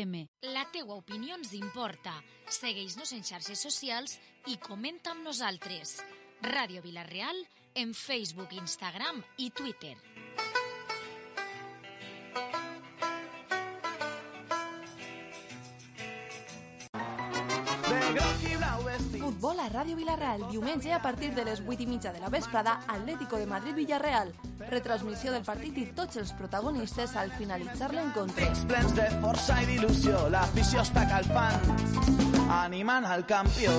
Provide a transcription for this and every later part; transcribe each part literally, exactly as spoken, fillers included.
La teua opinió ens importa. Segueix-nos en xarxes socials i comenta amb nosaltres. Ràdio Vila-real en Facebook, Instagram i Twitter. Futbol a Ràdio Vila-real, diumenge a partir de les vuit i mitja de la vesprada, Atlético de Madrid-Villarreal. Retransmissió del partit i tots els protagonistes al finalitzar l'encontre. Pics plens de força i d'il·lusió, l'afició està calfant, animant al campió.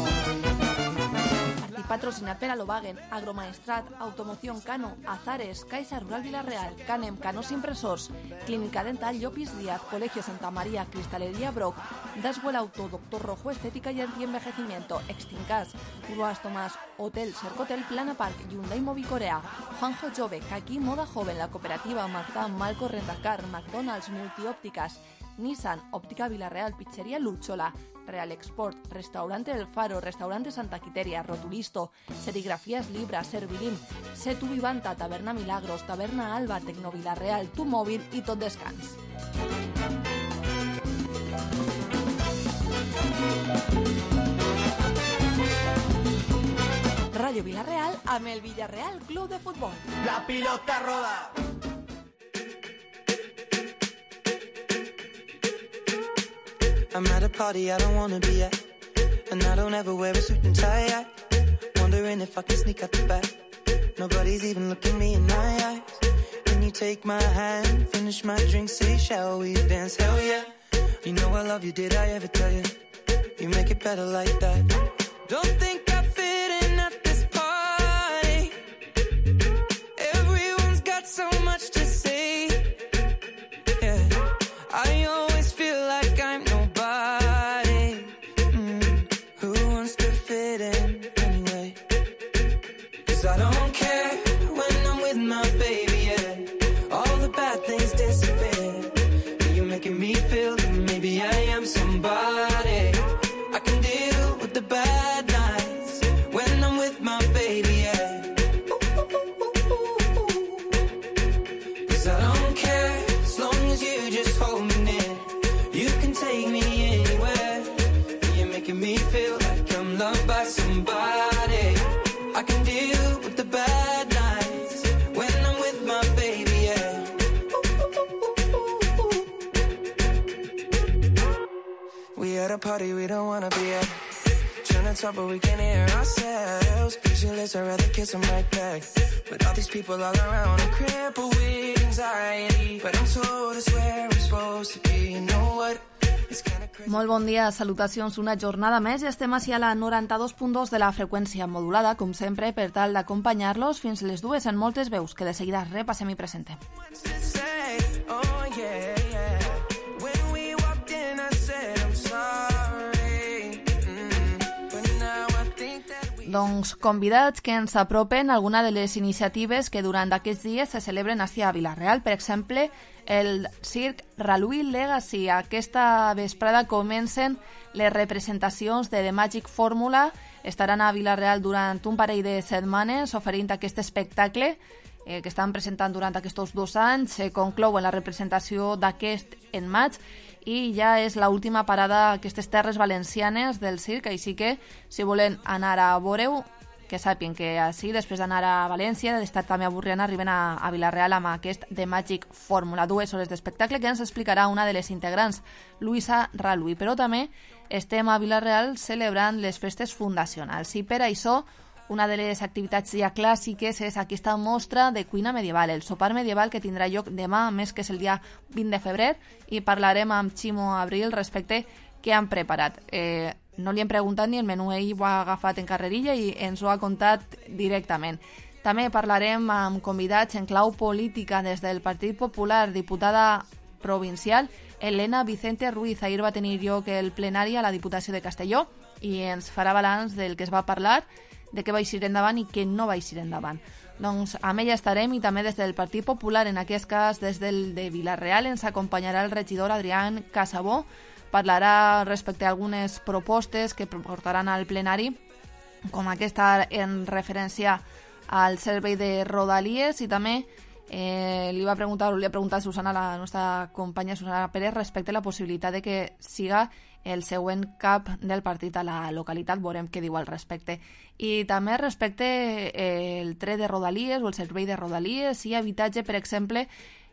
Partit patrocinat per Alobagen, Agromaestrat, Automoción Cano, Azares, Caixa Rural Vila-real, Canem, Canos Impresors, Clínica Dental Llopis Díaz, Colegio Santa María, Cristalería Broc, Daswell Auto, Doctor Rojo Estética y Antienvejecimiento, Extincas, Urbas Tomás, Hotel Cercotel, Plana Park, Hyundai Movi Corea, Juanjo Jove, Kaki Moda Joven, La Cooperativa, Mazda, Malco Rentacar, McDonald's, Multiópticas, Nissan, Óptica Vila-real, Pizzería Luchola, Real Export, Restaurante El Faro, Restaurante Santa Quiteria, Rotulisto, Serigrafías Libra, Servilim, Setu Vivanta, Taberna Milagros, Taberna Alba, Tecno Vila-real, Tu Móvil i Tot Descans. Ràdio Vila-real amb el Villarreal Club de Futbol. La pilota roda. I'm at a party I don't wanna be at, and I don't ever wear a suit and tie yet. Wondering if I can sneak out the back. Nobody's even looking me in my eyes. Can you take my hand, finish my drink, say shall we dance? Hell yeah. You know I love you, did I ever tell you? You make it better like that. Don't think I fit in at this party. Everyone's got so much to say. Yeah, I always feel like I'm nobody. Mm. Who wants to fit in anyway? 'Cause I don't care when I'm with my baby, yeah. All the bad things disappear. You're making me feel that maybe I am somebody. I can deal with the bad nights when I'm with my baby, yeah. 'Cause I don't care as long as you just hold me near. You can take me anywhere. You're making me feel like I'm loved by somebody. I can deal with the bad nights when I'm with my baby, yeah. We at a party we don't wanna be at. Trying to talk but we can't hear ourselves. Pictureless, I'd rather kiss them right back. But all these people all around, I'm crippled with anxiety. But I'm told it's where I'm supposed to be. You know what? Molt bon dia, salutacions, una jornada més i estem així a la noranta-dos punt dos de la freqüència modulada, com sempre, per tal d'acompanyar-los fins les dues en moltes veus, que de seguida repassem i presentem. Doncs convidats que ens apropen alguna de les iniciatives que durant aquests dies se celebren així a Vila-real. Per exemple, el Circ Ralui Legacy. Aquesta vesprada comencen les representacions de The Magic Formula. Estaran a Vila-real durant un parell de setmanes oferint aquest espectacle eh, que estan presentant durant aquests dos anys. Se conclou en la representació d'aquest en maig i ja és l'última parada a aquestes terres valencianes del circ, així que si volen anar a veure-ho, que sàpien que així, després d'anar a València, d'estar també a Burriana, arriben a, a Vila-real amb aquest The Magic Formula. Dues hores d'espectacle que ens explicarà una de les integrants, Luisa Ralui. Però també estem a Vila-real celebrant les festes fundacionals i per això una de les activitats ja clàssiques és aquesta mostra de cuina medieval, el sopar medieval que tindrà lloc demà, a més que és el dia vint de febrer, i parlarem amb Ximo Abril respecte què han preparat. Eh, no li hem preguntat ni el menú, ell ho ha agafat en carrerilla i ens ho ha contat directament. També parlarem amb convidats en clau política des del Partit Popular, diputada provincial Elena Vicente Ruiz. Ahir va tenir lloc el plenari a la Diputació de Castelló i ens farà balanç del que es va parlar, de què va eixir endavant i què no va eixir endavant. Doncs amb ella estarem i també des del Partit Popular, en aquest cas des del de Vila-real, ens acompanyarà el regidor Adrián Casabó, parlarà respecte a algunes propostes que portaran al plenari, com aquesta en referència al servei de Rodalies, i també Eh, li va preguntar, li ha preguntat a Susana, la nostra companya Susana Pérez, respecte a la possibilitat de que siga el següent cap del partit a la localitat. Veurem què diu al respecte. I també respecte eh, el tren de Rodalies o el servei de Rodalies i habitatge, per exemple,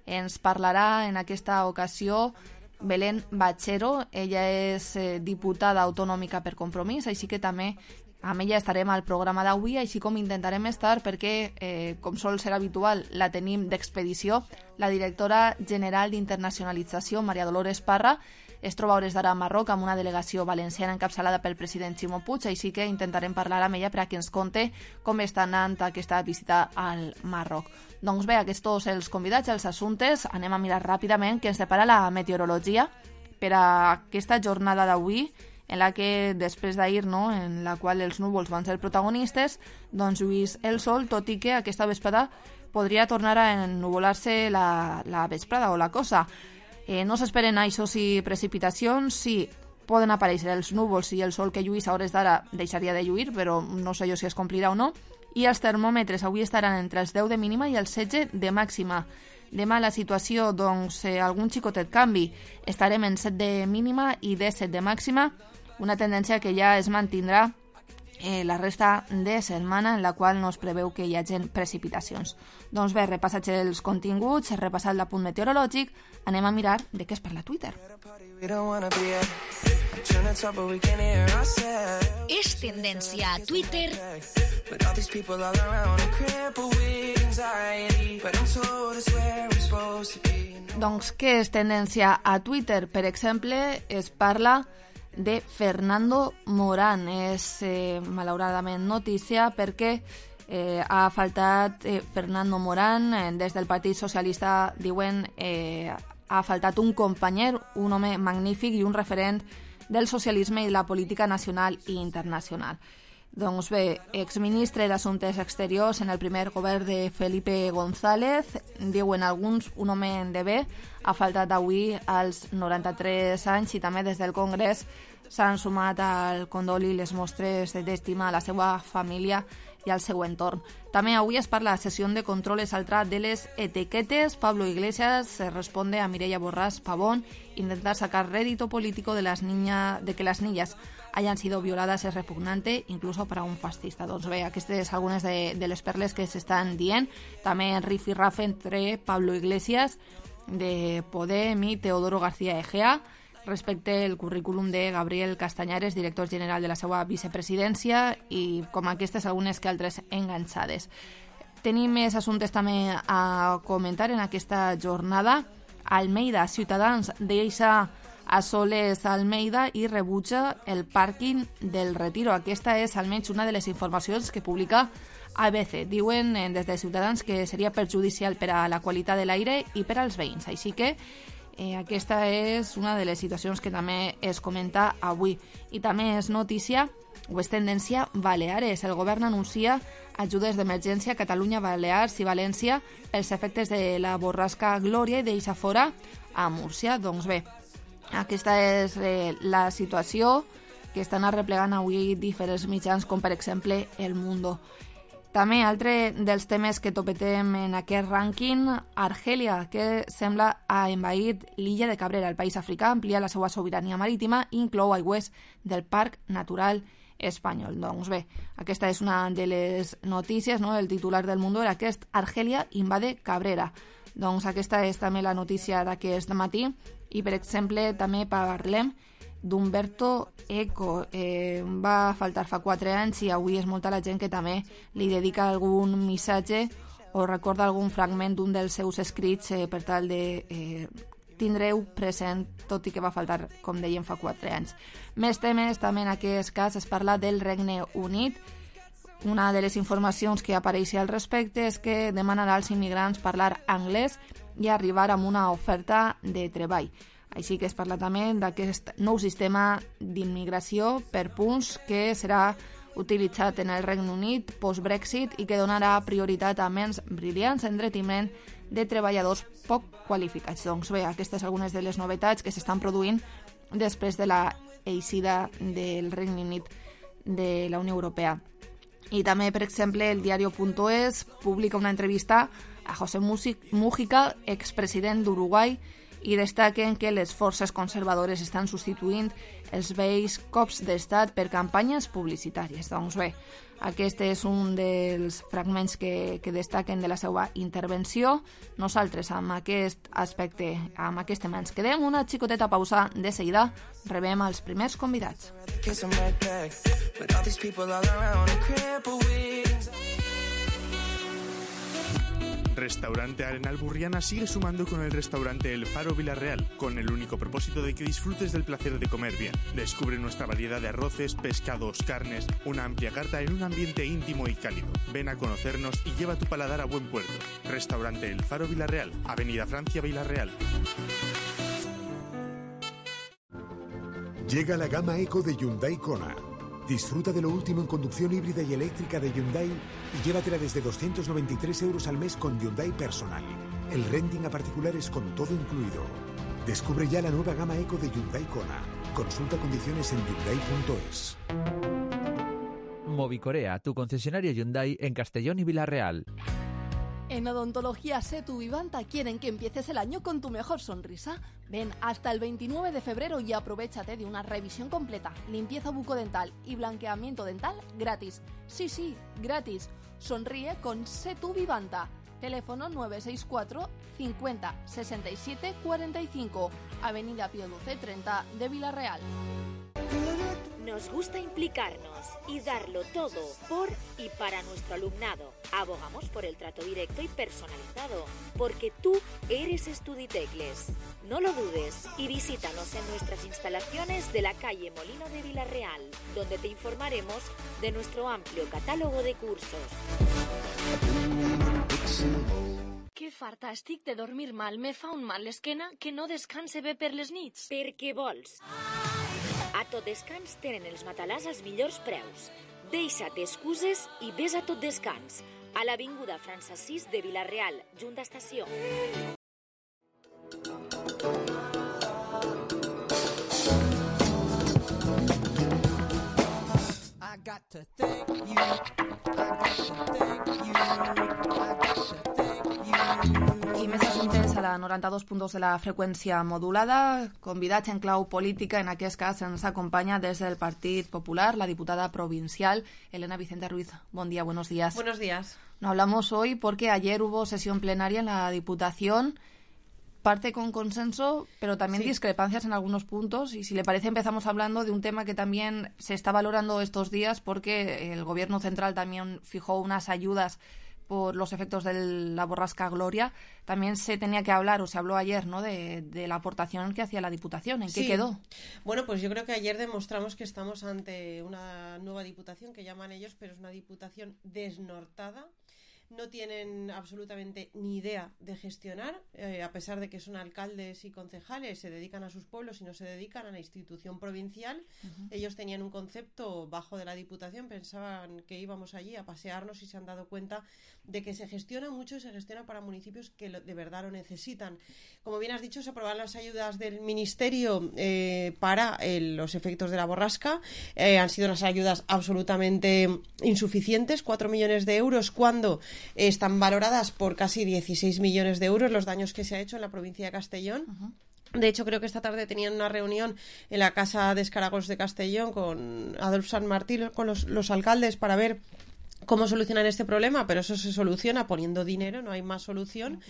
ens parlarà en aquesta ocasió Belén Bachero. Ella és eh, diputada autonòmica per Compromís, així que també amb ella estarem al programa d'avui, així com intentarem estar perquè, eh, com sol ser habitual, la tenim d'expedició. La directora general d'Internacionalització, Maria Dolores Parra, es troba a hores d'ara a Marroc amb una delegació valenciana encapçalada pel president Ximo Puig, així que intentarem parlar amb ella perquè ens conte com està anant aquesta visita al Marroc. Doncs bé, aquests tots els convidats, els assumptes, anem a mirar ràpidament què ens depara la meteorologia per a aquesta jornada d'avui, en la que després d'ahir, no, en la qual els núvols van ser protagonistes, doncs lluís el sol, tot i que aquesta vesprada podria tornar a ennuvolar-se la, la vesprada o la cosa. Eh, no s'esperen això sí precipitacions, sí poden aparèixer els núvols i el sol que lluís a hores d'ara deixaria de lluir, però no sé jo si es complirà o no, i els termòmetres avui estaran entre els deu de mínima i els setze de màxima. Demà la situació, doncs, eh, algun xicotet canvi. Estarem en set de mínima i disset de màxima, una tendència que ja es mantindrà eh, la resta de setmana, en la qual no es preveu que hi hagi precipitacions. Doncs bé, repassats els continguts, repassat l'apunt meteorològic, anem a mirar de què es parla a Twitter. És tendència a Twitter Doncs què és tendència a Twitter? Per exemple, es parla de Fernando Morán. És eh, malauradament notícia perquè eh, ha faltat eh, Fernando Morán. Eh, des del Partit Socialista diuen eh, ha faltat un companyer, un home magnífic i un referent del socialisme i la política nacional i internacional. Doncs bé, exministre d'Assumptes Exteriors en el primer govern de Felipe González, diuen alguns un home de bé, ha faltat avui als noranta-tres anys i també des del Congrés s'han sumat al condol i les mostres d'estima a la seva família i al seu entorn. També avui es parla a sessió de control exaltra de les etiquetes. Pablo Iglesias se responde a Mireia Borràs Pavón. Intentar sacar rédito político de, las niña, de que las niñas hayan sido violadas es repugnante, incluso para un fascista. Doncs bé, aquestes algunes de, de les perles que s'estan dient. També en rif i raf entre Pablo Iglesias de Podem i Teodoro García Egea respecte al currículum de Gabriel Castañares, director general de la seva vicepresidència, i com aquestes algunes que altres enganxades. Tenim més assumptes també a comentar en aquesta jornada. Almeida, Ciutadans deixa a Soles Almeida i rebutja el pàrquing del Retiro. Aquesta és almenys una de les informacions que publica A B C. Diuen des de Ciutadans que seria perjudicial per a la qualitat de l'aire i per als veïns. Així que Eh, aquesta és una de les situacions que també es comenta avui. I també és notícia, o és tendència, Baleares. El govern anuncia ajudes d'emergència a Catalunya, Balears i València pels efectes de la borrasca Glòria i deixa fora a Múrcia. Doncs bé, aquesta és eh, la situació que estan arreplegant avui diferents mitjans, com per exemple El Mundo. També altre dels temes que topetem en aquest rànquing, Argèlia, que sembla ha envaït l'illa de Cabrera. El país africà amplia la seva sobirania marítima i inclou aigües del Parc Natural Espanyol. Doncs bé, aquesta és una de les notícies, no? El titular del Mundo era aquest: Argèlia invade Cabrera. Doncs aquesta és també la notícia d'aquest matí. I, per exemple, també parlem d'Umberto Eco. Eh, va faltar fa quatre anys i avui és molta la gent que també li dedica algun missatge o recorda algun fragment d'un dels seus escrits eh, per tal de eh, tindreu present, tot i que va faltar, com dèiem, fa quatre anys. Més temes, també en aquest cas es parla del Regne Unit. Una de les informacions que apareix al respecte és que demanarà als immigrants parlar anglès i arribar amb una oferta de treball. Així que es parla també d'aquest nou sistema d'immigració per punts que serà utilitzat en el Regne Unit post-Brexit i que donarà prioritat a ments brillants en detriments de treballadors poc qualificats. Doncs bé, aquestes algunes de les novetats que s'estan produint després de la eixida del Regne Unit de la Unió Europea. I també, per exemple, el diario.es publica una entrevista a José Mújica, expresident d'Uruguai, i destaquen que les forces conservadores estan substituint els vells cops d'estat per campanyes publicitàries. Doncs bé, aquest és un dels fragments que, que destaquen de la seva intervenció. Nosaltres, amb aquest aspecte, amb aquest tema, ens quedem una xicoteta pausa. De seguida rebem els primers convidats. Restaurante Arenal Burriana sigue sumando con el restaurante El Faro Villarreal, con el único propósito de que disfrutes del placer de comer bien. Descubre nuestra variedad de arroces, pescados, carnes, una amplia carta en un ambiente íntimo y cálido. Ven a conocernos y lleva tu paladar a buen puerto. Restaurante El Faro Villarreal, Avenida Francia Villarreal. Llega la gama Eco de Hyundai Kona. Disfruta de lo último en conducción híbrida y eléctrica de Hyundai y llévatela desde doscientos noventa y tres euros al mes con Hyundai Personal. El renting a particulares con todo incluido. Descubre ya la nueva gama Eco de Hyundai Kona. Consulta condiciones en hyundai punto es. Movicorea, tu concesionario Hyundai en Castellón y Villarreal. En Odontología Setu Vivanta quieren que empieces el año con tu mejor sonrisa. Ven hasta el veintinueve de febrero y aprovéchate de una revisión completa, limpieza bucodental y blanqueamiento dental gratis. Sí, sí, gratis. Sonríe con Setu Vivanta. Teléfono nueve seis cuatro cincuenta sesenta y siete cuarenta y cinco, Avenida Pío doce treinta de Villarreal. Nos gusta implicarnos y darlo todo por y para nuestro alumnado. Abogamos por el trato directo y personalizado, porque tú eres Estuditecles. No lo dudes y visítanos en nuestras instalaciones de la calle Molino de Villarreal, donde te informaremos de nuestro amplio catálogo de cursos. Que farta estic de dormir mal. Me fa un mal l'esquena que no descanse bé per les nits. Per què vols? A Tot Descans tenen els matalàs als millors preus. Deixa't excuses i ves a Tot Descans, a l'avinguda França sis de Villarreal, junt d'estació. I got to thank you. I got to thank you. I got to thank you. I més assumptes a la noranta-dos punt dos de la freqüència modulada. Convidats en clau política, en aquest cas ens acompaña desde el Partit Popular la diputada provincial Elena Vicente Ruiz. Buen día, buenos días. Buenos días. No hablamos hoy porque ayer hubo sesión plenaria en la Diputación, parte con consenso, pero también sí. discrepancias en algunos puntos. Y si le parece, empezamos hablando de un tema que también se está valorando estos días, porque el Gobierno central también fijó unas ayudas por los efectos de la borrasca Gloria. También se tenía que hablar, o se habló ayer, ¿no?, de, de la aportación que hacía la Diputación. ¿En qué sí. quedó? Bueno, pues yo creo que ayer demostramos que estamos ante una nueva Diputación, que llaman ellos, pero es una Diputación desnortada. No tienen absolutamente ni idea de gestionar, eh, a pesar de que son alcaldes y concejales, se dedican a sus pueblos y no se dedican a la institución provincial. Uh-huh. Ellos tenían un concepto bajo de la Diputación, pensaban que íbamos allí a pasearnos y se han dado cuenta de que se gestiona mucho y se gestiona para municipios que lo, de verdad lo necesitan. Como bien has dicho, se aprobaron las ayudas del Ministerio eh, para eh, los efectos de la borrasca. Eh, han sido unas ayudas absolutamente insuficientes, cuatro millones de euros, cuando están valoradas por casi dieciséis millones de euros los daños que se ha hecho en la provincia de Castellón. Uh-huh. De hecho, creo que esta tarde tenían una reunión en la Casa de Escaragos de Castellón con Adolfo San Martín, con los, los alcaldes, para ver cómo solucionar este problema, pero eso se soluciona poniendo dinero, no hay más solución.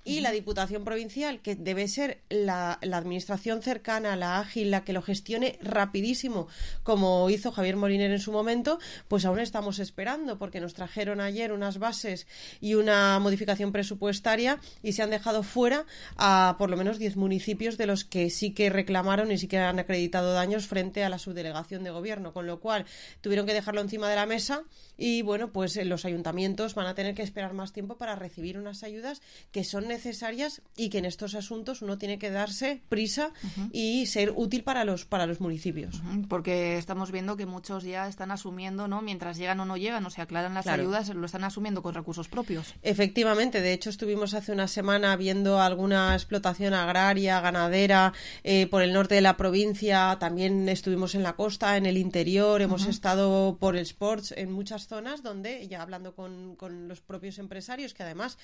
Y la Diputación Provincial, que debe ser la, la administración cercana, la ágil, la que lo gestione rapidísimo, como hizo Javier Moliner en su momento, pues aún estamos esperando, porque nos trajeron ayer unas bases y una modificación presupuestaria y se han dejado fuera a por lo menos diez municipios de los que sí que reclamaron y sí que han acreditado daños frente a la subdelegación de gobierno, con lo cual tuvieron que dejarlo encima de la mesa y bueno, pues los ayuntamientos van a tener que esperar más tiempo para recibir unas ayudas que son necesarias y que en estos asuntos uno tiene que darse prisa uh-huh. y ser útil para los para los municipios. Uh-huh. Porque estamos viendo que muchos ya están asumiendo, ¿no?, mientras llegan o no llegan, o se aclaran las claro. ayudas, lo están asumiendo con recursos propios. Efectivamente, de hecho estuvimos hace una semana viendo alguna explotación agraria, ganadera, eh, por el norte de la provincia, también estuvimos en la costa, en el interior, uh-huh. hemos estado por el Sports, en muchas zonas donde, ya hablando con, con los propios empresarios, que además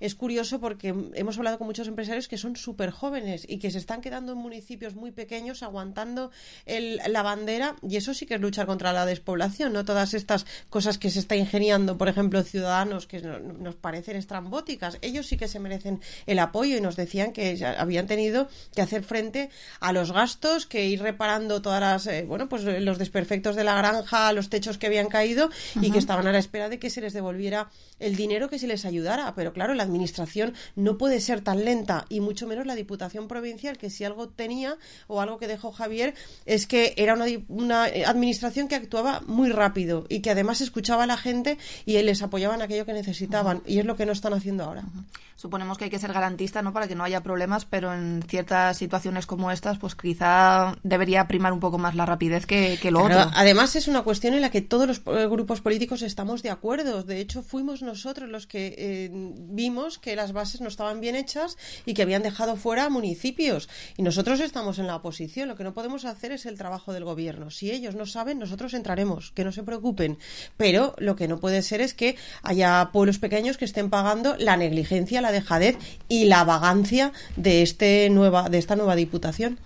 es curioso porque hemos hablado con muchos empresarios que son súper jóvenes y que se están quedando en municipios muy pequeños aguantando el, la bandera, y eso sí que es luchar contra la despoblación, no todas estas cosas que se está ingeniando, por ejemplo, Ciudadanos, que no, nos parecen estrambóticas. Ellos sí que se merecen el apoyo y nos decían que ya habían tenido que hacer frente a los gastos, que ir reparando todas las, eh, bueno, pues los desperfectos de la granja, los techos que habían caído, uh-huh. y que estaban a la espera de que se les devolviera el dinero que se les ayudara. Pero claro, la administración no puede ser tan lenta, y mucho menos la Diputación Provincial, que si algo tenía o algo que dejó Javier es que era una, una administración que actuaba muy rápido y que además escuchaba a la gente y les apoyaba en aquello que necesitaban, uh-huh. y es lo que no están haciendo ahora. Uh-huh. Suponemos que hay que ser garantista, ¿no?, para que no haya problemas, pero en ciertas situaciones como estas, pues quizá debería primar un poco más la rapidez que, que lo claro, otro. Además es una cuestión en la que todos los eh, grupos políticos estamos de acuerdo. De hecho, fuimos nosotros los que eh, vimos que las bases no estaban bien hechas y que habían dejado fuera municipios. Y nosotros estamos en la oposición. Lo que no podemos hacer es el trabajo del gobierno. Si ellos no saben, nosotros entraremos. Que no se preocupen. Pero lo que no puede ser es que haya pueblos pequeños que estén pagando la negligencia, la dejadez y la vagancia de este nueva de esta nueva diputación.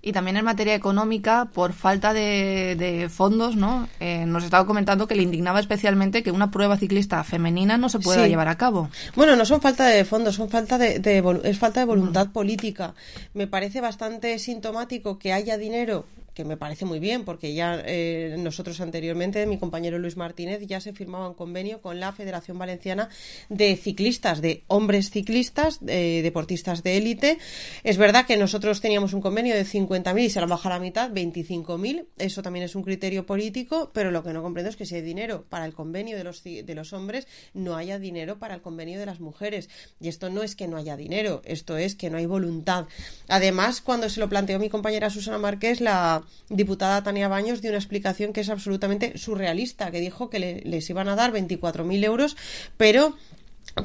Y también en materia económica, por falta de, de fondos, ¿no? Eh, nos estaba comentando que le indignaba especialmente que una prueba ciclista femenina no se pueda sí. llevar a cabo. Bueno, no son falta de fondos, son falta de, de es falta de voluntad uh-huh. política. Me parece bastante sintomático que haya dinero, que me parece muy bien, porque ya eh, nosotros anteriormente, mi compañero Luis Martínez, ya se firmaba un convenio con la Federación Valenciana de Ciclistas, de hombres ciclistas, de deportistas de élite. Es verdad que nosotros teníamos un convenio de cincuenta mil y se lo han bajado a la mitad, veinticinco mil. Eso también es un criterio político, pero lo que no comprendo es que si hay dinero para el convenio de los, de los hombres, no haya dinero para el convenio de las mujeres. Y esto no es que no haya dinero, esto es que no hay voluntad. Además, cuando se lo planteó mi compañera Susana Márquez, la diputada Tania Baños dio una explicación que es absolutamente surrealista, que dijo que le, les iban a dar veinticuatro mil euros, pero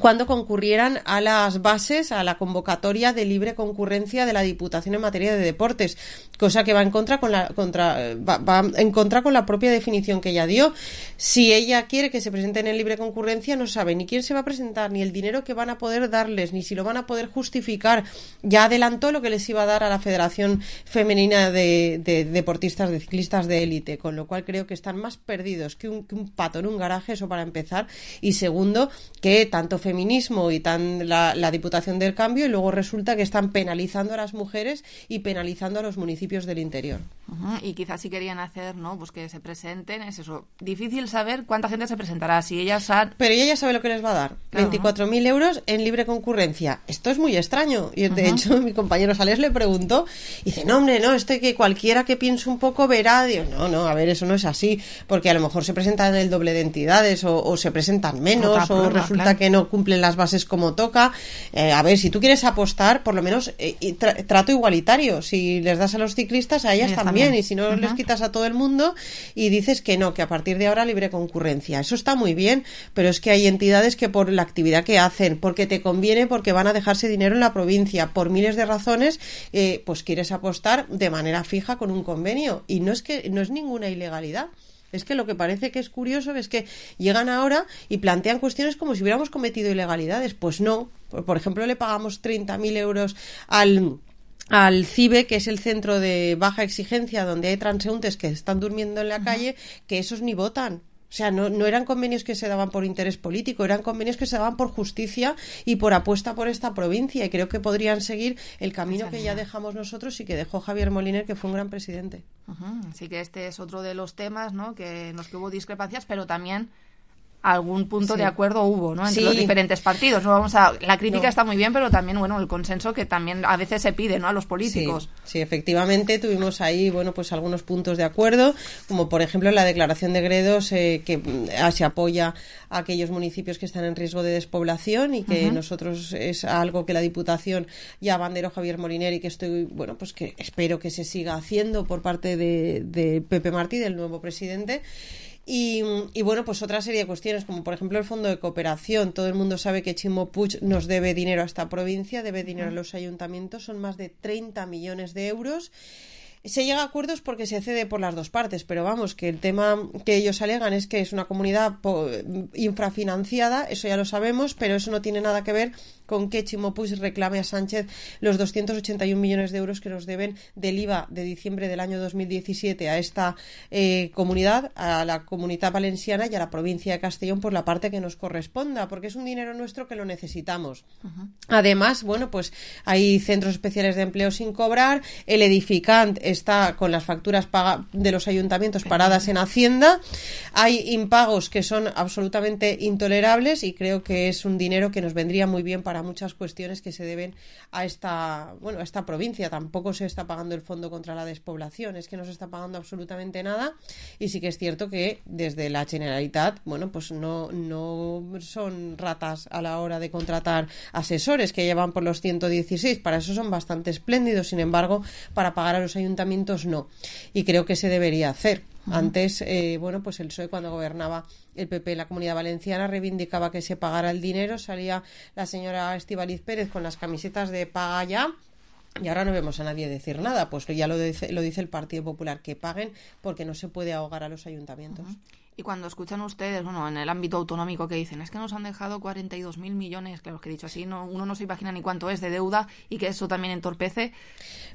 cuando concurrieran a las bases, a la convocatoria de libre concurrencia de la Diputación en materia de deportes, cosa que va en contra con la contra va, va en contra con la propia definición que ella dio. Si ella quiere que se presenten en libre concurrencia, no sabe ni quién se va a presentar, ni el dinero que van a poder darles, ni si lo van a poder justificar. Ya adelantó lo que les iba a dar a la Federación Femenina de, de Deportistas, de Ciclistas de Élite, con lo cual creo que están más perdidos que un, que un pato en un garaje, eso para empezar, y segundo, que tanto feminismo y tan la, la Diputación del Cambio, y luego resulta que están penalizando a las mujeres y penalizando a los municipios del interior. Uh-huh. Y quizás si querían hacer, ¿no?, pues que se presenten, es eso, difícil saber cuánta gente se presentará, si ellas han... Pero ella ya sabe lo que les va a dar, claro, veinticuatro mil euros en libre concurrencia. Esto es muy extraño, y de uh-huh. hecho mi compañero Sales le preguntó, y dice, no hombre, no, esto que cualquiera que piense un poco verá. Digo, no, no, a ver, eso no es así, porque a lo mejor se presentan el doble de entidades, o, o se presentan menos, Otra o prueba, resulta claro. que no cumplen las bases como toca. Eh, a ver, si tú quieres apostar, por lo menos eh, tra- trato igualitario. Si les das a los ciclistas, a ellas, ellas también. también. Y si no, uh-huh. les quitas a todo el mundo y dices que no, que a partir de ahora libre concurrencia. Eso está muy bien, pero es que hay entidades que por la actividad que hacen, porque te conviene, porque van a dejarse dinero en la provincia, por miles de razones, eh, pues quieres apostar de manera fija con un convenio. Y no es que no es ninguna ilegalidad. Es que lo que parece que es curioso es que llegan ahora y plantean cuestiones como si hubiéramos cometido ilegalidades. Pues no. Por ejemplo, le pagamos treinta mil euros al... al CIBE, que es el centro de baja exigencia, donde hay transeúntes que están durmiendo en la uh-huh. calle, que esos ni votan. O sea, no, no eran convenios que se daban por interés político, eran convenios que se daban por justicia y por apuesta por esta provincia, y creo que podrían seguir el camino que ya dejamos nosotros y que dejó Javier Moliner, que fue un gran presidente. Uh-huh. Así que este es otro de los temas, ¿no?, que nos que hubo discrepancias, pero también algún punto sí. de acuerdo hubo, ¿no?, entre sí. los diferentes partidos. No vamos a la crítica no. está muy bien, pero también, bueno, el consenso que también a veces se pide, ¿no?, a los políticos. Sí, sí, efectivamente tuvimos ahí, bueno, pues algunos puntos de acuerdo, como por ejemplo la declaración de Gredos, eh, que eh, se apoya a aquellos municipios que están en riesgo de despoblación, y que uh-huh. nosotros es algo que la Diputación ya abanderó Javier Moliner, y que estoy, bueno, pues que espero que se siga haciendo por parte de, de Pepe Martí, del nuevo presidente. Y, y bueno, pues otra serie de cuestiones, como por ejemplo el Fondo de Cooperación. Todo el mundo sabe que Ximo Puig nos debe dinero a esta provincia, debe dinero a los ayuntamientos, son más de treinta millones de euros. se llega a acuerdos porque se cede por las dos partes, pero vamos, que el tema que ellos alegan es que es una comunidad infrafinanciada, eso ya lo sabemos, pero eso no tiene nada que ver con que Ximo Puig reclame a Sánchez los doscientos ochenta y un millones de euros que nos deben del I V A de diciembre del año dos mil diecisiete a esta eh, comunidad, a la Comunitat Valenciana y a la provincia de Castellón por la parte que nos corresponda, porque es un dinero nuestro que lo necesitamos. Uh-huh. Además, bueno, pues hay centros especiales de empleo sin cobrar, el edificant está con las facturas paga- de los ayuntamientos paradas en Hacienda, hay impagos que son absolutamente intolerables y creo que es un dinero que nos vendría muy bien para muchas cuestiones que se deben a esta, bueno, a esta provincia. Tampoco se está pagando el Fondo contra la Despoblación, es que no se está pagando absolutamente nada, y sí que es cierto que desde la Generalitat, bueno, pues no, no son ratas a la hora de contratar asesores que llevan por los ciento dieciséis, para eso son bastante espléndidos, sin embargo, para pagar a los ayuntamientos no, y creo que se debería hacer. Antes, eh, bueno, pues el P S O E cuando gobernaba el P P en la Comunidad Valenciana reivindicaba que se pagara el dinero, salía la señora Estíbaliz Pérez con las camisetas de paga ya, y ahora no vemos a nadie decir nada, pues ya lo dice, lo dice el Partido Popular, que paguen porque no se puede ahogar a los ayuntamientos. Uh-huh. Y cuando escuchan ustedes, bueno, en el ámbito autonómico que dicen, es que nos han dejado cuarenta y dos mil millones, claro, que dicho así, no, uno no se imagina ni cuánto es de deuda y que eso también entorpece.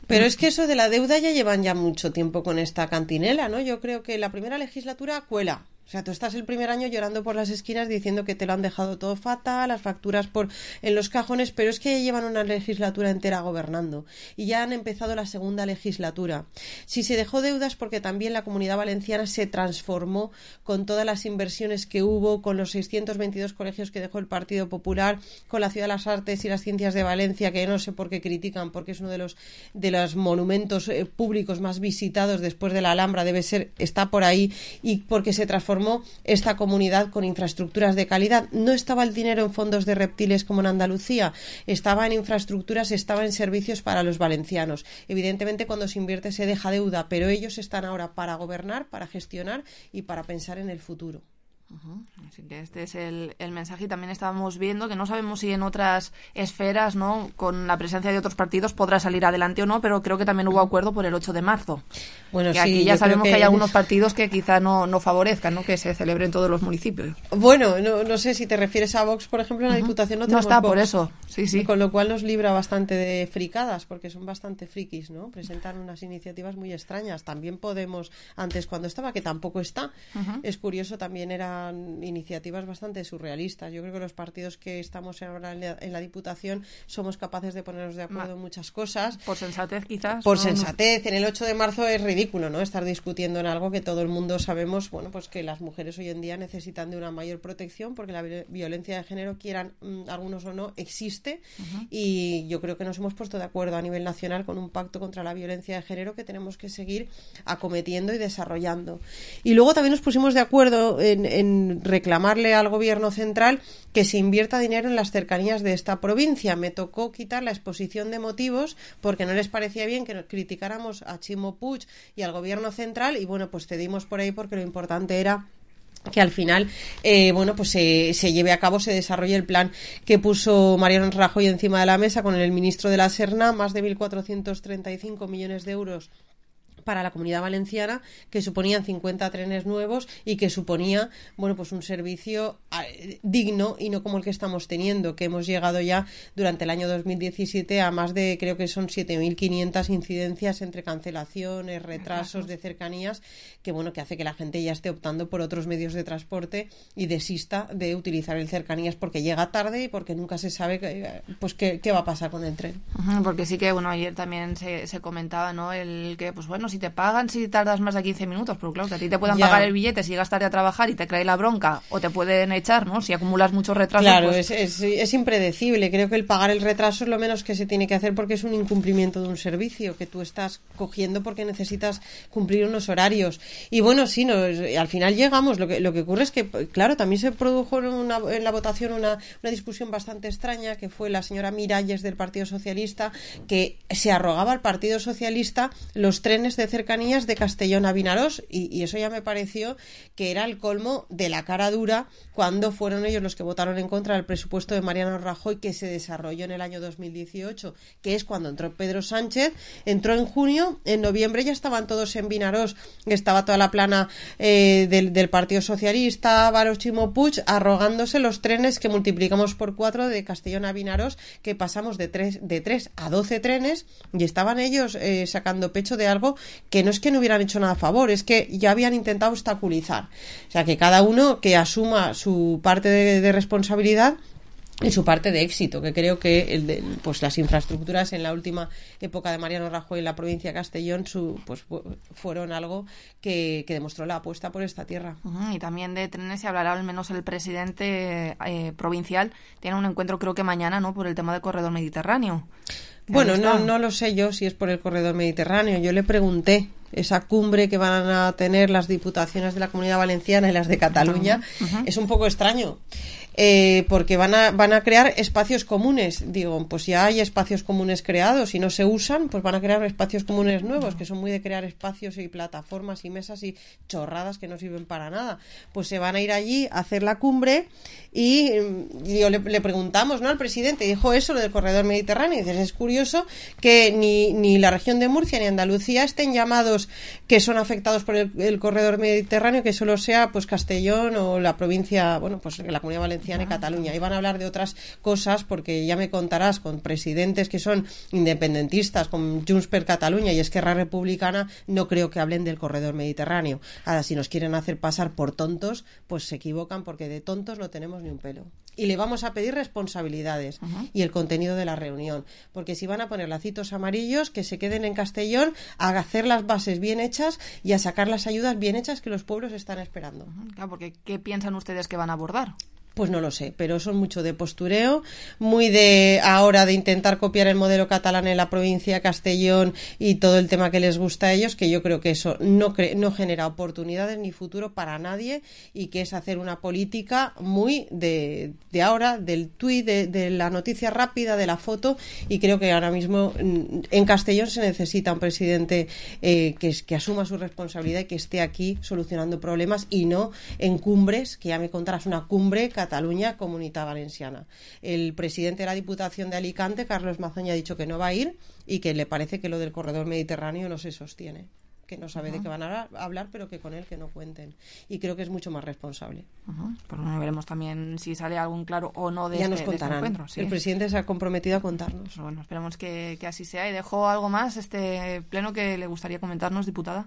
Pero es que eso de la deuda ya llevan ya mucho tiempo con esta cantinela, ¿no? Yo creo que la primera legislatura cuela. O sea, tú estás el primer año llorando por las esquinas diciendo que te lo han dejado todo fatal, las facturas por en los cajones, pero es que ya llevan una legislatura entera gobernando y ya han empezado la segunda legislatura. Si se dejó deudas porque también la Comunidad Valenciana se transformó con todas las inversiones que hubo, con los seiscientos veintidós colegios que dejó el Partido Popular, con la Ciudad de las Artes y las Ciencias de Valencia, que no sé por qué critican, porque es uno de los de los monumentos eh, públicos más visitados después de la Alhambra, debe ser, está por ahí, y porque se transformó esta comunidad con infraestructuras de calidad. No estaba el dinero en fondos de reptiles como en Andalucía, estaba en infraestructuras, estaba en servicios para los valencianos. Evidentemente, cuando se invierte se deja deuda, pero ellos están ahora para gobernar, para gestionar y para pensar en el futuro. Uh-huh. Así que este es el, el mensaje, y también estábamos viendo que no sabemos si en otras esferas, ¿no?, con la presencia de otros partidos podrá salir adelante o no, pero creo que también hubo acuerdo por el ocho de marzo. Bueno, que sí, aquí ya sabemos que... que hay algunos en... partidos que quizá no, no favorezcan, ¿no?, que se celebre en todos los municipios. Bueno, no, no sé si te refieres a Vox, por ejemplo, en la uh-huh. Diputación no tenemos No está, Vox, por eso, sí, sí. Con lo cual nos libra bastante de fricadas, porque son bastante frikis, ¿no? Presentan unas iniciativas muy extrañas. También Podemos, antes cuando estaba, que tampoco está, uh-huh. es curioso, también eran iniciativas bastante surrealistas. Yo creo que los partidos que estamos ahora en la, en la Diputación somos capaces de ponernos de acuerdo Ma, en muchas cosas. Por sensatez, quizás. Por no, sensatez. En el ocho de marzo es ridículo, ¿no?, estar discutiendo en algo que todo el mundo sabemos, bueno, pues que las mujeres hoy en día necesitan de una mayor protección, porque la violencia de género, quieran mmm, algunos o no, existe. Uh-huh. Y yo creo que nos hemos puesto de acuerdo a nivel nacional con un pacto contra la violencia de género que tenemos que seguir acometiendo y desarrollando. Y luego también nos pusimos de acuerdo en, en reclamar al Gobierno central que se invierta dinero en las cercanías de esta provincia. Me tocó quitar la exposición de motivos porque no les parecía bien que criticáramos a Ximo Puig y al Gobierno central, y bueno, pues cedimos por ahí porque lo importante era que al final, eh, bueno, pues se, se lleve a cabo, se desarrolle el plan que puso Mariano Rajoy encima de la mesa con el ministro de la Serna, más de mil cuatrocientos treinta y cinco millones de euros para la Comunidad Valenciana, que suponían cincuenta trenes nuevos y que suponía, bueno, pues un servicio eh, digno y no como el que estamos teniendo, que hemos llegado ya durante el año dos mil diecisiete a más de, creo que son siete mil quinientas incidencias entre cancelaciones, retrasos de cercanías, que bueno, que hace que la gente ya esté optando por otros medios de transporte y desista de utilizar el cercanías porque llega tarde y porque nunca se sabe que, pues qué, qué va a pasar con el tren. Uh-huh, porque sí que, bueno, ayer también se, se comentaba, ¿no?, el que, pues bueno, si te pagan si tardas más de quince minutos, pero claro, que a ti te puedan ya. pagar el billete si llegas tarde a trabajar y te cae la bronca, o te pueden echar, ¿no?, si acumulas muchos retrasos. Claro, pues... es, es, es impredecible. Creo que el pagar el retraso es lo menos que se tiene que hacer, porque es un incumplimiento de un servicio que tú estás cogiendo porque necesitas cumplir unos horarios. Y bueno, sí, no, al final llegamos. Lo que, lo que ocurre es que, claro, también se produjo en, una, en la votación una, una discusión bastante extraña, que fue la señora Miralles del Partido Socialista, que se arrogaba al Partido Socialista los trenes de cercanías de Castellón a Vinarós, y, y eso ya me pareció que era el colmo de la cara dura cuando fueron ellos los que votaron en contra del presupuesto de Mariano Rajoy, que se desarrolló en el año dos mil dieciocho, que es cuando entró Pedro Sánchez. Entró en junio, en noviembre ya estaban todos en Vinarós, estaba toda la plana eh, del, del Partido Socialista, Álvaro Chimo Puig, arrogándose los trenes que multiplicamos por cuatro de Castellón a Vinarós, que pasamos de tres, de tres a doce trenes, y estaban ellos eh, sacando pecho de algo que no es que no hubieran hecho nada a favor, es que ya habían intentado obstaculizar. O sea, que cada uno que asuma su parte de, de responsabilidad y su parte de éxito, que creo que el de, pues las infraestructuras en la última época de Mariano Rajoy en la provincia de Castellón su, pues fueron algo que, que demostró la apuesta por esta tierra. Uh-huh. Y también de trenes se hablará, al menos el presidente eh, provincial tiene un encuentro, creo que mañana, ¿no?, por el tema del corredor mediterráneo. Bueno, no, no lo sé yo si es por el corredor mediterráneo. Yo le pregunté esa cumbre que van a tener las diputaciones de la Comunidad Valenciana y las de Cataluña. Uh-huh. Es un poco extraño. Eh, porque van a, van a crear espacios comunes. Digo, pues ya hay espacios comunes creados y no se usan, pues van a crear espacios comunes nuevos, que son muy de crear espacios y plataformas y mesas y chorradas que no sirven para nada. Pues se van a ir allí a hacer la cumbre y, y yo le, le preguntamos, ¿no?, al presidente, dijo eso, lo del corredor mediterráneo, y dices, es curioso que ni, ni la región de Murcia ni Andalucía estén llamados, que son afectados por el, el corredor mediterráneo, que solo sea pues Castellón o la provincia, bueno, pues la Comunidad Valenciana y Cataluña. Y van a hablar de otras cosas, porque ya me contarás, con presidentes que son independentistas, con Junts per Catalunya y Esquerra Republicana, no creo que hablen del corredor mediterráneo. Ahora, si nos quieren hacer pasar por tontos, pues se equivocan, porque de tontos no tenemos ni un pelo. Y le vamos a pedir responsabilidades uh-huh. y el contenido de la reunión, porque si van a poner lacitos amarillos, que se queden en Castellón a hacer las bases bien hechas y a sacar las ayudas bien hechas que los pueblos están esperando. Uh-huh. Claro, porque ¿qué piensan ustedes que van a abordar? Pues no lo sé, pero son mucho de postureo, muy de ahora de intentar copiar el modelo catalán en la provincia de Castellón y todo el tema que les gusta a ellos, que yo creo que eso no, cre- no genera oportunidades ni futuro para nadie, y que es hacer una política muy de, de ahora, del tuit, de, de la noticia rápida, de la foto, y creo que ahora mismo en Castellón se necesita un presidente eh, que, que asuma su responsabilidad y que esté aquí solucionando problemas, y no en cumbres, que ya me contarás una cumbre Cataluña, Comunidad Valenciana. El presidente de la Diputación de Alicante, Carlos Mazoña, ha dicho que no va a ir y que le parece que lo del corredor mediterráneo no se sostiene, que no sabe uh-huh. de qué van a hablar, pero que con él que no cuenten. Y creo que es mucho más responsable. Uh-huh. Pues bueno, veremos también si sale algún claro o no de ya este, nos contarán. De este encuentro. Sí. El presidente se ha comprometido a contarnos. Pues bueno, esperemos que, que así sea. ¿Y dejó algo más este pleno que le gustaría comentarnos, diputada?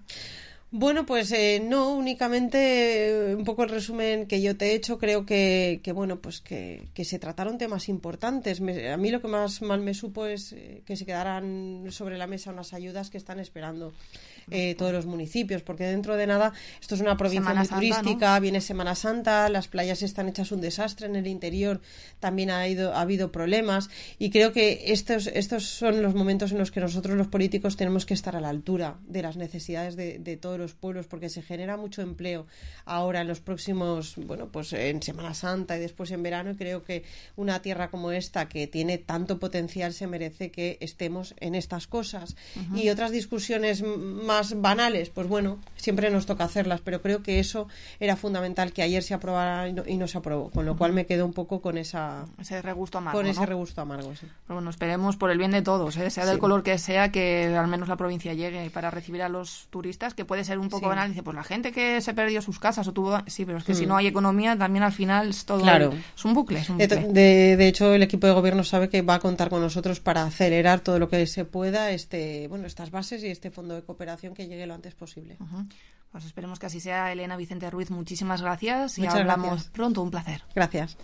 Bueno, pues eh, no, únicamente eh, un poco el resumen que yo te he hecho. Creo que, que bueno, pues que, que se trataron temas importantes. Me, a mí lo que más mal me supo es eh, que se quedaran sobre la mesa unas ayudas que están esperando eh, todos los municipios, porque dentro de nada esto es una provincia Semana muy Santa, turística, ¿no? Viene Semana Santa, las playas están hechas un desastre, en el interior también ha, ido, ha habido problemas, y creo que estos, estos son los momentos en los que nosotros los políticos tenemos que estar a la altura de las necesidades de, de todos los pueblos, porque se genera mucho empleo ahora en los próximos, bueno, pues en Semana Santa y después en verano, y creo que una tierra como esta, que tiene tanto potencial, se merece que estemos en estas cosas. Uh-huh. Y otras discusiones más banales, pues bueno, siempre nos toca hacerlas, pero creo que eso era fundamental, que ayer se aprobara y no, y no se aprobó, con lo uh-huh. cual me quedo un poco con esa ese regusto amargo, con ese ¿no? regusto amargo, sí. Pero bueno, esperemos por el bien de todos, ¿eh? sea del sí. color que sea, que al menos la provincia llegue para recibir a los turistas, que puede ser un poco sí. banal. Dice, pues la gente que se perdió sus casas o tuvo, sí, pero es que mm. si no hay economía, también al final es todo claro. el... es un bucle, es un bucle. De, de, de hecho, el equipo de gobierno sabe que va a contar con nosotros para acelerar todo lo que se pueda, este, bueno, estas bases y este fondo de cooperación, que llegue lo antes posible. Uh-huh. Pues esperemos que así sea. Elena Vicente Ruiz, muchísimas gracias y Muchas hablamos gracias. pronto. Un placer. Gracias.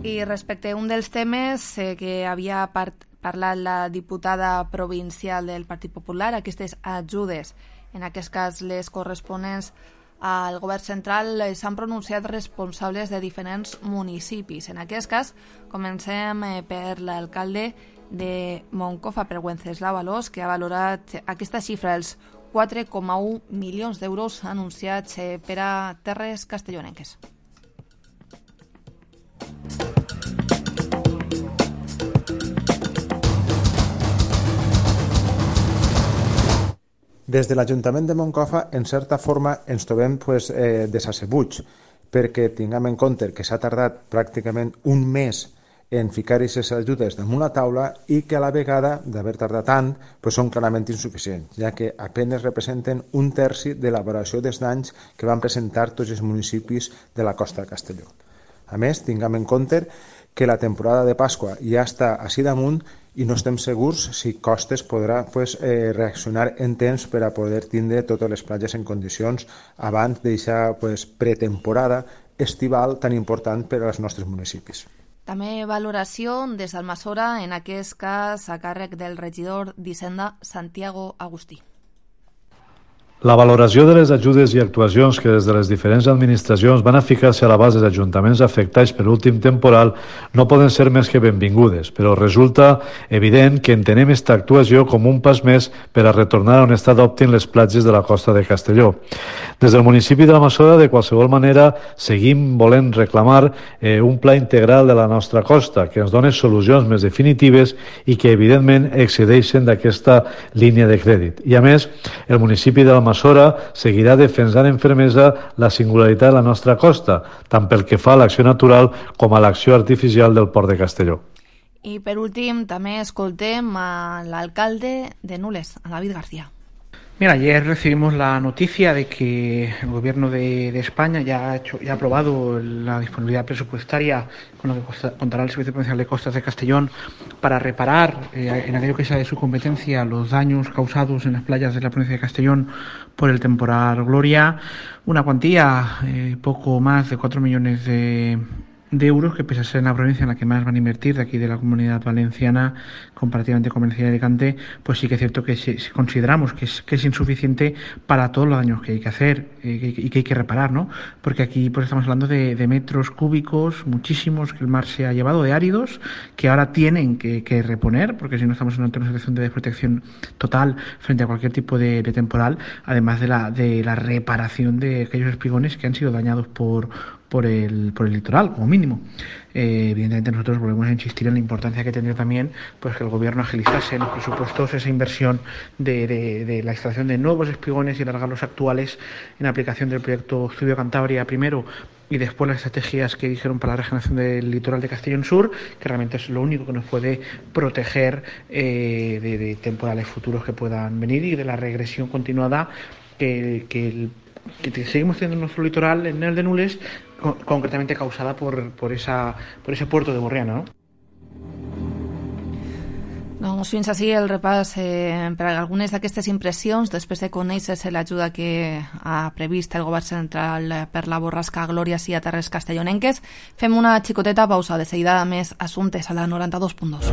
I respecte a un dels temes eh, que havia part parlat la diputada provincial del Partit Popular, aquestes ajudes, en aquest cas les corresponents al govern central, eh, s'han pronunciat responsables de diferents municipis. En aquest cas, comencem eh, per l'alcalde de Moncofa, per Wenceslau Alòs, que ha valorat aquesta xifra, els quatre coma u milions d'euros anunciats eh, per a terres castellonenques. Des de l'Ajuntament de Moncofa, en certa forma, ens trobem pues, eh, desassebuts, perquè tinguem en compte que s'ha tardat pràcticament un mes en ficar aquestes ajudes damunt la taula i que a la vegada, d'haver tardat tant, pues, són clarament insuficients, ja que apenes representen un terci de l'elaboració dels danys que van presentar tots els municipis de la costa de Castelló. A més, tinguem en compte que la temporada de Pasqua ja està així damunt i no estem segurs si Costes podrà pues, eh, reaccionar en temps per a poder tindre totes les platges en condicions abans d'eixa pues, pretemporada estival tan important per als nostres municipis. També valoració des d'Almassora, en aquest cas a càrrec del regidor d'Hisenda, Santiago Agustí. La valoració de les ajudes i actuacions que des de les diferents administracions van a ficar-se a l'abast dels ajuntaments afectats per l'últim temporal no poden ser més que benvingudes, però resulta evident que entenem aquesta actuació com un pas més per a retornar a un estat òptim les platges de la costa de Castelló. Des del municipi de l'Almassora, de qualsevol manera, seguim volent reclamar eh, un pla integral de la nostra costa que ens doni solucions més definitives i que, evidentment, excedeixen d'aquesta línia de crèdit. I, a més, el municipi de l'Almassora seguirà defensant en fermesa la singularitat de la nostra costa, tant pel que fa a l'acció natural com a l'acció artificial del Port de Castelló. I per últim també escoltem a l'alcalde de Nules, a David García. Mira, ayer recibimos la noticia de que el gobierno de, de España ya ha, hecho, ya ha aprobado la disponibilidad presupuestaria con lo que costa, contará el Servicio Provincial de Costas de Castellón para reparar eh, en aquello que sea de su competencia los daños causados en las playas de la provincia de Castellón por el temporal Gloria, una cuantía eh, poco más de cuatro millones de de euros, que pese a ser en la provincia en la que más van a invertir de aquí de la Comunidad Valenciana comparativamente con Valencia y Alicante, pues sí que es cierto que si, si consideramos que es, que es insuficiente para todos los daños que hay que hacer eh, que, y que hay que reparar, ¿no? Porque aquí pues estamos hablando de, de metros cúbicos, muchísimos, que el mar se ha llevado, de áridos, que ahora tienen que, que reponer, porque si no estamos en una situación de desprotección total frente a cualquier tipo de, de temporal, además de la, de la reparación de aquellos espigones que han sido dañados por por el, por el litoral, como mínimo. Eh, evidentemente nosotros volvemos a insistir en la importancia que tendría también pues que el gobierno agilizase en los presupuestos esa inversión de, de, de la instalación de nuevos espigones y alargar los actuales en aplicación del proyecto Estudio Cantabria primero y después las estrategias que dijeron para la regeneración del litoral de Castellón Sur, que realmente es lo único que nos puede proteger eh, de, de temporales futuros que puedan venir y de la regresión continuada que, que el que seguimos teniendo en nuestro litoral, en el de Nules, con, concretamente causada por, por, esa, por ese puerto de Borriana, ¿no? Doncs fins així el repàs eh, per a algunes d'aquestes impressions després de conèixer-se l'ajuda que ha previst el govern central per la borrasca Glòria a Terres Castellonenques. Fem una xicoteta pausa, de seguida més assumptes a la noranta dos punt dos.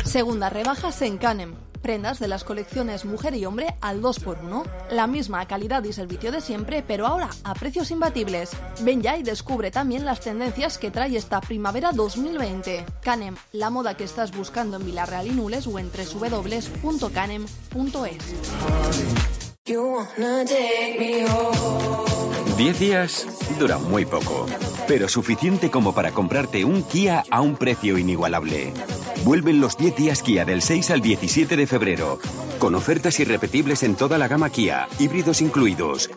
Segunda rebajas en Canem. Prendas de las colecciones mujer y hombre al dos por uno. La misma calidad y servicio de siempre, pero ahora a precios imbatibles. Ven ya y descubre también las tendencias que trae esta primavera dos mil veinte. Canem, la moda que estás buscando en Vilarreal y Nules o en doble u doble u doble u punto canem punto es. Diez días dura muy poco, pero suficiente como para comprarte un Kia a un precio inigualable. Vuelven los diez días Kia del seis al diecisiete de febrero, con ofertas irrepetibles en toda la gama Kia, híbridos incluidos.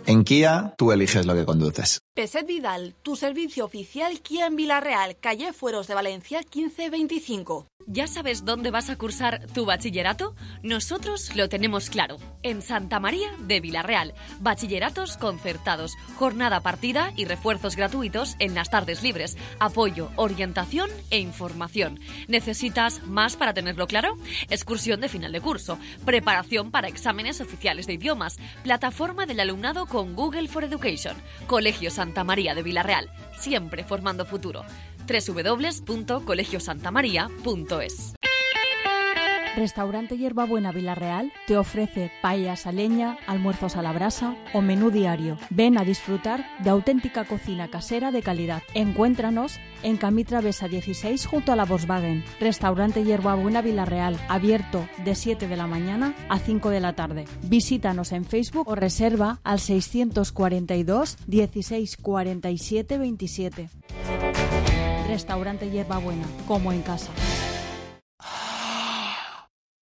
En Kia, tú eliges lo que conduces. Peset Vidal, tu servicio oficial Kia en Vilarreal, calle Fueros de Valencia quince veinticinco. ¿Ya sabes dónde vas a cursar tu bachillerato? Nosotros lo tenemos claro. En Santa María de Vilarreal. Bachilleratos concertados, jornada partida y refuerzos gratuitos en las tardes libres. Apoyo, orientación e información. ¿Necesitas más para tenerlo claro? Excursión de final de curso. Preparación para exámenes oficiales de idiomas. Plataforma del alumnado con Google for Education. Colegio Santa María de Vilarreal. Siempre formando futuro. doble u doble u doble u punto colegio santa maría punto es. Restaurante Hierbabuena Vilarreal te ofrece paellas a leña, almuerzos a la brasa o menú diario. Ven a disfrutar de auténtica cocina casera de calidad. Encuéntranos en Camí Travesa dieciséis junto a la Volkswagen. Restaurante Hierbabuena Vilarreal, abierto de siete de la mañana a cinco de la tarde. Visítanos en Facebook o reserva al seiscientos cuarenta y dos dieciséis cuarenta y siete veintisiete. Restaurante Hierbabuena, como en casa.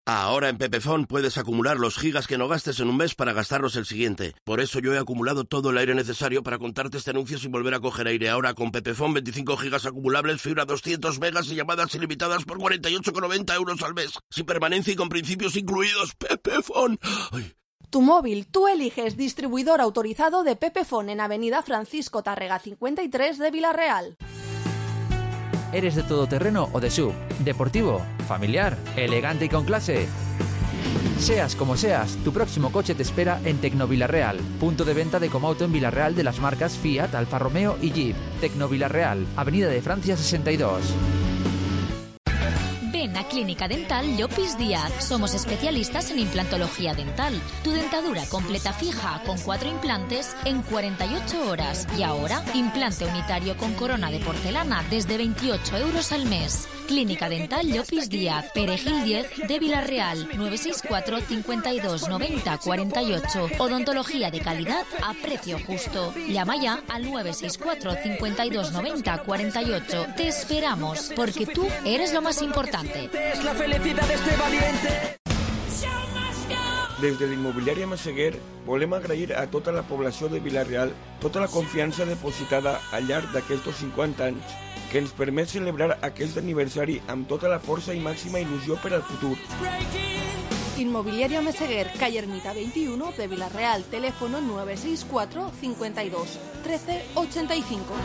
Ahora en Pepefon puedes acumular los gigas que no gastes en un mes para gastarlos el siguiente. Por eso yo he acumulado todo el aire necesario para contarte este anuncio sin volver a coger aire. Ahora con Pepefon, veinticinco gigas acumulables, fibra doscientos megas y llamadas ilimitadas por cuarenta y ocho con noventa euros al mes. Sin permanencia y con principios incluidos. Pepefon. Ay. Tu móvil, tú eliges distribuidor autorizado de Pepefon en Avenida Francisco Tárrega cincuenta y tres de Villarreal. ¿Eres de todoterreno o de S U V? ¿Deportivo? ¿Familiar? ¿Elegante y con clase? Seas como seas, tu próximo coche te espera en Tecnovilarreal, punto de venta de Comauto en Villarreal de las marcas Fiat, Alfa Romeo y Jeep. Tecnovilarreal, Avenida de Francia sesenta y dos. Ven a Clínica Dental Llopis Díaz. Somos especialistas en implantología dental. Tu dentadura completa fija con cuatro implantes en cuarenta y ocho horas. Y ahora, implante unitario con corona de porcelana desde veintiocho euros al mes. Clínica Dental Llopis Díaz, Perejil diez de Villarreal, nueve seis cuatro, cincuenta y dos, noventa, cuarenta y ocho. Odontología de calidad a precio justo. Llama ya al nueve seis cuatro, cincuenta y dos, noventa, cuarenta y ocho. Te esperamos, porque tú eres lo más importante. Es la felicidad de este valiente. Des de l'Immobiliària Massaguer volem agrair a tota la població de Vila-real tota la confiança depositada al llarg d'aquests cinquanta anys que ens permet celebrar aquest aniversari amb tota la força i màxima il·lusió per al futur. Inmobiliaria Meseguer, calle Ermita veintiuno de Villarreal, teléfono nueve seis cuatro, cincuenta y dos, trece, ochenta y cinco.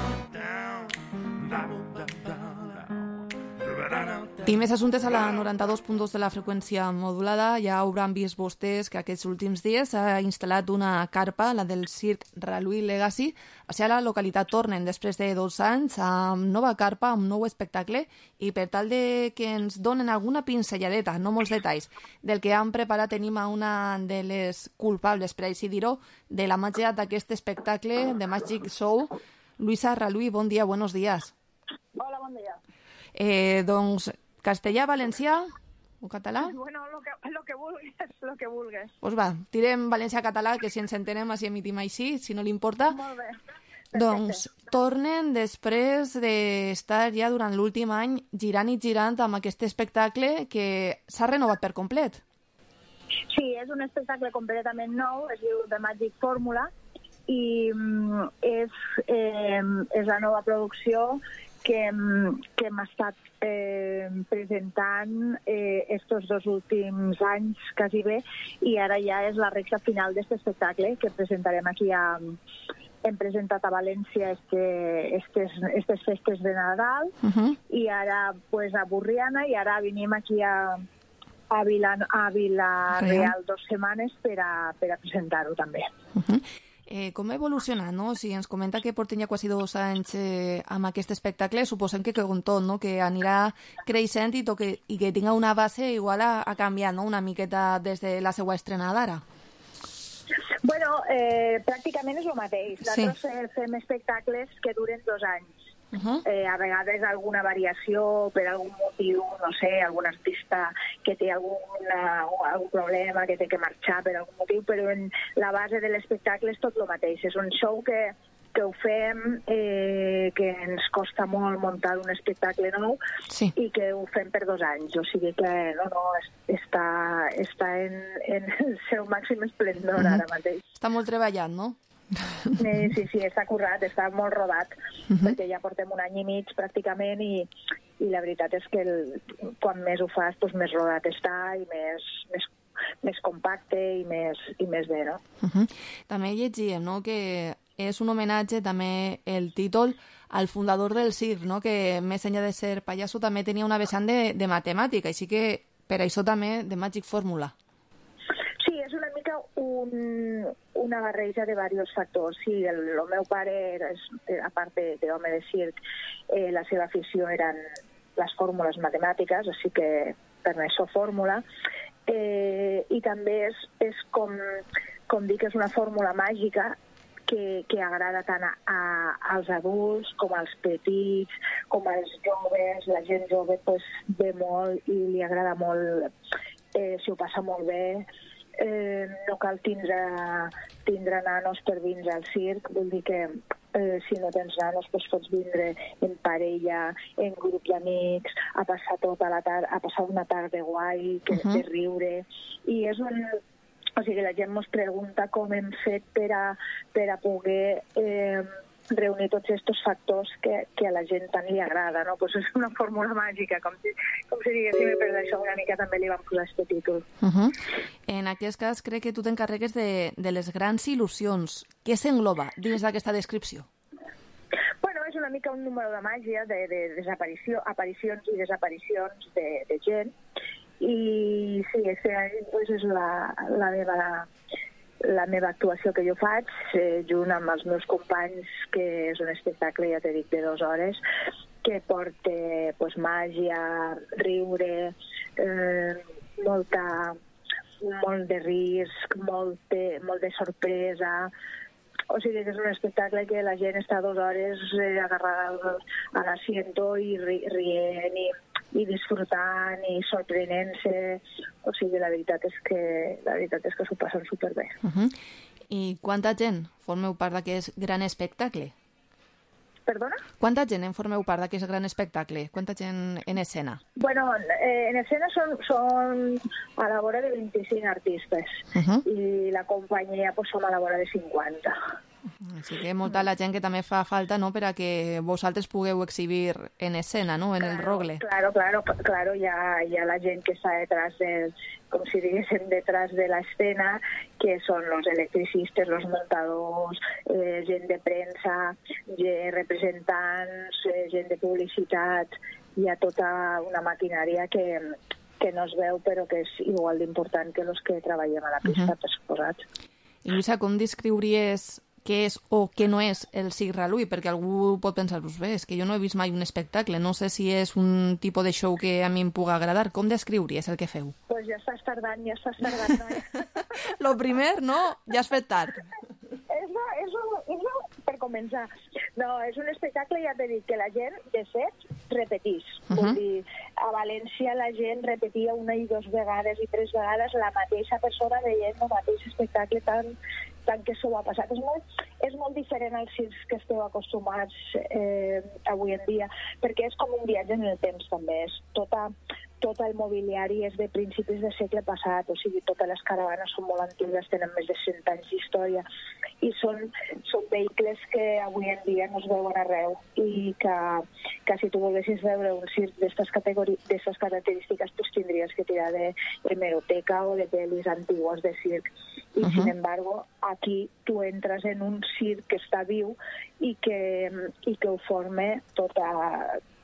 I més assumptes a la noranta-dos punt dos de la freqüència modulada. Ja hauran vist vostès que aquests últims dies s'ha instal·lat una carpa, la del Circ Raluí Legacy, a la localitat Tornen, després de dos anys, amb nova carpa, amb nou espectacle, i per tal de que ens donen alguna pinzelladeta, no molts detalls, del que han preparat, tenim a una de les culpables, per així dir-ho, de la màgia d'aquest espectacle, de Magic Show. Luisa Raluí, bon dia, buenos días. Hola, bon dia. Eh, doncs, castellà, valencià o català? Bueno, lo que, lo que vulgues, lo que vulgues. Pues va, tirem valencià-català, que si ens entenem així emitim així, si no li importa. Molt bé. Perfecte. Doncs tornen després d'estar ja durant l'últim any girant i girant amb aquest espectacle que s'ha renovat per complet. Sí, és un espectacle completament nou, es diu The Magic Formula, i mm, és, eh, és la nova producció que, que hem estat eh, presentant eh, estos dos últims anys, quasi bé, i ara ja és la recta final d'aquest espectacle que presentarem aquí a... Hem presentat a València este, estes, estes festes de Nadal, uh-huh. i ara pues, a Burriana, i ara venim aquí a, a, Vila, a Vila-real dos setmanes per a, per a presentar-ho també. Uh-huh. Eh, com ha evolucionat, no? Si ens comenta que porten ja quasi dos anys eh, amb aquest espectacle, suposem que com tot, no? Que anirà creixent i, que, i que tinga una base igual a, a canviar, no? Una miqueta des de la seva estrenada ara. Bueno, eh, pràcticament és el mateix. Nosaltres sí. eh, fem espectacles que duren dos anys. Uh-huh. eh, a vegades alguna variació per algun motiu, no sé, algun artista que té alguna, algun problema, que té que marxar per algun motiu, però en la base de l'espectacle és tot el mateix. És un show que, que ho fem, eh, que ens costa molt muntar un espectacle nou, sí. i que ho fem per dos anys. O sigui que no, no, està, està en, en el seu màxim esplendor uh-huh. ara mateix. Està molt treballat, no? Sí, sí, sí, està currat, està molt rodat, uh-huh. perquè ja portem un any i mig pràcticament i, i la veritat és que el, quan més ho fas, doncs més rodat està i més, més, més compacte i més, i més bé, no? Uh-huh. També llegíem, no?, que és un homenatge també el títol al fundador del circ, no?, que més enllà de ser pallasso també tenia una vessant de, de matemàtica, així que per això també de Magic Formula. Sí, és una mica un, una barreja de diversos factors. Sí, el, el meu pare, era, a part d'home de circ, eh, la seva afició eren les fórmules matemàtiques, així que per això fórmula. Eh, I també és, és com, com dic, és una fórmula màgica que, que agrada tant a, a, als adults com als petits, com als joves. La gent jove pues, ve molt i li agrada molt, eh, s'ho passa molt bé. Eh, no cal tindre, tindre nanos per vindre al circ, vull dir que eh, si no tens nanos, doncs pots vindre en parella, en grup d'amics, a passar tota la tarda, a passar una tarda guai, que, uh-huh. de riure. I és un... O sigui, la gent ens pregunta com hem fet per a, per a poder eh, reunir tots aquests factors que, que a la gent tant li agrada, no? Pues és una fórmula màgica, com si, com si diguéssim, i per això una mica també li vam posar aquest títol. Uh-huh. En aquest cas, crec que tu t'encarregues de, de les grans il·lusions. Què s'engloba dins d'aquesta descripció? Bueno, és una mica un número de màgia, de, de desaparició, aparicions i desaparicions de, de gent. I sí, este any pues, és la, la, meva, la meva actuació que jo faig, eh, junt amb els meus companys, que és un espectacle, ja t'he dit, de dues hores, que porta pues, màgia, riure, eh, molta, molt de risc, molt de, molt de sorpresa. O sigui que és un espectacle que la gent està dues hores eh, agarrada a l'asiento i ri, rient i i disfrutant i sorprenent-se. O sigui, la veritat és que la veritat és que s'ho passen superbé. Uh-huh. I quanta gent formeu part d'aquest gran espectacle? Perdona? Quanta gent en formeu part d'aquest gran espectacle? Quanta gent en escena? Bueno, eh, en escena són, són a la vora de vint-i-cinc artistes. Uh-huh. I la companyia pues, som a la vora de cinquanta. Així que molta la gent que també fa falta, no?, per a que vosaltres pugueu exhibir en escena, no?, en el rogle. Claro, claro, claro, hi ha, hi ha la gent que està detrás del, com si diguéssim, detrás de l'escena, que són los electricistes, los montadors, eh, gent de premsa, gent, representants, eh, gent de publicitat. Hi ha tota una maquinària que, que no es veu, però que és igual d'important que els que treballem a la pista, uh-huh. per suposat. I Lluïsa, com descriuries què és o què no és el Circ Reluí? Perquè algú pot pensar, pues bé, és que jo no he vist mai un espectacle, no sé si és un tipus de show que a mi em pugui agradar. Com descriuries el que feu? Pues ja estàs tardant, ja estàs tardant, noia. Lo primer, no? Ja has fet tard. És, és, un, és un, per començar. No, és un espectacle, ja t'he dit, que la gent, de fet, repetís. Uh-huh. Vull dir, a València la gent repetia una i dues vegades i tres vegades la mateixa persona veient el mateix espectacle tan, tant que s'ho ha passat. És molt, és molt diferent als circs que esteu acostumats eh, avui en dia, perquè és com un viatge en el temps també. És tota, tot el mobiliari és de principis del segle passat, o sigui, totes les caravanes són molt antigues, tenen més de cent anys d'història, i són, són vehicles que avui en dia no es veuen arreu, i que, que si tu volguessis veure un circ d'aquestes característiques, pues tindries que tirar de hemeroteca o de pel·lis antigues de circ. I, uh-huh. sin embargo, aquí tu entres en un circ que està viu i que, i que ho forma tota,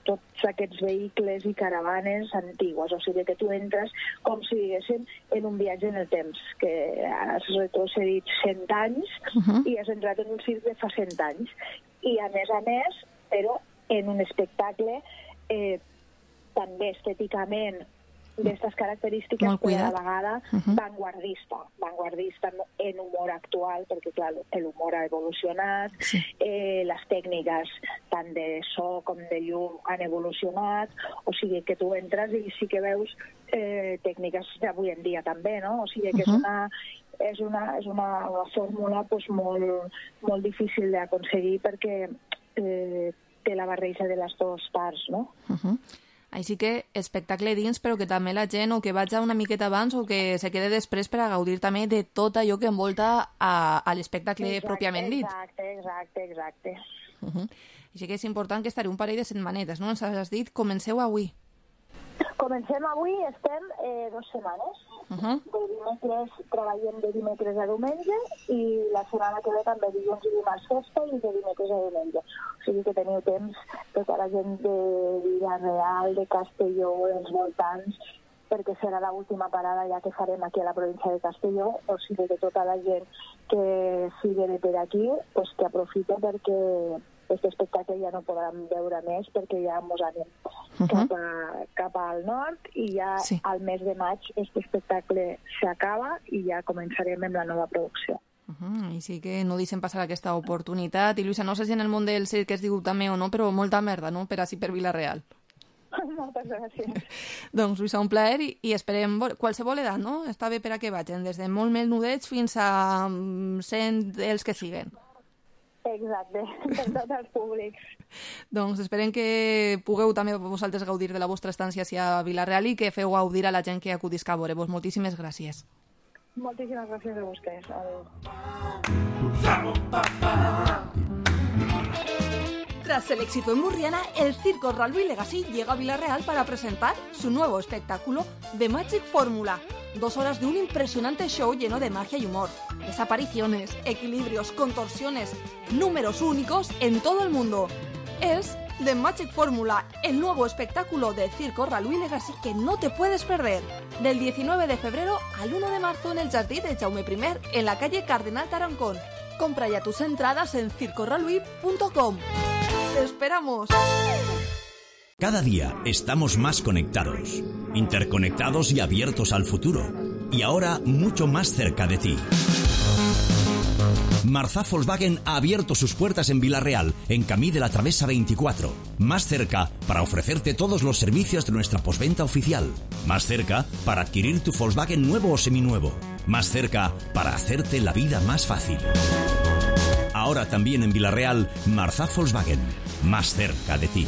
tots aquests vehicles i caravanes antigues. O sigui que tu entres com si diguéssim en un viatge en el temps, que has retrocedit cent anys uh-huh. i has entrat en un circ de fa cent anys. I a més a més, però en un espectacle eh, també estèticament d'aquestes característiques, però a la vegada uh-huh. vanguardista, vanguardista en humor actual, perquè clar, l'humor ha evolucionat, sí. eh, les tècniques tant de so com de llum han evolucionat, o sigui que tu entres i sí que veus eh, tècniques d'avui en dia també, no? O sigui que uh-huh. és una és una, és una, una fórmula pues, molt, molt difícil d'aconseguir perquè eh, té la barreja de les dues parts, no? Uh-huh. Així que espectacle dins, però que també la gent o que vaig una miqueta abans o que se quede després per a gaudir també de tot allò que envolta a, a l'espectacle exacte, pròpiament dit. Exacte, exacte, exacte. Uh-huh. Així que és important que estaré un parell de setmanetes, no? Ens has dit, comenceu avui. Comencem avui, estem eh, dues setmanes. Uh-huh. De dimecres, treballem de dimecres a diumenge i la setmana que ve també dilluns i dimarts festa i de dimecres a diumenge. O sigui que teniu temps tota la gent de Vila-real, de Castelló, dels voltants, perquè serà l'última parada ja que farem aquí a la província de Castelló. O sigui que tota la gent que sigui de per aquí, pues que aprofita perquè aquest espectacle ja no podran veure més perquè ja ens anem uh-huh. cap, a, cap al nord i ja sí. al mes de maig aquest espectacle s'acaba i ja començarem amb la nova producció. Uh-huh. Així que no deixem passar aquesta oportunitat. I Lluïsa, no sé si en el món del circ es diu també o no, però molta merda, no?, per així per Vila-real. Moltes gràcies. Doncs, Lluïsa, un plaer i, i esperem qualsevol edat, no? Està bé per a que vagin, des de molt menudets fins a cent els que siguen. Exacte, per tots els públics. Doncs esperem que pugueu també vosaltres gaudir de la vostra estància a Vila-real i que feu gaudir a la gent que acudisca a veure-vos. Moltíssimes gràcies. Moltíssimes gràcies a vostès. Adéu. Tras el éxito en Burriana, el Circo Ralby Legacy llega a Vila-real para presentar su nuevo espectáculo The Magic Fórmula. Dos horas de un impresionante show lleno de magia y humor. Desapariciones, equilibrios, contorsiones, números únicos en todo el mundo. Es The Magic Fórmula, el nuevo espectáculo de Circo Ralby Legacy que no te puedes perder. Del diecinueve de febrero al uno de marzo en el Jardí de Jaume primero, en la calle Cardenal Tarancón. Compra ya tus entradas en circo ralby punto com. ¡Te esperamos! Cada día estamos más conectados, interconectados y abiertos al futuro. Y ahora mucho más cerca de ti. Marzá Volkswagen ha abierto sus puertas en Vila-real, en Camí de la Travesa veinticuatro. Más cerca para ofrecerte todos los servicios de nuestra postventa oficial. Más cerca para adquirir tu Volkswagen nuevo o seminuevo. Más cerca para hacerte la vida más fácil. Ahora también en Vila-real, Marzá Volkswagen. Más cerca de ti.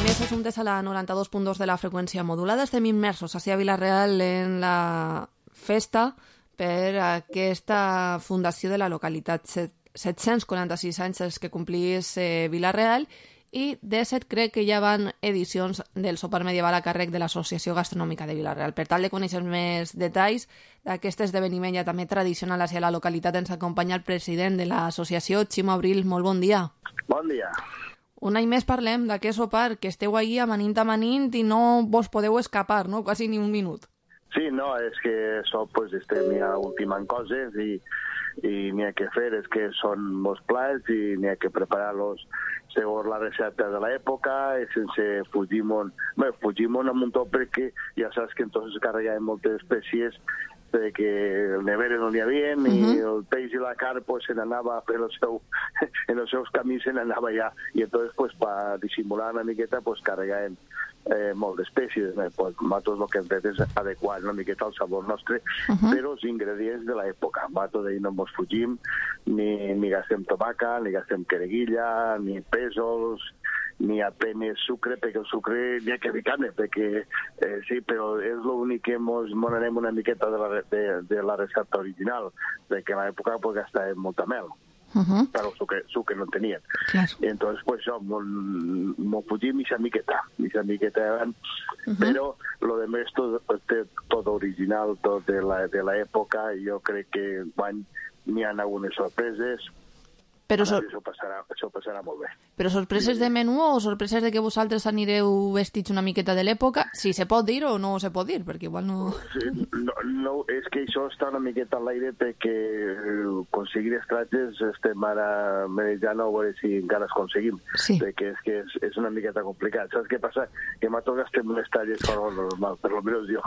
Més assumptes a la noranta-dos punt dos de la freqüència modulada. Estem immersos a Vila-real en la festa per aquesta fundació de la localitat. set-cents quaranta-sis anys els que complís eh, Vila-real i de set crec que ja van edicions del sopar medieval a càrrec de l'Associació Gastronòmica de Vila-real. Per tal de conèixer més detalls d'aquest esdeveniment ja també tradicional hacia la localitat ens acompanya el president de l'associació, Ximo Abril. Molt bon dia. Bon dia. Un any més parlem d'aquest sopar, que esteu ahí amanint amanint i no vos podeu escapar, no? Quasi ni un minut. Sí, no, és que això pues, estem ja ultimant coses i, i n'hi ha que fer, és que són molts plats i n'hi ha que preparar-los segons la recepta de l'època i sense fugir molt. Bé, fugir molt amb un top perquè ja saps que entonces carregaven moltes espècies perquè el nevera no n'hi havia uh-huh. i el peix i la carn pues, se n'anava en, el seu, en els seus camins se n'anava ja i entonces pues, per dissimular una miqueta pues, carregaven eh, molt d'espècies. Eh? Pues, nosaltres el que hem fet és adequar una miqueta al sabor nostre uh-huh. però els ingredients de l'època. Nosaltres d'ahir no ens fugim, ni, ni gastem tomaca, ni gastem quereguilla, ni pèsols, ni apenas sucre, perquè el sucre n'hi ha que ficar-ne, perquè eh, sí, però és l'únic que ens anem una miqueta de la, de, de la recepta original, perquè a l'època pues, gastàvem molta mel. Uh-huh. Però sucre, sucre no tenien. Claro. Y entonces, pues, yo me fugí mi miqueta, mi miqueta, uh-huh. pero lo demás todo, todo original, todo de la, de la época, y yo creo que van, n'hi ha algunes sorpreses. Però sor... això, passarà, això passarà molt bé. Però sorpreses de menú o sorpreses de que vosaltres anireu vestits una miqueta de l'època? Si se pot dir o no se pot dir, perquè igual no... Sí, no, no és que això està una miqueta a l'aire perquè aconseguir estratges estem ara manejant a veure si encara es aconseguim. Sí. Perquè és que és, és una miqueta complicat. Saps què passa? Que nosaltres gastem unes talles per lo normal, per lo menos jo.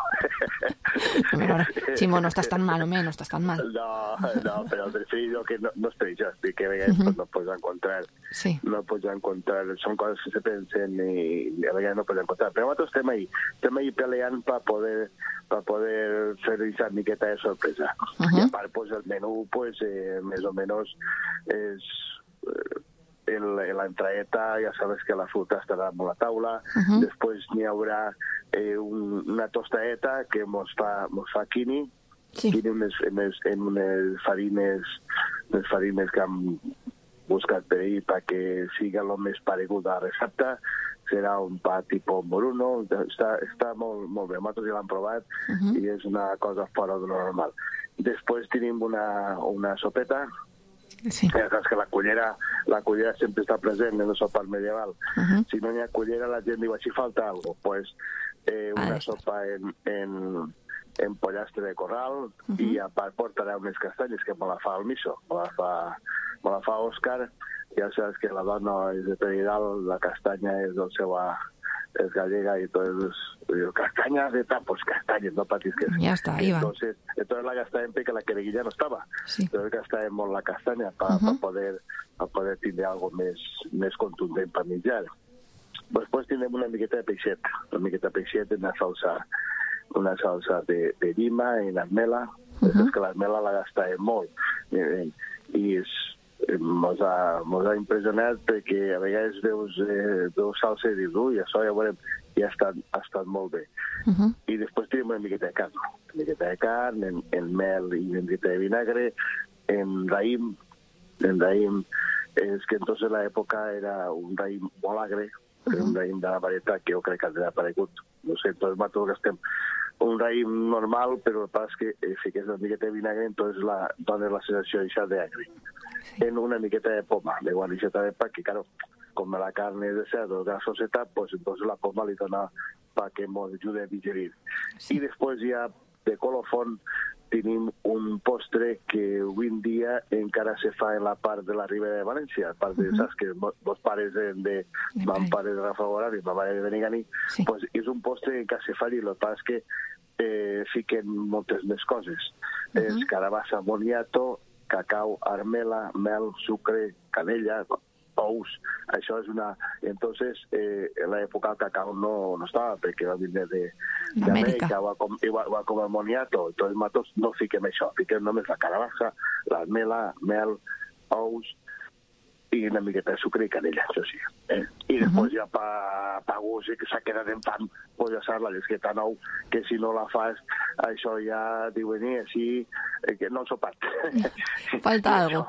Ximo, no estàs tan mal, home, no estàs tan mal. No, no, però prefiero que no, no estic jo, estic que vegades uh-huh. no pots encontrar. Sí. No pots encontrar, són coses que se pensen i a vegades no pots encontrar. Però nosaltres estem ahí, estem ahí peleant per poder, per poder fer aquesta miqueta de sorpresa. Uh-huh. I a part, pues, el menú, pues, eh, més o menys, és... Eh, en la entraeta, ja sabes que la fruta estarà a la taula, uh-huh. després n'hi haurà eh, un, una tostadeta que mos fa, mos fa quini, sí. quini en unes, en unes, en unes farines, unes farines que hem buscat per ahir perquè siga el més paregut a la recepta. Serà un pa tipus moruno, està, està molt, molt bé, nosaltres ja l'hem provat uh-huh. i és una cosa fora de lo normal. Després tenim una, una sopeta. Sí. Ja saps que la cullera, la cullera sempre està present en el sopar medieval. Uh-huh. Si no hi ha cullera, la gent diu, així falta alguna cosa. Pues, eh, una ah, sopa en, en, en pollastre de corral uh-huh. i a part portarà unes castanyes que me la fa el miso, me la fa, me la fa Òscar. Ja saps que la dona és de Peridal, la castanya és del seu... es gallega y entonces digo, castañas de tapos, castañas, no patis que ya está, ahí va. Entonces, entonces la gastábamos porque la quereguilla no estaba. Sí. Entonces gastábamos la castaña para uh-huh. pa poder pa poder tener algo més, més contundent para menjar. Después tenemos una miqueta de peixet, una miqueta de peixet en una salsa, una salsa de, de llima en armela, Uh -huh. És que l'armela la gastàvem molt. I, i és, mos ha, mos ha impressionat perquè a vegades veus, eh, veus salsa i dius, ui, això ja veurem, i ha estat, ha estat molt bé. Uh -huh. I després tenim una miqueta de carn, una miqueta de carn, en, en mel i una miqueta de vinagre, en raïm, en raïm, és que entonces l'època era un raïm molt agre, uh -huh. un raïm de la varietat que jo crec que ha aparegut, no sé, entonces nosaltres gastem un raïm normal, però el pas és que eh, fiques una miqueta de vinagre, entonces la, dona la sensació d'això d'agre. Sí. En una miqueta de poma, de guarnixeta de pa, que claro, com la carne és de cerdo grasoseta, pues entonces la poma li dona pa que ens ajude a digerir. Sí. I després ja de colofón tenim un postre que avui en dia encara se fa en la part de la Ribera de València, a part de, uh -huh. saps, que dos pares de, de mon pare de Rafa Gorari i ma mare de Benigani, sí. Pues és un postre que encara se fa i el que passa és que eh, fiquen moltes més coses. Uh -huh. És carabassa moniato, cacau, armela, mel, sucre, canella, ous. Això és una... Entonces, eh, en l'època el cacau no, no estava, perquè va vindre d'Amèrica, va, com, va, va com el moniato. Entonces, nosaltres no fiquem això, fiquem només la carabassa, l'armela, mel, ous i una miqueta de sucre i canella, això sí. Eh? I després uh -huh. ja pa, pa gust, que s'ha quedat en fam, pues ja saps, la llesqueta nou, que si no la fas, això ja diuen, eh, així, eh, que no el sopat. Falta algo.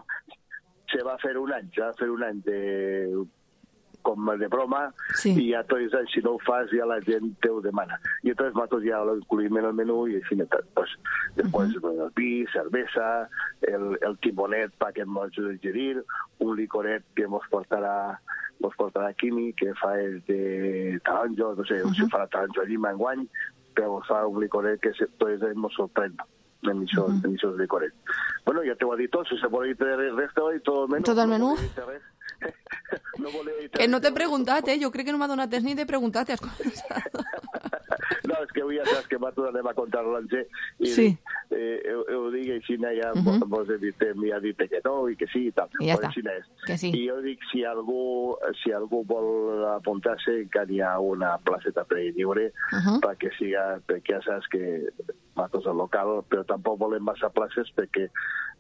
Se va fer un any, se va fer un any de, com de broma, sí. I ja tots els anys, si no ho fas, ja la gent te ho demana. I entonces nosaltres ja ho incluïm en el menú i així, pues, després uh -huh. el vi, cervesa, el, el timonet pa que ens ajuda a digerir, un licoret que ens portarà ens portarà Quimi, que fa el de taronjo, no sé, uh -huh. si farà taronjo a Llima enguany, però fa un licoret que tots ens sorprèn en aquests uh -huh. licorets. Bueno, ja t'ho ha dit tot, si se vol dir res, t'ho ha dit tot el menú. Tot el menú? No que no t'he preguntat, eh? Jo crec que no m'ha donat temps ni de preguntar, t'has començat. No, és que avui ja saps que nosaltres anem a contar l'onze i sí. eh, ho, ho dic així, ja uh -huh. mos he dit, m'ha dit que no i que sí i tal. I ja està, que sí. I jo dic, si algú, si algú vol apuntar-se, encara hi ha una placeta per lliure uh -huh. perquè siga, perquè ja saps que nosaltres al local, però tampoc volem massa places perquè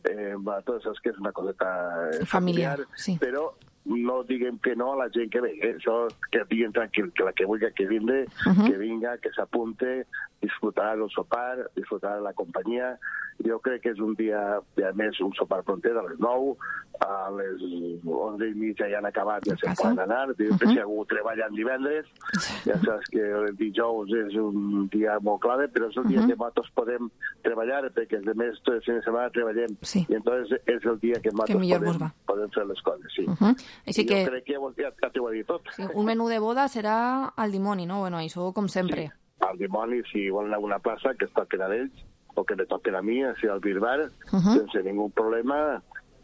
eh, nosaltres saps que és una coseta eh, familiar, familiar sí. Però no diguem que no a la gent que ve, eh? Això que diguin tranquil, que la que vulgui que vingui, uh -huh. que vinga, que s'apunte, disfrutar del sopar, disfrutar de la companyia. Jo crec que és un dia, a més, un sopar pronter a les nou, a les onze i mitja ja han acabat, ja se'n poden anar, uh -huh. si algú treballa en divendres, ja saps que el dijous és un dia molt clave, però és el dia uh -huh. que nosaltres podem treballar, perquè els demés tot el fin de setmana treballem, sí. I entonces és el dia que nosaltres que podem, podem fer les coses, sí. Uh -huh. Així que... Jo crec que ja, ja t'ho ha dit tot. Sí, un menú de boda serà al dimoni, no? Bueno, això com sempre. Sí, al dimoni, si volen alguna plaça, que es toquen a ells, o que me toquen a mi, així al Birbar, uh -huh. sense ningú problema,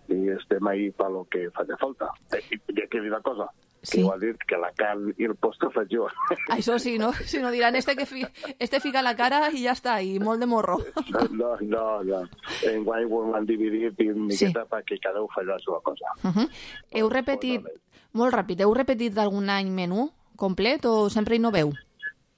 i estem ahí per lo que faci falta. I, i que dir una cosa, sí. Que vol dir que la carn i el postre faig jo. Això sí, no? Si no diran, este que fi, este fica la cara i ja està, i molt de morro. No, no, no. Enguany ho han dividit i una miqueta sí. perquè cada un faci la seva cosa. Uh -huh. Heu repetit, molt ràpid, heu repetit d'algun any menú complet o sempre hi no veu?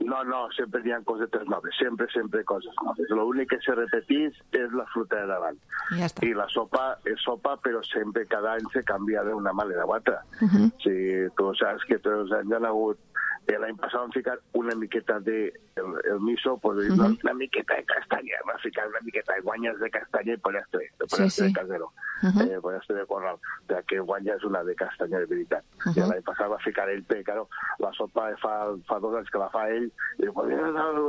No, no, sempre hi ha cosetes noves, sempre, sempre coses noves. L'únic que se repetís és la fruta de davant. Ja està. I la sopa és sopa, però sempre cada any se canvia d'una manera a l'altra. Uh -huh. Si tu saps que tots els anys han hagut... L'any passat vam ficar una miqueta de el, el miso, pues, uh -huh. una miqueta de castanya, vam ficar una miqueta de guanyes de castanya i pollastre, de pollastre sí, sí. de casero, uh -huh. eh, pollastre de corral, de que guanya és una de castanya de veritat. Uh -huh. I l'any passat va ficar ell, però claro, la sopa fa, fa dos anys que la fa ell, i diu, pues,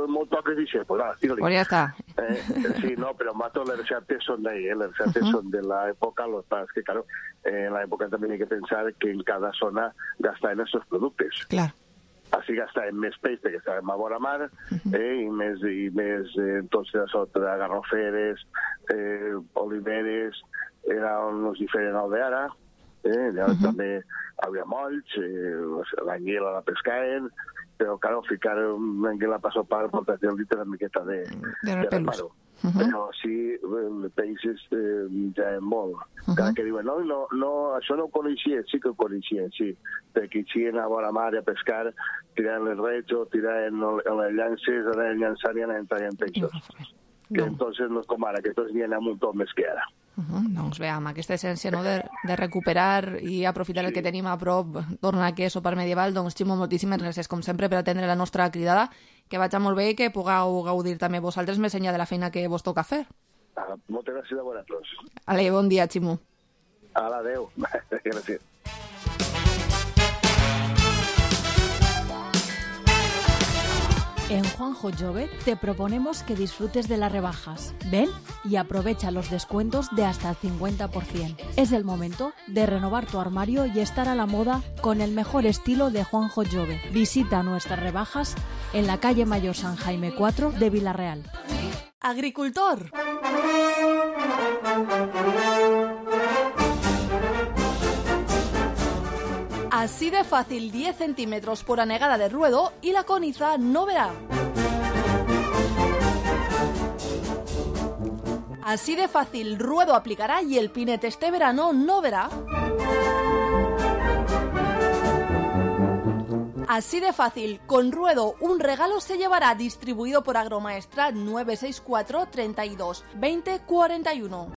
molt toques i xe, pues ara, tira-li. Pues ja està. Eh, sí, no, però mato les receptes són d'ahí, eh? Les receptes uh -huh. són de l'època, los pares que, claro, eh, en l'època també hi ha que pensar que en cada zona gastaven estos productes. Clar. Així gastàvem més peix perquè estàvem a vora mar, uh-huh. eh, i més, i més eh, entonces a sota garroferes, eh, oliveres, era uns diferents al d'ara, eh, uh-huh. també hi havia molls, eh, l'anguila la pescaven, però, claro, ficar una anguila per sopar pot tenir una miqueta de, de repelús. Uh -huh. Però sí, el peixes eh, ja és molt. Uh-huh. Cada que diuen, no, no, no, això no ho coneixia, sí que ho coneixien, sí, perquè hi anaven a vora mar a pescar, tiraven les rets o tiraven les llances, anaven llançant i anaven traient peixos. que no. Entonces no és com ara, que tots n'hi ha un muntó més que ara. Uh -huh. Doncs bé, amb aquesta essència, no, de, de recuperar i aprofitar sí. el que tenim a prop, tornar a queso per medieval, doncs Ximo, moltíssimes gràcies com sempre per atendre la nostra cridada, que vagi molt bé i que pugueu gaudir també vosaltres més enllà de la feina que vos toca fer. Ah, moltes gràcies a vosaltres. Ale, bon dia, Ximo. Ala, adeu. Gràcies. En Juanjo Jove te proponemos que disfrutes de las rebajas. Ven y aprovecha los descuentos de hasta el cincuenta por ciento. Es el momento de renovar tu armario y estar a la moda con el mejor estilo de Juanjo Jove. Visita nuestras rebajas en la calle Mayor San Jaime cuatro de Villarreal. Agricultor. Así de fácil, diez centímetros por anegada de ruedo y la coniza no verá. Así de fácil, ruedo aplicará y el pinete este verano no verá. Así de fácil, con ruedo un regalo se llevará, distribuido por Agromaestra nueve seis cuatro, treinta y dos, veinte, cuarenta y uno.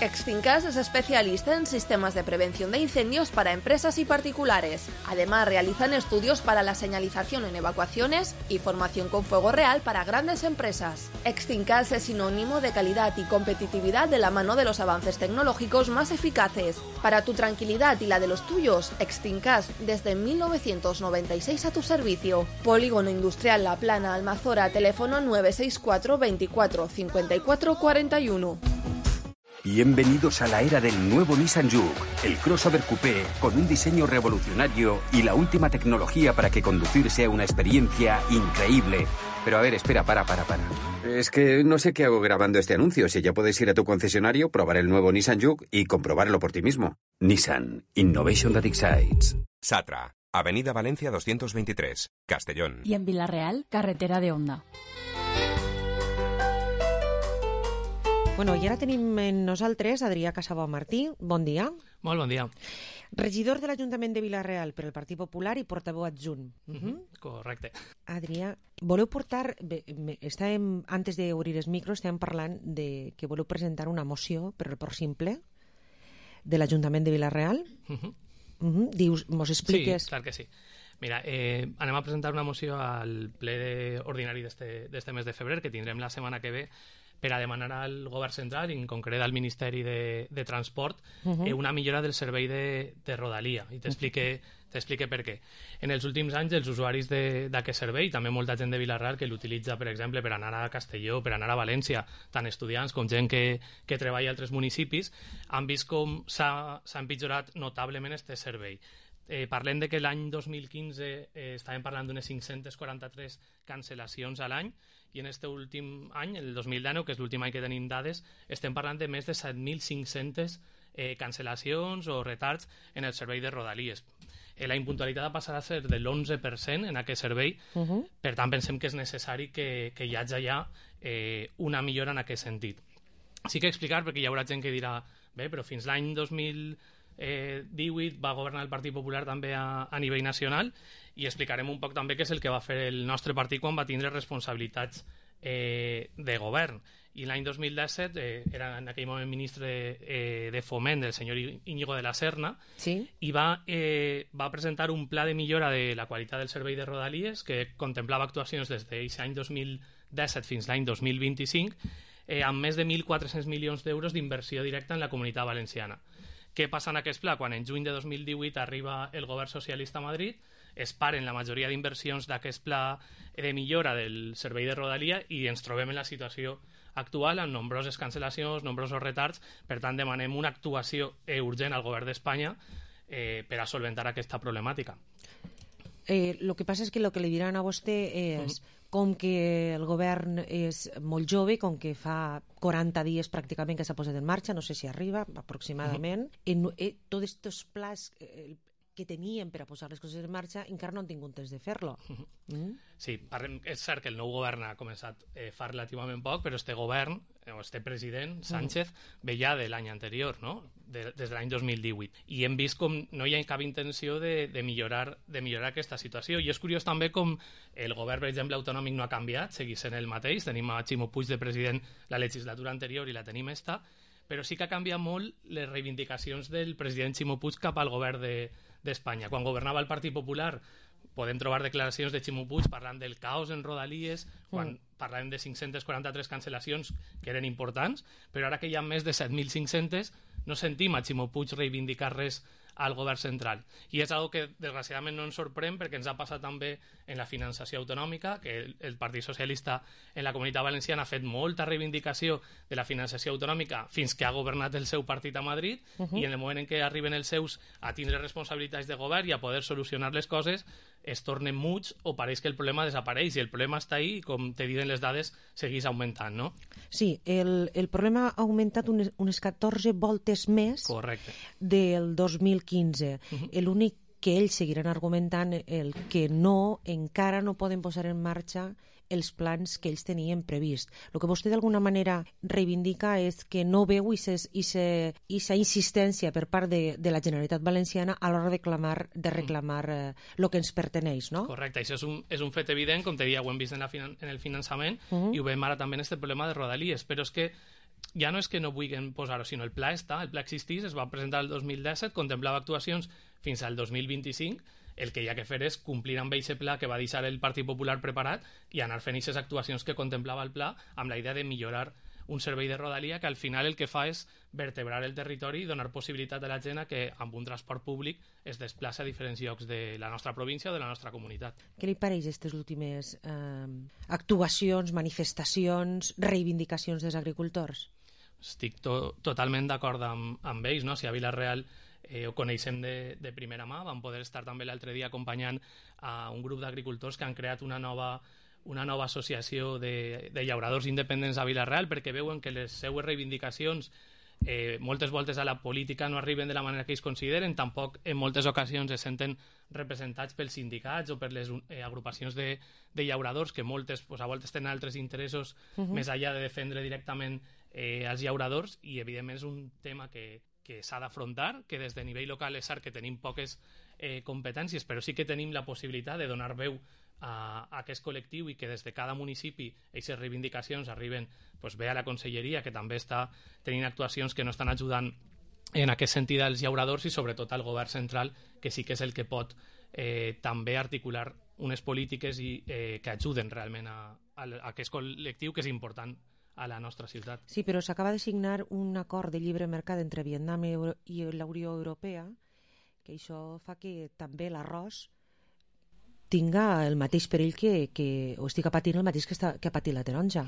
Extincas es especialista en sistemas de prevención de incendios para empresas y particulares. Además, realizan estudios para la señalización en evacuaciones y formación con fuego real para grandes empresas. Extincas es sinónimo de calidad y competitividad de la mano de los avances tecnológicos más eficaces. Para tu tranquilidad y la de los tuyos, Extincas desde mil novecientos noventa y seis a tu servicio. Polígono Industrial La Plana, Almazora, teléfono nueve seis cuatro, veinticuatro, cincuenta y cuatro, cuarenta y uno. Bienvenidos a la era del nuevo Nissan Juke, el crossover coupé con un diseño revolucionario y la última tecnología para que conducir sea una experiencia increíble. Pero a ver, espera, para, para, para. Es que no sé qué hago grabando este anuncio. Si ya puedes ir a tu concesionario, probar el nuevo Nissan Juke y comprobarlo por ti mismo. Nissan, Innovation that excites. Satra, Avenida Valencia doscientos veintitrés, Castellón. Y en Villarreal, carretera de Onda. Bueno, i ara tenim en nosaltres Adrià Casabó Martí. Bon dia. Molt bon dia. Regidor de l'Ajuntament de Vila-real per el Partit Popular i portaveu adjunt. Uh -huh. Correcte. Adrià, voleu portar... Bé, estàvem, antes d'obrir els micros, estàvem parlant de que voleu presentar una moció per el pròxim ple de l'Ajuntament de Vila-real. Uh -huh. Uh -huh. Dius, mos expliques... Sí, clar que sí. Mira, eh, anem a presentar una moció al ple ordinari d'este mes de febrer, que tindrem la setmana que ve, per a demanar al govern central, en concret al Ministeri de, de Transport, uh -huh. eh, una millora del servei de, de Rodalia. I t'explique t'explique per què. En els últims anys, els usuaris d'aquest servei, també molta gent de Vila-real que l'utilitza, per exemple, per anar a Castelló, per anar a València, tant estudiants com gent que, que treballa a altres municipis, han vist com s'ha empitjorat notablement aquest servei. Eh, parlem de que l'any dos mil quinze eh, estàvem parlant d'unes cinc-centes quaranta-tres cancel·lacions a l'any, i en aquest últim any, el dos mil dinou, que és l'últim any que tenim dades, estem parlant de més de set mil cinc-centes eh, cancel·lacions o retards en el servei de Rodalies. Eh, la impuntualitat passarà a ser de l'onze per cent en aquest servei, uh -huh. per tant pensem que és necessari que, que hi hagi ja eh, una millora en aquest sentit. Sí que explicar, perquè hi haurà gent que dirà, bé, però fins l'any dos mil divuit va governar el Partit Popular també a, a nivell nacional, i explicarem un poc també què és el que va fer el nostre partit quan va tindre responsabilitats eh, de govern. I l'any dos mil disset eh, era en aquell moment ministre eh, de Foment el senyor Íñigo de la Serna, sí. i va, eh, va presentar un pla de millora de la qualitat del servei de Rodalies que contemplava actuacions des d'aquest any dos mil disset fins l'any dos mil vint-i-cinc, eh, amb més de mil quatre-cents milions d'euros d'inversió directa en la Comunitat Valenciana. Què passa en aquest pla? Quan en juny de dos mil divuit arriba el govern socialista a Madrid, es paren la majoria d'inversions d'aquest pla de millora del servei de Rodalia i ens trobem en la situació actual amb nombroses cancel·lacions, nombrosos retards. Per tant, demanem una actuació urgent al govern d'Espanya eh, per a solventar aquesta problemàtica. Eh, lo que passa és que el que li diran a vostè és, uh-huh. com que el govern és molt jove, com que fa quaranta dies pràcticament que s'ha posat en marxa, no sé si arriba, aproximadament, uh-huh. en, eh, tots aquests plans, eh, que tenien per a posar les coses en marxa, encara no han tingut temps de fer-lo. Mm? Sí, parlem, és cert que el nou govern ha començat eh, fa relativament poc, però este govern, o este president, Sánchez, mm. ve ja de l'any anterior, no? De, des de l'any dos mil divuit. I hem vist com no hi ha cap intenció de, de, millorar, de millorar aquesta situació. I és curiós també com el govern, per exemple, autonòmic no ha canviat, seguís sent el mateix. Tenim a Ximo Puig de president la legislatura anterior i la tenim esta, però sí que ha canviat molt les reivindicacions del president Ximo Puig cap al govern d'Espanya. De, Quan governava el Partit Popular podem trobar declaracions de Ximo Puig parlant del caos en Rodalies, quan mm. parlàvem de cinc-centes quaranta-tres cancel·lacions que eren importants, però ara que hi ha més de set mil cinc-centes no sentim a Ximo Puig reivindicar res al govern central. I és algo que desgraciadament no ens sorprèn perquè ens ha passat també en la finançació autonòmica, que el, el Partit Socialista en la Comunitat Valenciana ha fet molta reivindicació de la finançació autonòmica fins que ha governat el seu partit a Madrid, uh -huh. i en el moment en què arriben els seus a tindre responsabilitats de govern i a poder solucionar les coses, es tornen muts o pareix que el problema desapareix, i el problema està ahí i, com te diuen les dades, segueix augmentant, no? Sí, el, el problema ha augmentat unes, unes catorze voltes més. Correcte. Del dos mil quinze. Uh-huh. L'únic que ells seguiran argumentant el que no, encara no poden posar en marxa els plans que ells tenien previst. El que vostè d'alguna manera reivindica és que no veu aquesta insistència per part de, de la Generalitat Valenciana a l'hora de, clamar, de reclamar el eh, que ens perteneix, no? Correcte, això és un, és un fet evident, com te deia, ho hem vist en, la, en el finançament, uh-huh. i ho veiem ara també en aquest problema de Rodalies, però és que ja no és que no vulguin posar-ho, sinó el pla està, el pla existís, es va presentar el dos mil disset, contemplava actuacions fins al dos mil vint-i-cinc, el que hi ha que fer és complir amb aquest pla que va deixar el Partit Popular preparat i anar fent aquestes actuacions que contemplava el pla amb la idea de millorar un servei de Rodalia que al final el que fa és vertebrar el territori i donar possibilitat a la gent a que amb un transport públic es desplaça a diferents llocs de la nostra província o de la nostra comunitat. Què li pareix aquestes últimes eh, actuacions, manifestacions, reivindicacions dels agricultors? Estic to totalment d'acord amb, amb ells, no? Si a Vila-real eh, ho coneixem de, de primera mà, vam poder estar també l'altre dia acompanyant a un grup d'agricultors que han creat una nova una nova associació de, de llauradors independents a Vila-real perquè veuen que les seues reivindicacions eh, moltes voltes a la política no arriben de la manera que ells consideren, tampoc en moltes ocasions es senten representats pels sindicats o per les eh, agrupacions de, de llauradors que moltes pues, a voltes tenen altres interessos uh-huh. més enllà de defendre directament eh, els llauradors, i evidentment és un tema que, que s'ha d'afrontar, que des de nivell local és cert que tenim poques eh, competències, però sí que tenim la possibilitat de donar veu a, a aquest col·lectiu i que des de cada municipi aquestes reivindicacions arriben pues, bé a la conselleria, que també està tenint actuacions que no estan ajudant en aquest sentit als llauradors, i sobretot al govern central, que sí que és el que pot eh, també articular unes polítiques i, eh, que ajuden realment a, a, a aquest col·lectiu, que és important a la nostra ciutat. Sí, però s'acaba de signar un acord de lliure mercat entre Vietnam i la Unió Europea, que això fa que també l'arròs tinga el mateix perill que, que o estigui patint el mateix que, està, que ha patit la taronja.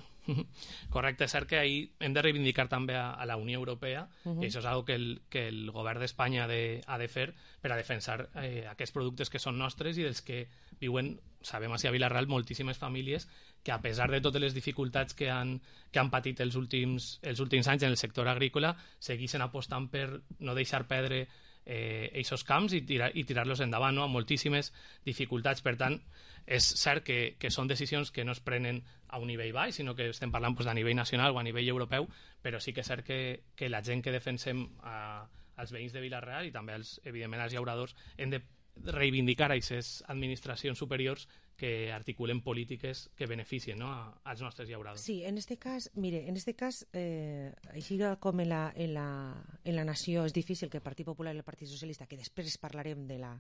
Correcte, és cert que ahir hem de reivindicar també a, a la Unió Europea, uh-huh. i això és una que el, que el govern d'Espanya ha, de, ha de fer per a defensar eh, aquests productes que són nostres i dels que viuen, sabem així a Vila-real, moltíssimes famílies que a pesar de totes les dificultats que han, que han patit els últims, els últims anys en el sector agrícola, segueixen apostant per no deixar perdre eh, aquests camps i, tirar, i tirar-los endavant, no? Amb moltíssimes dificultats. Per tant, és cert que, que són decisions que no es prenen a un nivell baix, sinó que estem parlant pues, a nivell nacional o a nivell europeu, però sí que és cert que, que la gent que defensem a, als veïns de Vila-real i també, als, evidentment, als llauradors, hem de reivindicar a aquestes administracions superiors que articulen polítiques que beneficien, no, a, als nostres llauradors. Sí, en este cas, mire, en este cas, eh, així com en la, en, la, en la nació és difícil que el Partit Popular i el Partit Socialista, que després parlarem de la,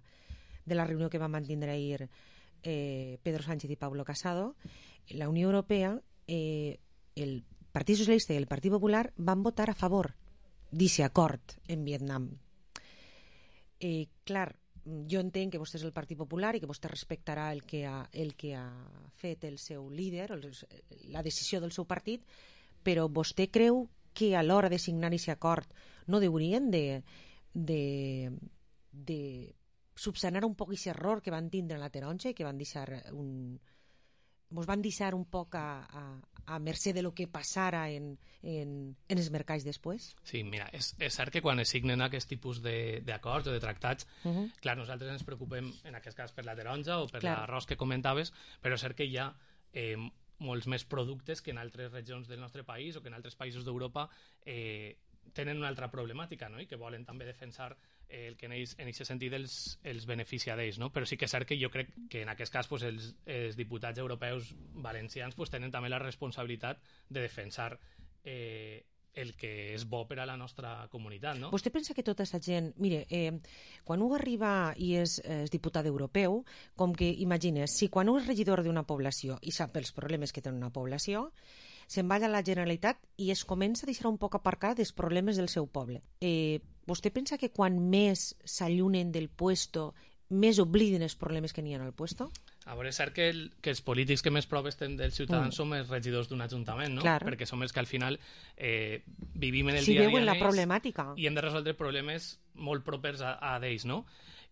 de la reunió que va mantindre ahir eh, Pedro Sánchez i Pablo Casado, la Unió Europea, eh, el Partit Socialista i el Partit Popular van votar a favor d'aquest acord en Vietnam. Eh, clar, jo entenc que vostè és el Partit Popular i que vostè respectarà el que ha, el que ha fet el seu líder, el, la decisió del seu partit, però vostè creu que a l'hora de signar aquest acord no haurien de, de, de subsanar un poc aquest error que van tindre en la taronja i que van deixar un, mos van deixar un poc a, a, a mercè de lo que passara en, en, en els mercats després? Sí, mira, és, és cert que quan es signen aquest tipus d'acords o de tractats, uh -huh. clar, nosaltres ens preocupem en aquest cas per la taronja o per clar. l'arròs que comentaves, però és cert que hi ha eh, molts més productes que en altres regions del nostre país o que en altres països d'Europa eh, tenen una altra problemàtica, no? I que volen també defensar eh, el que en aquest sentit els, els beneficia d'ells, no? Però sí que és cert que jo crec que en aquest cas pues, els, els diputats europeus valencians pues, tenen també la responsabilitat de defensar eh, el que és bo per a la nostra comunitat, no? Vostè pensa que tota aquesta gent... Mire, eh, quan un arriba i és, és diputat europeu, com que, imagines, si quan un és regidor d'una població i sap els problemes que té una població, se'n va a la Generalitat i es comença a deixar un poc aparcar dels problemes del seu poble. Eh, vostè pensa que quan més s'allunen del puesto, més obliden els problemes que n'hi ha al puesto? A veure, és cert que, el, que els polítics que més proves tenen dels ciutadans mm. som els regidors d'un ajuntament, no? Clar. Perquè som els que al final eh, vivim en el si dia a dia veuen la problemàtica. I hem de resoldre problemes molt propers a, a d'ells, no?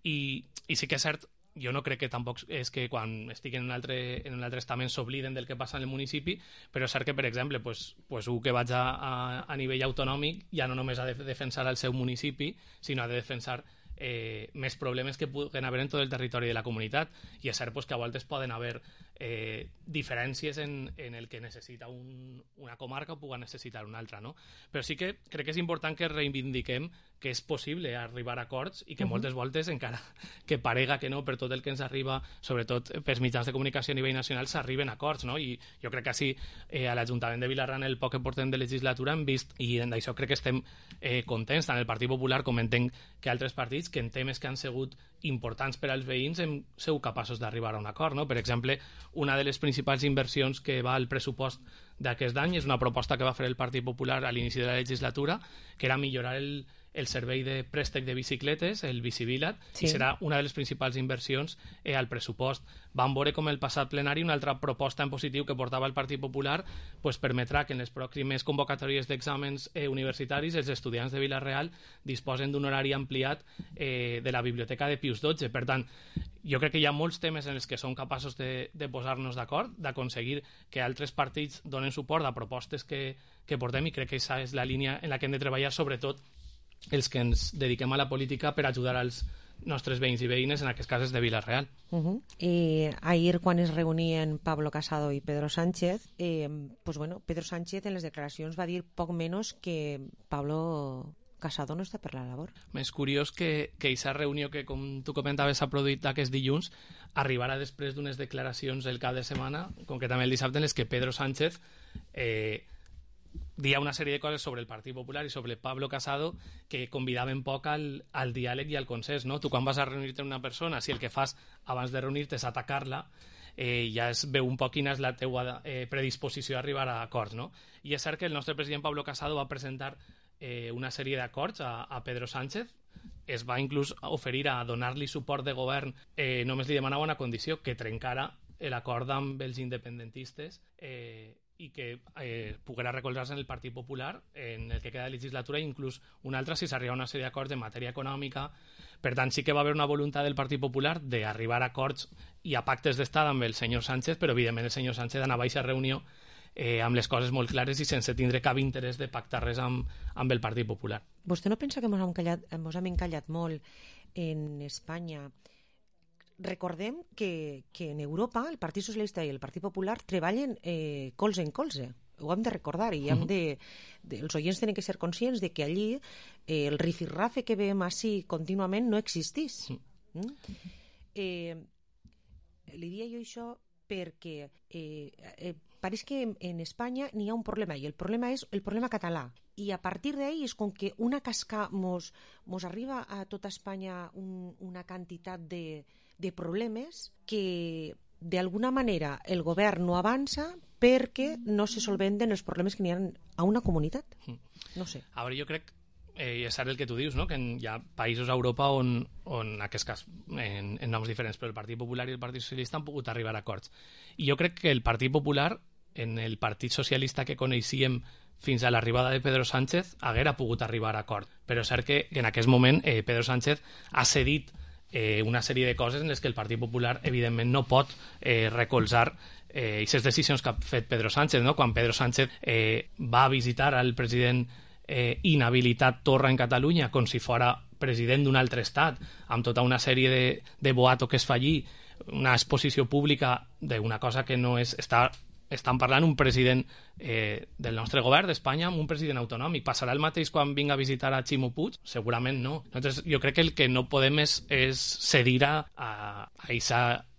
I, I sí que és cert, jo no crec que tampoc és que quan estic en un altre, en un altre estament s'obliden del que passa en el municipi, però és cert que, per exemple, pues, pues, un que vaig a, a, a nivell autonòmic ja no només ha de defensar el seu municipi, sinó ha de defensar eh, més problemes que puguen haver en tot el territori de la comunitat. I és cert pues, que a voltes poden haver eh, diferències en, en el que necessita un, una comarca o pugui necessitar una altra, no? Però sí que crec que és important que reivindiquem que és possible arribar a acords i que uh -huh. moltes voltes, encara que parega que no, per tot el que ens arriba, sobretot pels mitjans de comunicació a nivell nacional, s'arriben a acords, no? I jo crec que així eh, a l'Ajuntament de Vilarran el poc que portem de legislatura hem vist, i d'això crec que estem eh, contents, tant el Partit Popular com entenc que altres partits, que en temes que han sigut importants per als veïns hem sigut capaços d'arribar a un acord, no? Per exemple, una de les principals inversions que va al pressupost d'aquest any és una proposta que va fer el Partit Popular a l'inici de la legislatura, que era millorar el, el servei de préstec de bicicletes, el Bicivilat, sí. I serà una de les principals inversions eh, al pressupost. Vam veure com el passat plenari una altra proposta en positiu que portava el Partit Popular pues, permetrà que en les pròximes convocatòries d'exàmens eh, universitaris els estudiants de Vila-real disposen d'un horari ampliat eh, de la biblioteca de Pius dotze. Per tant, jo crec que hi ha molts temes en els que som capaços de, de posar-nos d'acord, d'aconseguir que altres partits donen suport a propostes que, que portem, i crec que aquesta és la línia en la que hem de treballar, sobretot els que ens dediquem a la política per ajudar als nostres veïns i veïnes, en aquest cas és de Vila-real. Uh -huh. I ahir, quan es reunien Pablo Casado i Pedro Sánchez, eh, pues bueno, Pedro Sánchez en les declaracions va dir poc menys que Pablo Casado no està per la labor. Més curiós que que aquesta reunió que, com tu comentaves, s'ha produït aquest dilluns, arribarà després d'unes declaracions el cap de setmana, concretament el dissabte, en les que Pedro Sánchez eh, dia una sèrie de coses sobre el Partit Popular i sobre Pablo Casado que convidaven poc al, al diàleg i al consens, no? Tu quan vas a reunir-te amb una persona, si el que fas abans de reunir-te és atacar-la, eh, ja es veu un poc quina és la teua eh, predisposició a arribar a acords, no? I és cert que el nostre president Pablo Casado va presentar eh, una sèrie d'acords a, a Pedro Sánchez, es va inclús oferir a donar-li suport de govern, eh, només li demanava una condició, que trencara l'acord amb els independentistes eh, i que eh, poguera recolzar-se en el Partit Popular en el que queda de legislatura, i inclús un altre si s'arriba a una sèrie d'acords en matèria econòmica. Per tant, sí que va haver una voluntat del Partit Popular d'arribar a acords i a pactes d'estat amb el senyor Sánchez, però evidentment el senyor Sánchez anava a aquesta reunió eh, amb les coses molt clares i sense tindre cap interès de pactar res amb, amb el Partit Popular. Vostè no pensa que ens hem encallat, ens hem encallat molt en Espanya? Recordem que, que en Europa el Partit Socialista i el Partit Popular treballen eh, colze en colze. Ho hem de recordar, i hem de, de, els oients tenen que ser conscients de que allí eh, el rifirrafe que veiem així contínuament no existís. Mm? Eh, li dia jo això perquè eh, eh, pareix que en, en Espanya n'hi ha un problema, i el problema és el problema català. I a partir d'ahí és com que una casca mos, mos arriba a tota Espanya un, una quantitat de, de problemes que d'alguna manera el govern no avança perquè no se solventen els problemes que n'hi ha a una comunitat. No sé. A veure, jo crec, eh, és el que tu dius, no? Que hi ha països a Europa on, on en aquest cas, en, en noms diferents, però el Partit Popular i el Partit Socialista han pogut arribar a acords. I jo crec que el Partit Popular, en el Partit Socialista que coneixíem fins a l'arribada de Pedro Sánchez, haguera pogut arribar a acord. Però és cert que, que en aquest moment eh, Pedro Sánchez ha cedit eh, una sèrie de coses en les que el Partit Popular evidentment no pot eh, recolzar eh, aquestes decisions que ha fet Pedro Sánchez, no? Quan Pedro Sánchez eh, va visitar al president eh, inhabilitat Torra en Catalunya com si fora president d'un altre estat, amb tota una sèrie de, de boato que es fa allí, una exposició pública d'una cosa que no és... Està, estan parlant un president eh, del nostre govern d'Espanya amb un president autonòmic. Passarà el mateix quan vinga a visitar a Ximo Puig? Segurament no. Nosaltres, jo crec que el que no podem és, és cedir a, a, a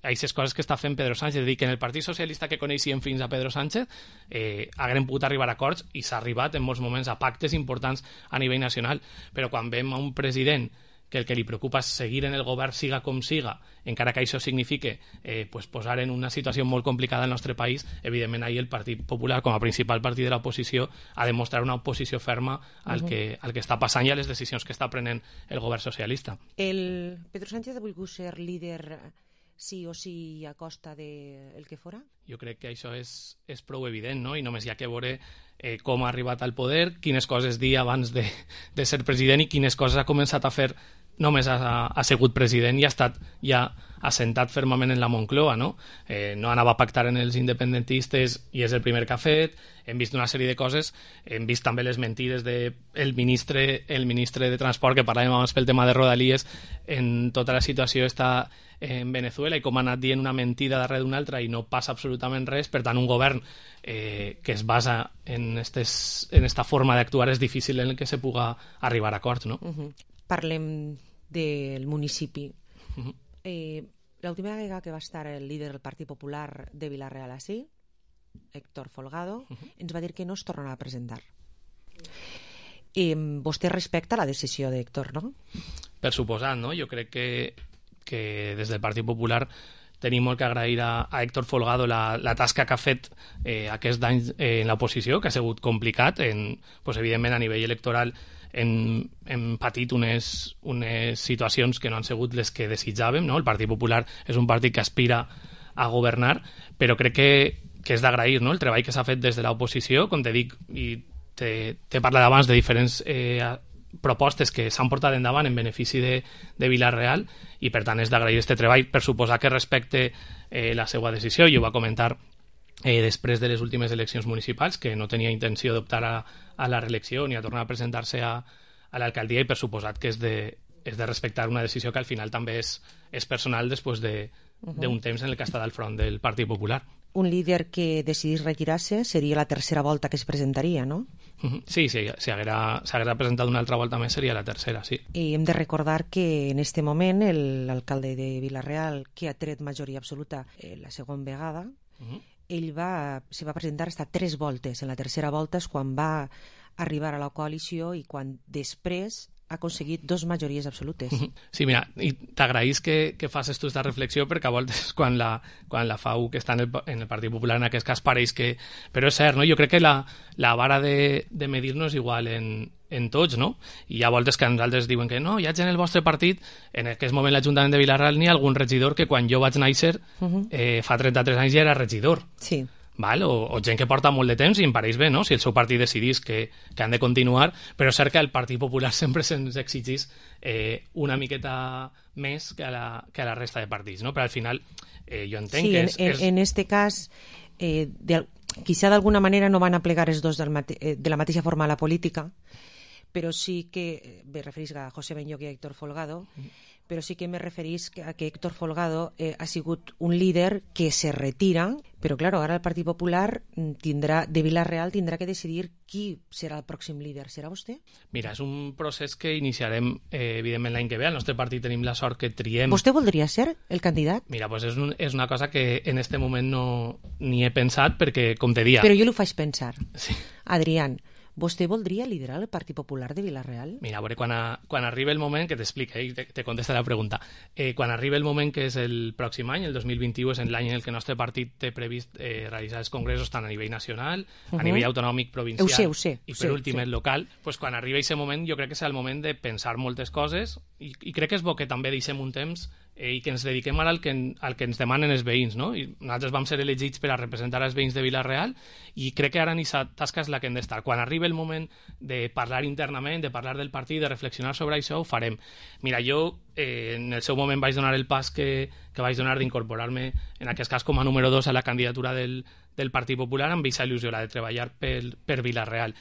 aquestes coses que està fent Pedro Sánchez. És a dir, que en el Partit Socialista que coneixíem fins a Pedro Sánchez eh, haguem pogut arribar a acords i s'ha arribat en molts moments a pactes importants a nivell nacional. Però quan veiem a un president que el que li preocupa és seguir en el govern siga com siga, encara que això signifique eh, pues posar en una situació molt complicada al nostre país, evidentment ahir el Partit Popular, com a principal partit de l'oposició, ha de mostrar una oposició ferma al, uh -huh. que, al que està passant i a les decisions que està prenent el govern socialista. El Pedro Sánchez ha volgut ser líder sí o sí a costa del de que fora? Jo crec que això és, és prou evident, no? I només hi ha que veure eh, com ha arribat al poder, quines coses dir abans de, de ser president i quines coses ha començat a fer només ha, ha sigut president i ha estat ja assentat fermament en la Moncloa, no? Eh, no anava a pactar en els independentistes i és el primer que ha fet. Hem vist una sèrie de coses, hem vist també les mentides del de ministre, el ministre de Transport, que parlàvem abans pel tema de Rodalies, en tota la situació està en Venezuela i com ha anat dient una mentida darrere d'una altra i no passa absolutament res. Per tant, un govern eh, que es basa en, estes, en esta forma d'actuar és difícil en el que se puga arribar a acords, no? Uh-huh. Parlem del municipi. Uh-huh. Eh, l'última vegada que va estar el líder del Partit Popular de Vila-real així, Héctor Folgado, uh-huh. ens va dir que no es tornarà a presentar. Eh, vostè respecta la decisió d'Héctor, no? Per suposat, no? Jo crec que, que des del Partit Popular tenim molt que agrair a, a Héctor Folgado la, la tasca que ha fet eh, aquest any eh, en l'oposició, que ha sigut complicat, en, pues, evidentment a nivell electoral hem, hem patit unes, unes situacions que no han sigut les que desitjàvem, no? El Partit Popular és un partit que aspira a governar, però crec que, que és d'agrair, no? El treball que s'ha fet des de l'oposició, com te dic, i t'he parlat abans de diferents eh, propostes que s'han portat endavant en benefici de, de Vila-real, i per tant és d'agrair aquest treball. Per suposar que respecte eh, la seva decisió, i ho va comentar eh, després de les últimes eleccions municipals, que no tenia intenció d'optar a, a la reelecció ni a tornar a presentar-se a, a l'alcaldia, i per suposat que és de, és de respectar una decisió que al final també és, és personal després de, uh-huh. d'un temps en el que ha estat al front del Partit Popular. Un líder que decidís retirar-se seria la tercera volta que es presentaria, no? Sí, sí, si haguera, si haguera presentat una altra volta més seria la tercera, sí. I hem de recordar que en este moment l'alcalde de Vila-real, que ha tret majoria absoluta eh, la segona vegada, uh-huh. ell va, se va presentar hasta tres voltes. En la tercera volta és quan va arribar a la coalició i quan després ha aconseguit dos majories absolutes. Sí, mira, i t'agraïs que, que facis tu aquesta reflexió, perquè a voltes quan la, quan la fa U, que està en el, en el Partit Popular, en aquest cas pareix que... Però és cert, no? Jo crec que la, la vara de, de medir-nos igual en, en tots, no? I hi ha voltes que a nosaltres diuen que no, hi ha gent en el vostre partit, en aquest moment l'Ajuntament de Vila-real n'hi ha algun regidor que quan jo vaig néixer, uh-huh. eh, fa trenta-tres anys ja era regidor. Sí. Val? O, o gent que porta molt de temps i em pareix bé, no? Si el seu partit decidís que, que han de continuar, però és cert que el Partit Popular sempre se'ns exigís eh, una miqueta més que a, la, que a la resta de partits, no? Però al final eh, jo entenc sí, que és... Sí, en, és... en este cas, eh, de, quizá d'alguna manera no van a plegar els dos del mate, eh, de la mateixa forma a la política, però sí que, me referís a José Benlloch i a Héctor Folgado, mm. però sí que me referís a que Héctor Folgado eh, ha sigut un líder que se retira, però claro, ara el Partit Popular tindrà, de Vila-real tindrà que decidir qui serà el pròxim líder. Serà vostè? Mira, és un procés que iniciarem eh, evidentment l'any que ve. Al nostre partit tenim la sort que triem... Vostè voldria ser el candidat? Mira, pues és, un, és una cosa que en este moment no ni he pensat perquè, com te dia... Però jo l'ho faig pensar. Sí. Adrián, vostè voldria liderar el Partit Popular de Vila-real? Mira, a veure, quan, a, quan arriba el moment, que t'explica, eh, te, te contesta la pregunta, eh, quan arriba el moment que és el pròxim any, el dos mil vint-i-u, és l'any en el que el nostre partit té previst eh, realitzar els congressos tant a nivell nacional, uh-huh. a nivell autonòmic, provincial, ho sé, ho sé, i per sé, últim sé. el local, pues, quan arriba aquest moment jo crec que serà el moment de pensar moltes coses i, i crec que és bo que també deixem un temps eh, i que ens dediquem ara al que, al que ens demanen els veïns, no? I nosaltres vam ser elegits per a representar els veïns de Vila-real i crec que ara ni sa tasca és la que hem d'estar. Quan arribi el moment de parlar internament, de parlar del partit, de reflexionar sobre això, ho farem. Mira, jo eh, en el seu moment vaig donar el pas que, que vaig donar d'incorporar-me, en aquest cas com a número dos, a la candidatura del, del Partit Popular amb aquesta il·lusió, la de treballar per, per Vila-real.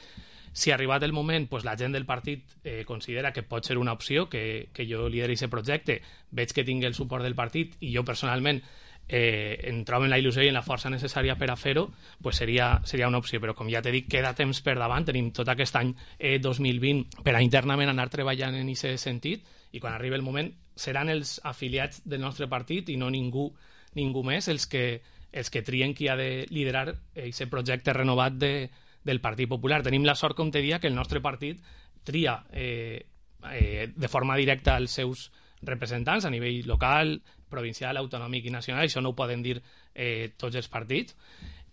Si arribat el moment, pues, la gent del partit eh, considera que pot ser una opció, que, que jo lideri aquest projecte, veig que tingui el suport del partit i jo personalment eh, em trobo en la il·lusió i en la força necessària per a fer-ho, pues seria, seria una opció. Però com ja t'he dit, queda temps per davant, tenim tot aquest any eh, dos mil vint per a internament anar treballant en aquest sentit, i quan arribi el moment seran els afiliats del nostre partit i no ningú, ningú més els que, els que trien qui ha de liderar aquest projecte renovat de del Partit Popular. Tenim la sort, com te dia, que el nostre partit tria eh, eh, de forma directa els seus representants a nivell local, provincial, autonòmic i nacional. Això no ho poden dir eh, tots els partits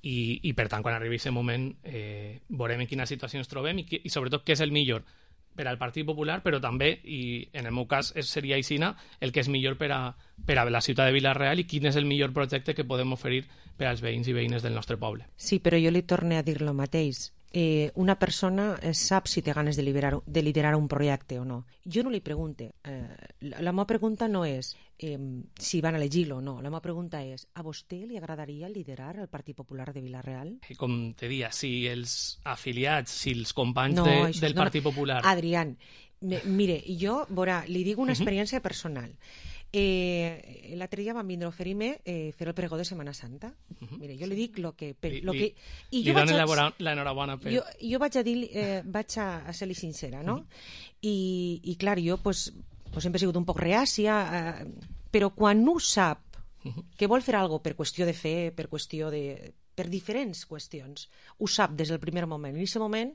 i, i per tant, quan arribi aquest moment eh, veurem en quina situació ens trobem i, i sobretot què és el millor per al Partit Popular, però també, i en el meu cas seria aixina, el que és millor per a, per a la ciutat de Vila-real i quin és el millor projecte que podem oferir per als veïns i veïnes del nostre poble. Sí, però jo li torno a dir el mateix. Eh, una persona sap si té ganes de liderar, de liderar un projecte o no. Jo no li pregunte. Eh, la, la meva pregunta no és eh, si van elegir-lo o no. La meva pregunta és, a vostè li agradaria liderar el Partit Popular de Vila-real? Com te dia, si els afiliats, si els companys no, de, això, del no, Partit Popular... Adrián, me, mire, jo, veurà, li dic una experiència uh-huh. personal. Eh, l'altre dia van vindre a oferir-me eh, fer el pregó de Setmana Santa. Uh-huh. Mire, jo li dic lo que... Per, li, lo que i jo li dono a... l'enhorabona per... Jo, jo vaig a dir, eh, vaig a, a ser-li sincera, no? Uh-huh. I, I clar, jo pues, pues sempre he sigut un poc reàcia, eh, però quan no sap uh-huh. que vol fer alguna cosa per qüestió de fe, per qüestió de... per diferents qüestions, ho sap des del primer moment. En aquest moment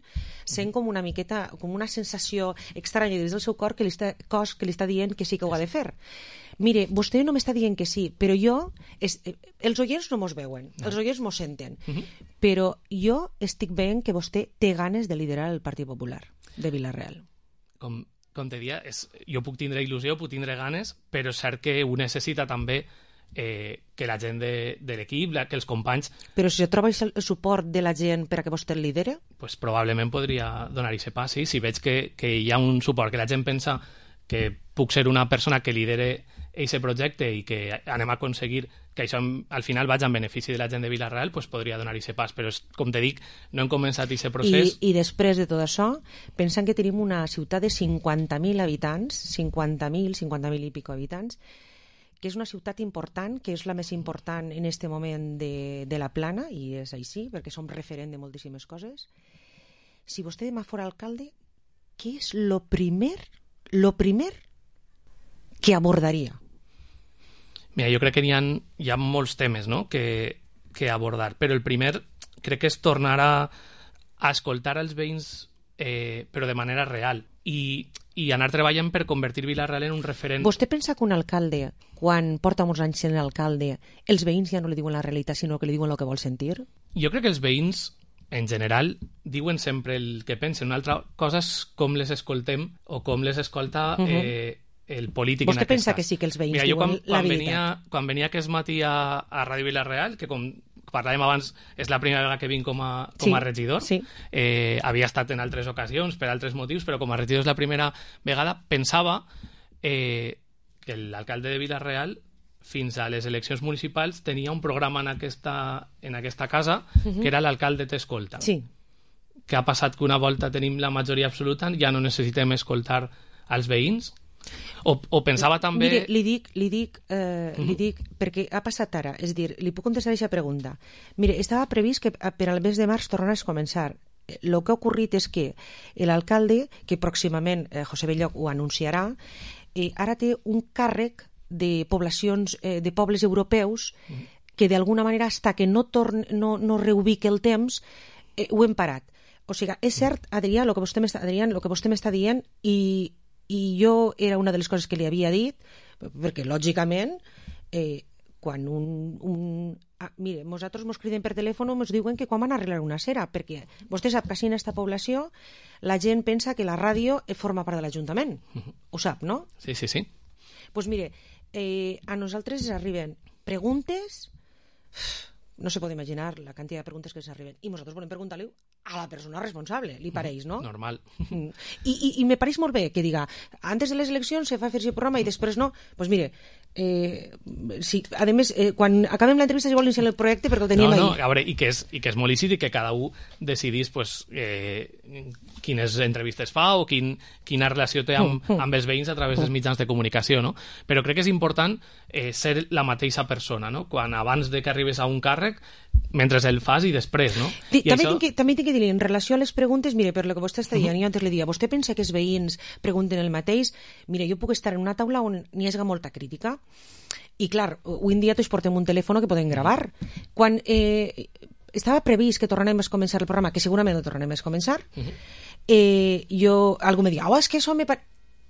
sent com una miqueta, com una sensació estranya des del seu cor que li està, cos que li està dient que sí que ho ha de fer. Mire, vostè no m'està dient que sí, però jo... És, els oients no mos veuen, no. Els oients mos senten, uh-huh. però jo estic veient que vostè té ganes de liderar el Partit Popular de Vila-real. Com, com te dia, és, jo puc tindre il·lusió, puc tindre ganes, però és cert que ho necessita també eh, que la gent de, de l'equip, que els companys... Però si troba el suport de la gent per a que vostè el lidere? Pues probablement podria donar-hi aquest pas, sí. Si veig que, que hi ha un suport, que la gent pensa que puc ser una persona que lidere aquest projecte i que anem a aconseguir que això al final vagi en benefici de la gent de Vila-real, pues podria donar-hi aquest pas. Però, és, com te dic, no hem començat aquest procés. I, I després de tot això, pensant que tenim una ciutat de cinquanta mil habitants, cinquanta mil, cinquanta mil i pico habitants, que és una ciutat important, que és la més important en aquest moment de, de la Plana, i és així, perquè som referent de moltíssimes coses. Si vostè demà fora alcalde, què és lo primer, lo primer que abordaria? Mira, jo crec que hi ha, hi ha molts temes, no?, que, que abordar, però el primer crec que és tornar a, a escoltar els veïns, eh, però de manera real, i, i anar treballant per convertir Vila-real en un referent. Vostè pensa que un alcalde, quan porta molts anys sent alcalde, els veïns ja no li diuen la realitat, sinó que li diuen el que vol sentir? Jo crec que els veïns, en general, diuen sempre el que pensen. Una altra cosa és com les escoltem o com les escolta uh-huh. eh, el polític. Vostè pensa cas. Que sí que els veïns Mira, diuen quan, la quan veritat? Venia, quan venia aquest matí a, a Ràdio Vila-real, que com parlàvem abans, és la primera vegada que vinc com a, com a sí, regidor. Sí. Eh, havia estat en altres ocasions, per altres motius, però com a regidor és la primera vegada, pensava eh, que l'alcalde de Vila-real fins a les eleccions municipals tenia un programa en aquesta, en aquesta casa uh-huh. que era l'alcalde t'escolta. Sí. Que ha passat que una volta tenim la majoria absoluta, ja no necessitem escoltar als veïns? O, o pensava també... Mire, li dic, li dic, eh, uh-huh. li dic, perquè ha passat ara, és dir, li puc contestar aquesta pregunta. Mire, estava previst que per al mes de març tornés a començar. El que ha ocorrit és que l'alcalde, que pròximament eh, José Belloc ho anunciarà, eh, ara té un càrrec de poblacions, eh, de pobles europeus uh-huh. que d'alguna manera, hasta que no, torn, no, no reubique el temps, eh, ho hem parat. O sigui, és cert, Adrià, el que vostè m'està, Adrià, el que vostè m'està dient, i i jo era una de les coses que li havia dit, perquè lògicament eh, quan un, un ah, mire, nosaltres mos criden per telèfon, ens diuen que quan van a arreglar una cera, perquè vostè sap que així en aquesta població la gent pensa que la ràdio forma part de l'Ajuntament, ho sap, no? Sí, sí, sí. Doncs pues mire, eh, a nosaltres ens arriben preguntes, no se pot imaginar la quantitat de preguntes que ens arriben, i nosaltres volem preguntar-li a la persona responsable, li pareix, no? Normal. I, i, i me pareix molt bé que diga, antes de les eleccions se fa fer-se programa i després no, doncs pues mire, eh, sí, a més, eh, quan acabem l'entrevista si vol iniciar el projecte perquè el tenim no, no, ahí. A veure, i que és, i que és molt lícit i que cada un decidís pues, eh, quines entrevistes fa o quin, quina relació té amb, amb els veïns a través dels mitjans de comunicació, no? Però crec que és important eh, ser la mateixa persona, no? Quan abans de que arribes a un càrrec, mentre el fas i després, no? I també, això... tinc que, també tinc que dir, en relació a les preguntes, mire, per lo que vostè està dient, uh -huh. jo antes li dia, vostè pensa que els veïns pregunten el mateix? Mire, jo puc estar en una taula on n'hi hagi molta crítica, i clar, avui en dia tots portem un telèfon que podem gravar. Quan eh, estava previst que tornarem a començar el programa, que segurament no tornarem a començar, uh -huh. eh, jo, algú me diu, oh, és que això me...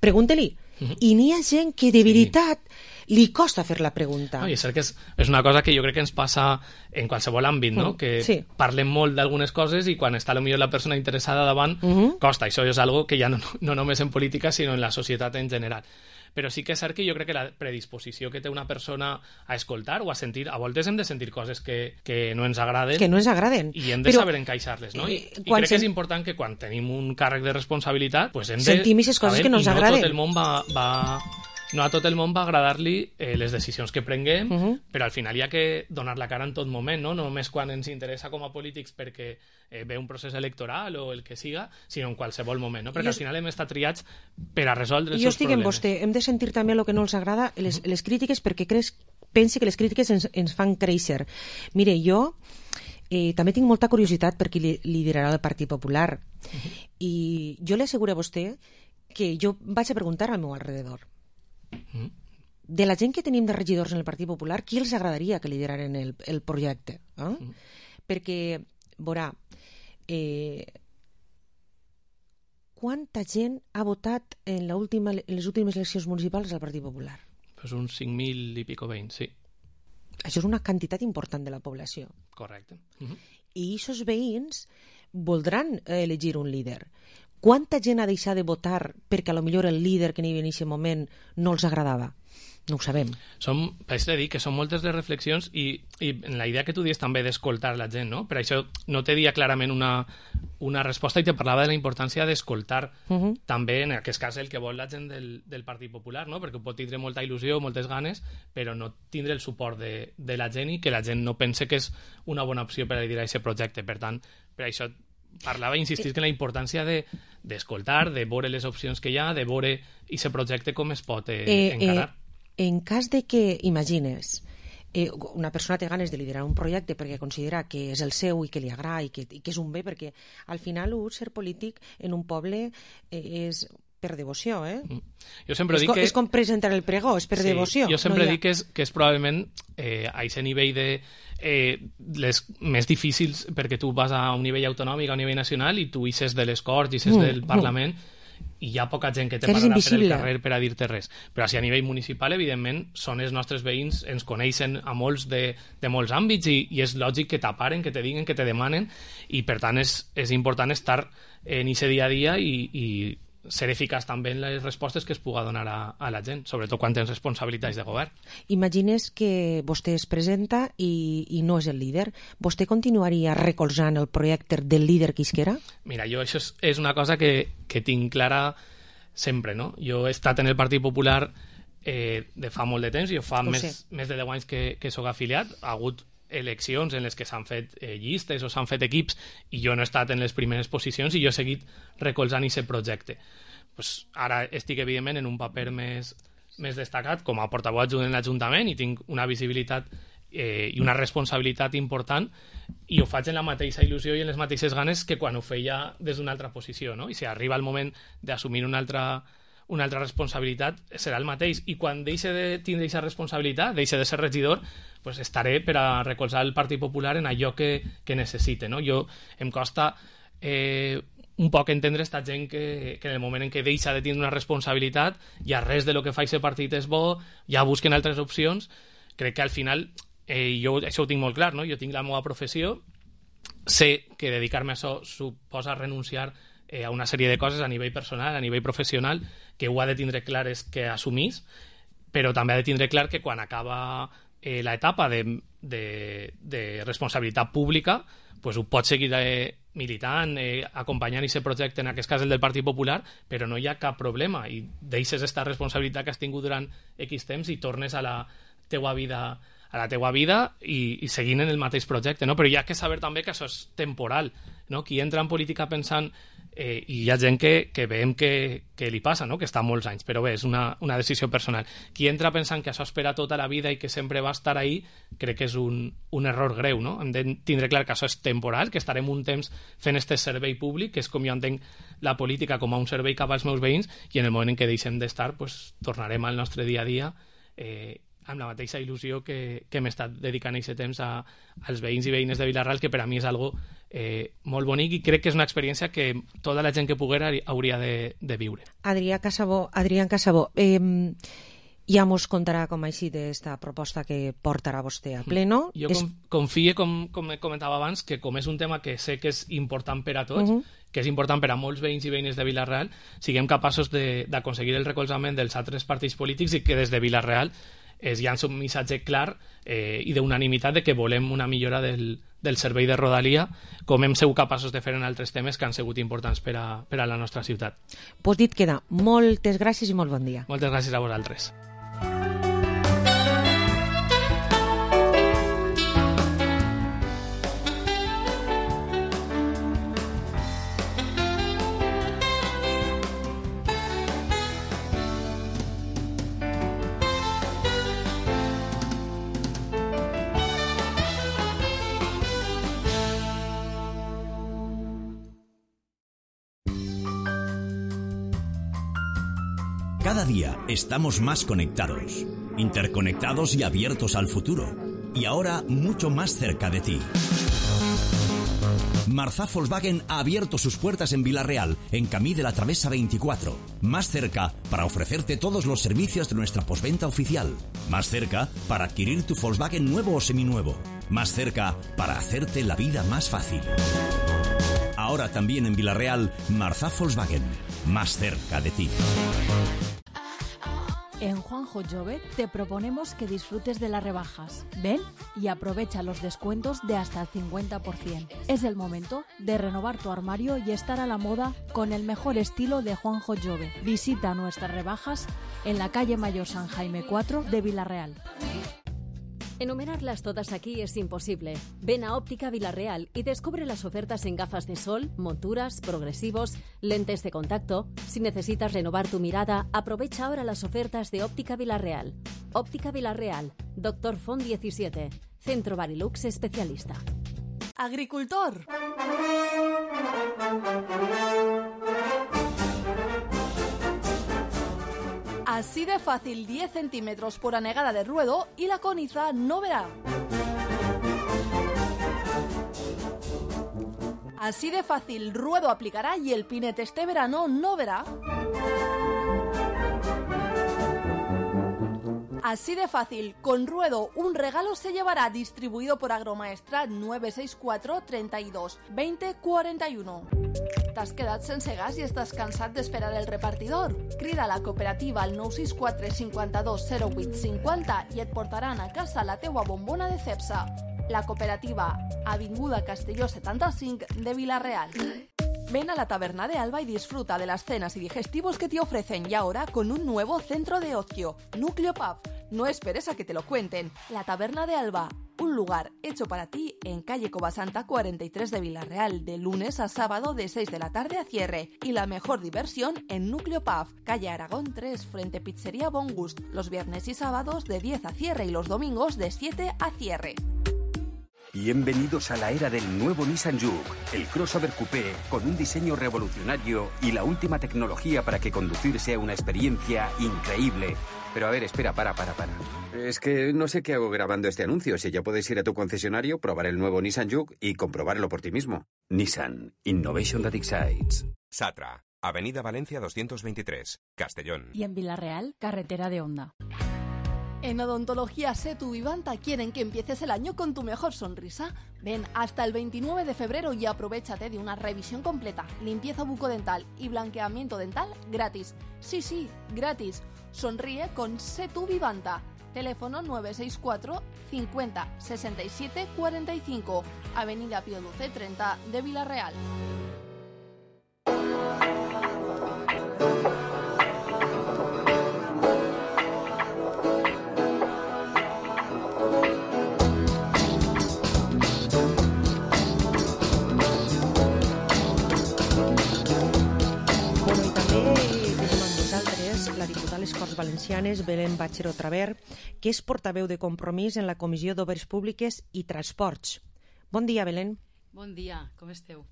Pregunte-li. Uh -huh. I n'hi ha gent que de veritat sí. li costa fer la pregunta. No, i és cert que és, és una cosa que jo crec que ens passa en qualsevol àmbit, no? Uh -huh. Que sí. parlem molt d'algunes coses i quan està potser la persona interessada davant, uh -huh. costa. Això és algo que ja no, no només en política, sinó en la societat en general. Però sí que és cert que jo crec que la predisposició que té una persona a escoltar o a sentir, a voltes hem de sentir coses que, que no ens agraden. Que no ens agraden. I hem de Però, saber encaixar-les, no? I, eh, i crec sen... que és important que quan tenim un càrrec de responsabilitat, pues hem de... sentim aquestes coses que no ens no agraden. Tot el món va... va... No a tot el món va agradar-li eh, les decisions que prenguem, uh -huh. però al final hi ha que donar la cara en tot moment, no? No només quan ens interessa com a polítics perquè eh, ve un procés electoral o el que siga, sinó en qualsevol moment, no? Perquè jo... al final hem estat triats per a resoldre els jo seus estic problemes. amb vostè, hem de sentir també el que no els agrada, les, uh -huh. les crítiques, perquè creix, pensi que les crítiques ens, ens fan créixer. Mire, jo eh, també tinc molta curiositat per qui li, liderarà el Partit Popular, uh -huh. i jo li asseguro a vostè que jo vaig a preguntar al meu alrededor. De la gent que tenim de regidors en el Partit Popular, qui els agradaria que lideraren el, el projecte? Eh? Mm. Perquè, veurà, eh, quanta gent ha votat en, la última, en les últimes eleccions municipals al Partit Popular? Pues uns cinc mil i pico veïns, sí. Això és una quantitat important de la població. Correcte. Uh -huh. I aquests veïns voldran elegir un líder. Quanta gent ha deixat de votar perquè a lo millor el líder que n'hi havia en aquest moment no els agradava? No ho sabem. Som, vaig dir que són moltes les reflexions i, i en la idea que tu dius també d'escoltar la gent, no? Per això no te dia clarament una, una resposta i te parlava de la importància d'escoltar uh -huh. també, en aquest cas, el que vol la gent del, del Partit Popular, no? Perquè pot tindre molta il·lusió, moltes ganes, però no tindre el suport de, de la gent i que la gent no pense que és una bona opció per a liderar aquest projecte. Per tant, per això parlava i insistís en la importància d'escoltar, de, de veure les opcions que hi ha, de veure aquest projecte com es pot eh, eh, encarar. Eh, en cas de que, imagines, eh, una persona té ganes de liderar un projecte perquè considera que és el seu i que li agrada i que, i que és un bé, perquè al final un ser polític en un poble eh, és per devoció, eh? Mm. Jo sempre és, dic com, que... és com presentar el pregó, és per sí, devoció. Jo sempre no dic ha... que, és, que és probablement eh, a aquest nivell de eh, les més difícils, perquè tu vas a un nivell autonòmic, a un nivell nacional, i tu ixes de les Corts, ixes mm, del Parlament, mm. i hi ha poca gent que te pararà per el carrer per a dir-te res. Però si a nivell municipal, evidentment, són els nostres veïns, ens coneixen a molts de, de molts àmbits i, i és lògic que t'aparen, que te diguen, que te demanen, i per tant és, és important estar en aquest dia a dia i, i ser eficaç també en les respostes que es puga donar a, a la gent, sobretot quan tens responsabilitats de govern. Imagines que vostè es presenta i, i no és el líder. Vostè continuaria recolzant el projecte del líder que isquera? Mira, jo això és, és una cosa que, que tinc clara sempre, no? Jo he estat en el Partit Popular eh, de fa molt de temps, jo fa més, més de deu anys que, que soc afiliat, ha hagut eleccions en les que s'han fet eh, llistes o s'han fet equips i jo no he estat en les primeres posicions i jo he seguit recolzant aquest projecte. Pues ara estic, evidentment, en un paper més, més destacat com a portaveu adjunt en l'Ajuntament i tinc una visibilitat eh, i una responsabilitat important i ho faig en la mateixa il·lusió i en les mateixes ganes que quan ho feia des d'una altra posició, no? I si arriba el moment d'assumir una altra una altra responsabilitat serà el mateix, i quan deixe de tindre aquesta responsabilitat, deixe de ser regidor, pues estaré per a recolzar el Partit Popular en allò que, que necessite, no? Jo em costa eh, un poc entendre esta gent que, que en el moment en què deixa de tindre una responsabilitat ja res de lo que fa aquest partit és bo, ja busquen altres opcions. Crec que al final eh, jo això ho tinc molt clar, no? Jo tinc la meva professió, sé que dedicar-me a això suposa renunciar a una sèrie de coses a nivell personal, a nivell professional, que ho ha de tindre clares que assumís, però també ha de tindre clar que quan acaba eh, l'etapa de, de, de responsabilitat pública, pues ho pot seguir eh, militant, eh, acompanyant aquest projecte, en aquest cas el del Partit Popular, però no hi ha cap problema i deixes aquesta responsabilitat que has tingut durant X temps i tornes a la teua vida a la teua vida i, i seguint en el mateix projecte, no? Però hi ha que saber també que això és temporal, no? Qui entra en política pensant eh, i hi ha gent que, que veiem que, que li passa, no? Que està molts anys, però bé, és una, una decisió personal. Qui entra pensant que això espera tota la vida i que sempre va estar ahí, crec que és un, un error greu, no? Hem de tindre clar que això és temporal, que estarem un temps fent este servei públic, que és com jo entenc la política com a un servei cap als meus veïns, i en el moment en què deixem d'estar, pues, tornarem al nostre dia a dia eh, amb la mateixa il·lusió que, que hem estat dedicant aquest temps a, als veïns i veïnes de Vila-real, que per a mi és algo eh, molt bonic i crec que és una experiència que tota la gent que poguera hauria de, de viure. Adrià Casabó, Adrián Casabó, eh, ja mos contarà com ha eixit esta proposta que portarà vostè a pleno. Jo és... confie, com, com comentava abans, que com és un tema que sé que és important per a tots, uh -huh. que és important per a molts veïns i veïnes de Vila-real, siguem capaços d'aconseguir el recolzament dels altres partits polítics i que des de Vila-real es llança un missatge clar eh, i d'unanimitat de que volem una millora del, del servei de Rodalia, com hem sigut capaços de fer en altres temes que han sigut importants per a, per a la nostra ciutat. Pues dit queda. Moltes gràcies i molt bon dia. Moltes gràcies a vosaltres. Cada día estamos más conectados, interconectados y abiertos al futuro. Y ahora mucho más cerca de ti. Marzá Volkswagen ha abierto sus puertas en Vila-real, en Camí de la Travesa veinticuatro. Más cerca para ofrecerte todos los servicios de nuestra postventa oficial. Más cerca para adquirir tu Volkswagen nuevo o seminuevo. Más cerca para hacerte la vida más fácil. Ahora también en Vila-real, Marzá Volkswagen. Más cerca de ti. En Juanjo Jove te proponemos que disfrutes de las rebajas. Ven y aprovecha los descuentos de hasta el cincuenta por ciento. Es el momento de renovar tu armario y estar a la moda con el mejor estilo de Juanjo Jove. Visita nuestras rebajas en la calle Mayor San Jaime cuatro de Vila-real. Enumerarlas todas aquí es imposible. Ven a Óptica Vila-real y descubre las ofertas en gafas de sol, monturas, progresivos, lentes de contacto. Si necesitas renovar tu mirada, aprovecha ahora las ofertas de Óptica Vila-real. Óptica Vila-real, Doctor Font diecisiete, Centro Barilux especialista. Agricultor. Así de fácil, diez centímetros por anegada de ruedo y la coniza no verá. Así de fácil, ruedo aplicará y el pinete este verano no verá. Así de fácil, con ruedo un regalo se llevará, distribuido por Agromaestrat nueve seis cuatro, treinta y dos, veinte, cuarenta y uno. T'has quedat sense gas i estàs cansat d'esperar el repartidor? Crida a la cooperativa al nou sis quatre, cinquanta-dos, zero vuit, cinquanta i et portaran a casa la teua bombona de Cepsa. La cooperativa, Avinguda Castelló setenta-cinc de Vila-real. Ven a la Taberna de Alba y disfruta de las cenas y digestivos que te ofrecen, y ahora con un nuevo centro de ocio, Núcleo Pub. No esperes a que te lo cuenten. La Taberna de Alba, un lugar hecho para ti en calle Covasanta cuarenta y tres de Vila-real, de lunes a sábado de seis de la tarde a cierre. Y la mejor diversión en Núcleo Pub, calle Aragón tres, frente Pizzería Bon Gust, los viernes y sábados de diez a cierre y los domingos de siete a cierre. Bienvenidos a la era del nuevo Nissan Juke, el crossover coupé con un diseño revolucionario y la última tecnología para que conducir sea una experiencia increíble. Pero a ver, espera, para, para, para. Es que no sé qué hago grabando este anuncio. Si ya puedes ir a tu concesionario, probar el nuevo Nissan Juke y comprobarlo por ti mismo. Nissan, Innovation that excites. Satra, Avenida Valencia doscientos veintitrés, Castellón. Y en Vila-real, carretera de Onda. En Odontología Setu Vivanta quieren que empieces el año con tu mejor sonrisa. Ven hasta el veintinueve de febrero y aprovéchate de una revisión completa, limpieza bucodental y blanqueamiento dental gratis. Sí, sí, gratis. Sonríe con Setu Vivanta. Teléfono nueve seis cuatro cincuenta sesenta y siete cuarenta y cinco, Avenida Pío doce treinta de Vila-real. La diputada a les Corts Valencianes, Belén Bachero Traver, que és portaveu de Compromís en la Comissió d'Obres Públiques i Transports. Bon dia, Belén. Bon dia, com esteu?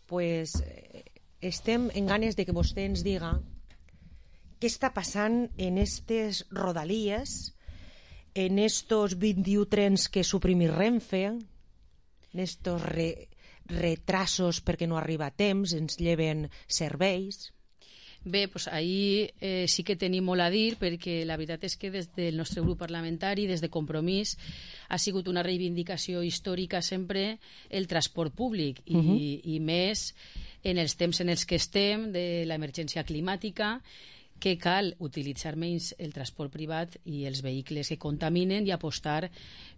Pues eh, estem en ganes de que vostè ens diga què està passant en estes rodalies, en estos vint-i-u trens que suprimir Renfe, en estos re, retrasos perquè no arriba a temps, ens lleven serveis. Bé, doncs ahir eh, sí que tenim molt a dir, perquè la veritat és que des del nostre grup parlamentari, des de Compromís, ha sigut una reivindicació històrica sempre el transport públic i, uh-huh. i més en els temps en els que estem de l'emergència climàtica, que cal utilitzar menys el transport privat i els vehicles que contaminen i apostar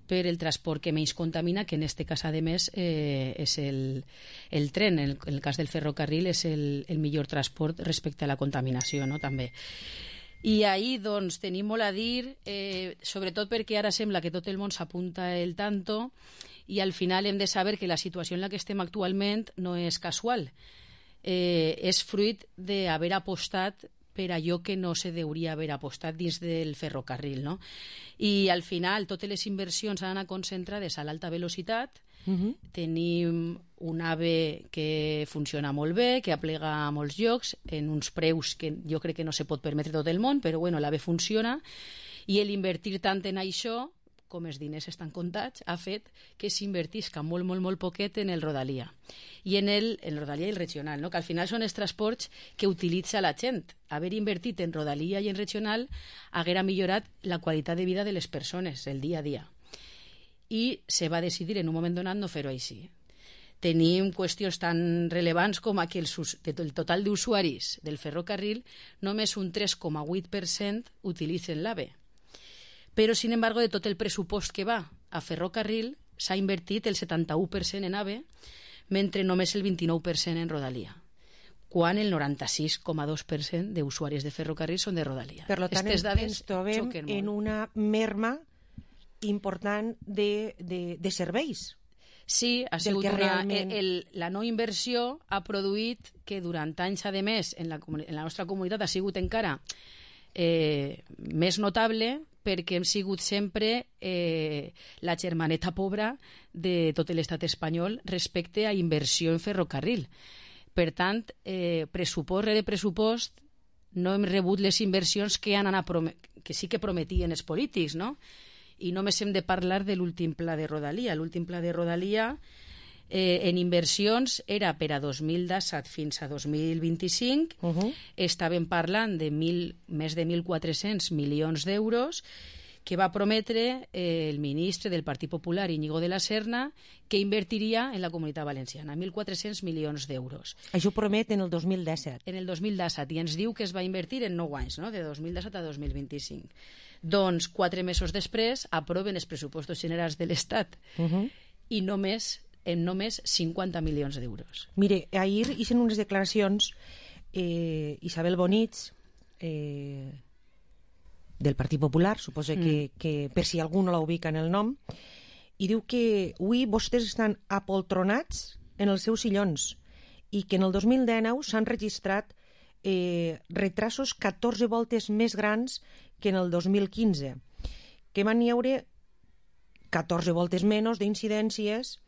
per el transport que menys contamina, que en aquest cas, a més, eh, és el, el tren. En el, en el cas del ferrocarril és el, el millor transport respecte a la contaminació, no?, també. I ahir, doncs, tenim molt a dir, eh, sobretot perquè ara sembla que tot el món s'apunta el tanto i al final hem de saber que la situació en la que estem actualment no és casual. Eh, és fruit d'haver apostat per allò que no se deuria haver apostat dins del ferrocarril, no? I al final totes les inversions han anat concentrades a l'alta velocitat. Uh-huh. Tenim un AVE que funciona molt bé, que aplega a molts llocs, en uns preus que jo crec que no se pot permetre tot el món, però bueno, l'AVE funciona, i l'invertir tant en això, com els diners estan comptats, ha fet que s'invertisca molt, molt, molt poquet en el Rodalia. I en el, en el Rodalia i el regional, no? Que al final són els transports que utilitza la gent. Haver invertit en Rodalia i en regional haguera millorat la qualitat de vida de les persones, el dia a dia. I se va decidir en un moment donat no fer-ho així. Tenim qüestions tan rellevants com que el, el total d'usuaris del ferrocarril només un tres coma vuit per cent utilitzen l'AVE. Però, sin embargo, de tot el pressupost que va a ferrocarril s'ha invertit el setanta-u per cent en AVE, mentre només el vint-i-nou per cent en Rodalia, quan el noranta-sis coma dos per cent d'usuaris de ferrocarril són de Rodalia. Per tant, ens trobem en una merma important de, de, de serveis. Sí, ha sigut una, realment... el, la no inversió ha produït que durant anys, a més, en la, en la nostra comunitat ha sigut encara eh, més notable, perquè hem sigut sempre eh, la germaneta pobra de tot l'estat espanyol respecte a inversió en ferrocarril. Per tant, eh, pressupost rere pressupost, no hem rebut les inversions que, han anat que sí que prometien els polítics, no? I només hem de parlar de l'últim pla de Rodalia. L'últim pla de Rodalia eh, en inversions era per a dos mil disset fins a dos mil vint-i-cinc. Uh-huh. Estàvem parlant de mil, més de mil quatre-cents milions d'euros que va prometre eh, el ministre del Partit Popular, Íñigo de la Serna, que invertiria en la Comunitat Valenciana, mil quatre-cents milions d'euros. Això promet en el dos mil disset. En el dos mil disset, i ens diu que es va invertir en nou anys, no? De dos mil disset a dos mil vint-i-cinc. Doncs, quatre mesos després, aproven els pressupostos generals de l'Estat uh-huh. i només, en només cinquanta milions d'euros. Mire, ahir hicen unes declaracions eh, Isabel Bonich, eh, del Partit Popular, suposo mm. que, que per si algú no la ubica en el nom, i diu que avui vostès estan apoltronats en els seus sillons i que en el dos mil dinou s'han registrat eh, retrasos catorze voltes més grans que en el dos mil quinze, que van hi haure catorze voltes menys d'incidències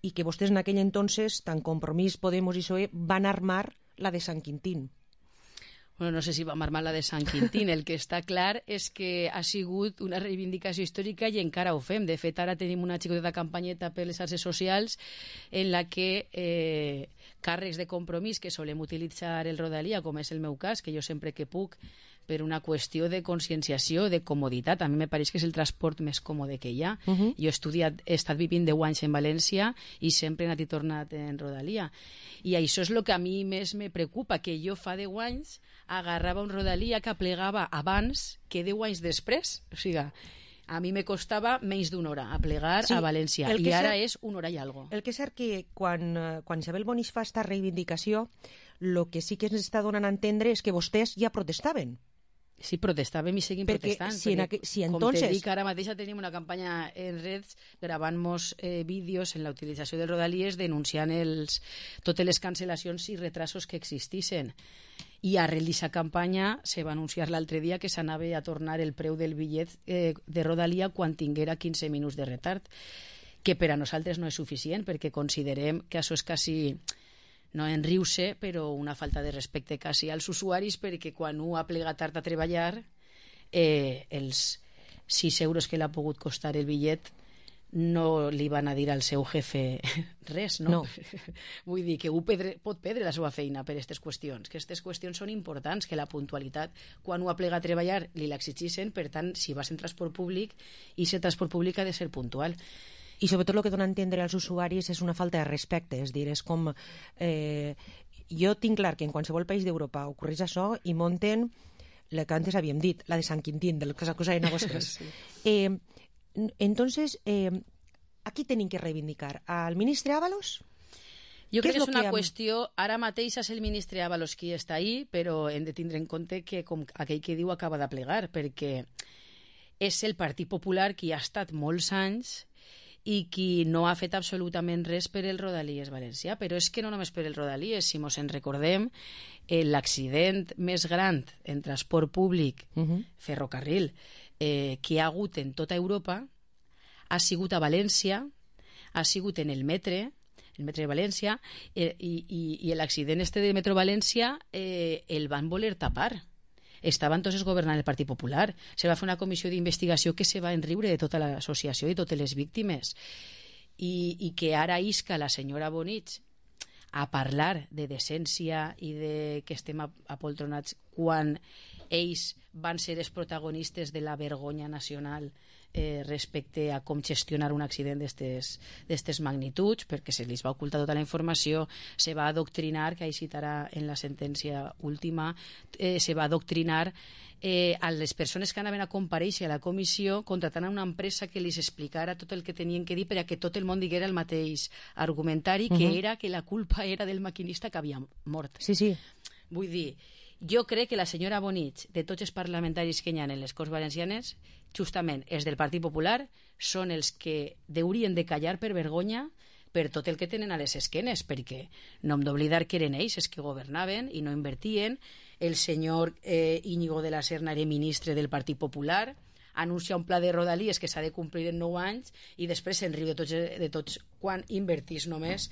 i que vostès en aquell entonces, tant Compromís, Podemos i P S O E, van armar la de Sant Quintín. Bueno, no sé si va armar la de Sant Quintín. El que està clar és que ha sigut una reivindicació històrica i encara ho fem. De fet, ara tenim una xicoteta campanyeta per les xarxes socials en la que eh, càrrecs de Compromís que solem utilitzar el Rodalia, com és el meu cas, que jo sempre que puc per una qüestió de conscienciació, de comoditat. A mi me pareix que és el transport més còmode que hi ha. Uh -huh. Jo he estudiat, he estat vivint deu anys en València i sempre he anat i tornat en Rodalia. I això és el que a mi més me preocupa, que jo fa deu anys agarrava un Rodalia que plegava abans que deu anys després. O sigui, a mi me costava menys d'una hora a plegar sí, a València i ara cert, és una hora i algo. El que és cert que quan, quan Isabel Bonís fa esta reivindicació, el que sí que ens està donant a entendre és que vostès ja protestaven. Sí, protestàvem i seguim perquè protestant. Si, perquè, aqu... si entonces... Com te dic, ara mateix tenim una campanya en redes gravant-nos eh, vídeos en la utilització del Rodalies denunciant els, totes les cancel·lacions i retrasos que existissin. I arrel d'aquesta campanya se va anunciar l'altre dia que s'anava a tornar el preu del bitllet eh, de Rodalia quan tinguera quinze minuts de retard, que per a nosaltres no és suficient perquè considerem que això és quasi... no en riure, però una falta de respecte quasi als usuaris, perquè quan un ha plegat tard a treballar, eh, els sis euros que l'ha pogut costar el bitllet no li van a dir al seu jefe res, no? no. Vull dir que un pedre, pot perdre la seva feina per aquestes qüestions, que aquestes qüestions són importants, que la puntualitat, quan un ha plegat a treballar, li l'exigeixen, per tant, si vas en transport públic, i aquest transport públic ha de ser puntual. I sobretot el que dona a entendre als usuaris és una falta de respecte, és dir, és com... Eh, jo tinc clar que en qualsevol país d'Europa ocorreix això i monten la que antes havíem dit, la de Sant Quintín, de la cosa de negocios. sí. eh, entonces, eh, aquí tenim que reivindicar al ministre Ábalos? Jo crec que és una que... qüestió... Ara mateix és el ministre Ábalos qui està ahí, però hem de tindre en compte que com aquell que diu acaba de plegar, perquè és el Partit Popular qui ha estat molts anys i qui no ha fet absolutament res per el Rodalies valencià, però és que no només per el Rodalies, si mos en recordem, l'accident més gran en transport públic, uh -huh. ferrocarril, eh, que hi ha hagut en tota Europa, ha sigut a València, ha sigut en el metre, el metre de València, eh, i, i, i l'accident este de Metro València eh, el van voler tapar. Estaven tots governant el Partit Popular. Se va fer una comissió d'investigació que se va enriure de tota l'associació i totes les víctimes. I, i que ara isca la senyora Bonich a parlar de decència i de que estem apoltronats quan ells van ser els protagonistes de la vergonya nacional eh, respecte a com gestionar un accident d'aquestes magnituds, perquè se li va ocultar tota la informació, se va adoctrinar, que ahí citarà en la sentència última, eh, se va adoctrinar eh, a les persones que anaven a comparèixer a la comissió contratant a una empresa que els explicara tot el que tenien que dir per a que tot el món diguera el mateix argumentari, que uh-huh. era que la culpa era del maquinista que havia mort. Sí, sí. Vull dir, jo crec que la senyora Bonich, de tots els parlamentaris que hi ha en les Corts Valencianes, justament els del Partit Popular, són els que haurien de callar per vergonya per tot el que tenen a les esquenes, perquè no hem d'oblidar que eren ells els que governaven i no invertien. El senyor eh, Íñigo de la Serna era ministre del Partit Popular, anuncia un pla de Rodalies que s'ha de complir en nou anys i després se'n riu de tots, de tots quan invertís només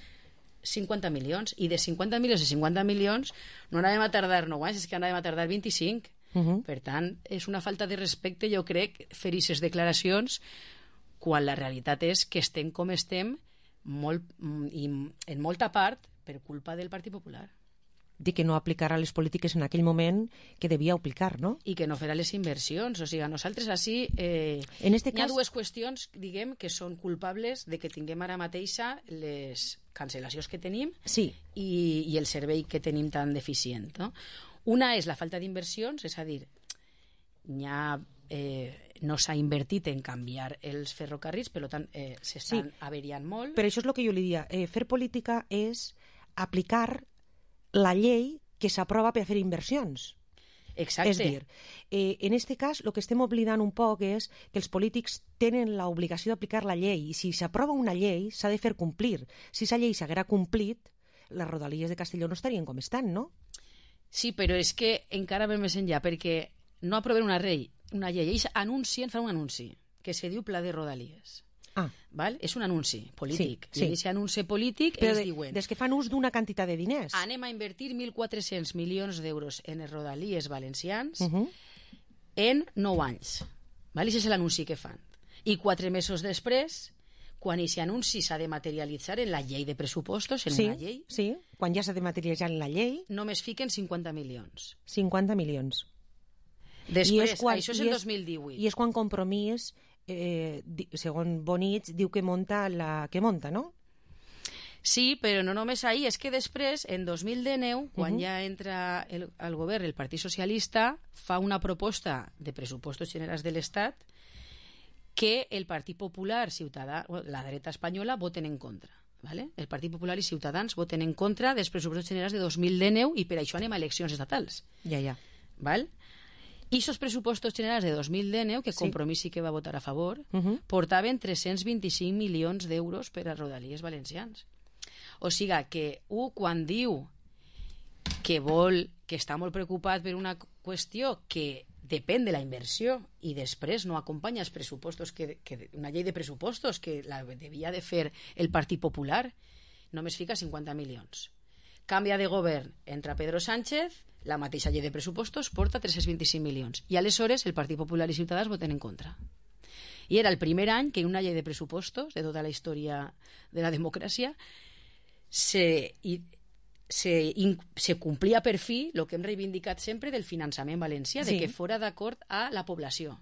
cinquanta milions, i de cinquanta milions a cinquanta milions no anàvem a tardar nou anys, és que anàvem a tardar vint-i-cinc. Uh -huh. Per tant, és una falta de respecte, jo crec, fer aquestes declaracions quan la realitat és que estem com estem molt, i en molta part per culpa del Partit Popular. De que no aplicarà les polítiques en aquell moment que devia aplicar, no? I que no farà les inversions. O sigui, nosaltres així eh, en este hi ha cas... dues qüestions, diguem, que són culpables de que tinguem ara mateixa les cancel·lacions que tenim sí. i, i el servei que tenim tan deficient, no? Una és la falta d'inversions, és a dir, ha, eh, no s'ha invertit en canviar els ferrocarrils, per tant, eh, s'estan sí. averiant molt. Per això és el que jo li dia. Eh, fer política és aplicar la llei que s'aprova per fer inversions. Exacte. És dir, eh, en este cas, el que estem oblidant un poc és que els polítics tenen l'obligació d'aplicar la llei, i si s'aprova una llei s'ha de fer complir. Si aquesta llei s'haguera complit, les Rodalies de Castelló no estarien com estan, no? Sí, però és que encara ve més enllà, perquè no aproven una llei, una llei, ells anuncien, fan un anunci, que se diu Pla de Rodalies. Ah. Val? És un anunci polític. Sí, sí. I aquest anunci polític però ells de, diuen... Des que fan ús d'una quantitat de diners. Anem a invertir mil quatre-cents milions d'euros en els Rodalies valencians uh -huh. en nou anys. Val? I aquest és l'anunci que fan. I quatre mesos després, quan aquest anunci s'ha de materialitzar en la llei de pressupostos, en sí, una llei... Sí, quan ja s'ha de materialitzar en la llei... Només fiquen cinquanta milions. cinquanta milions. Després, I és quan, això és i el dos mil divuit. I és quan Compromís, eh, di, segons Bonich, diu que monta la que monta, no? Sí, però no només ahir, és que després, en dos mil dinou, quan Uh-huh. ja entra el, al govern el Partit Socialista, fa una proposta de pressupostos generals de l'Estat que el Partit Popular, Ciutadà, la dreta espanyola, voten en contra. ¿Vale? El Partit Popular i Ciutadans voten en contra dels pressupostos generals de dos mil dinou i per això anem a eleccions estatals. Ja, ja. ¿Val? I esos pressupostos generals de dos mil dinou, que Sí. Compromís sí que va votar a favor, Uh-huh. portaven tres-cents vint-i-cinc milions d'euros per a Rodalies Valencians. O sigui que un, quan diu que vol, que està molt preocupat per una qüestió que depèn de la inversió i després no acompanya els pressupostos, que, que una llei de pressupostos que la devia de fer el Partit Popular, només fica cinquanta milions. Canvia de govern, entra Pedro Sánchez, la mateixa llei de pressupostos porta tres-cents vint-i-cinc milions. I aleshores el Partit Popular i Ciutadans voten en contra. I era el primer any que en una llei de pressupostos de tota la història de la democràcia se, i, se, in, se complia per fi el que hem reivindicat sempre del finançament valencià, Sí. de que fora d'acord a la població.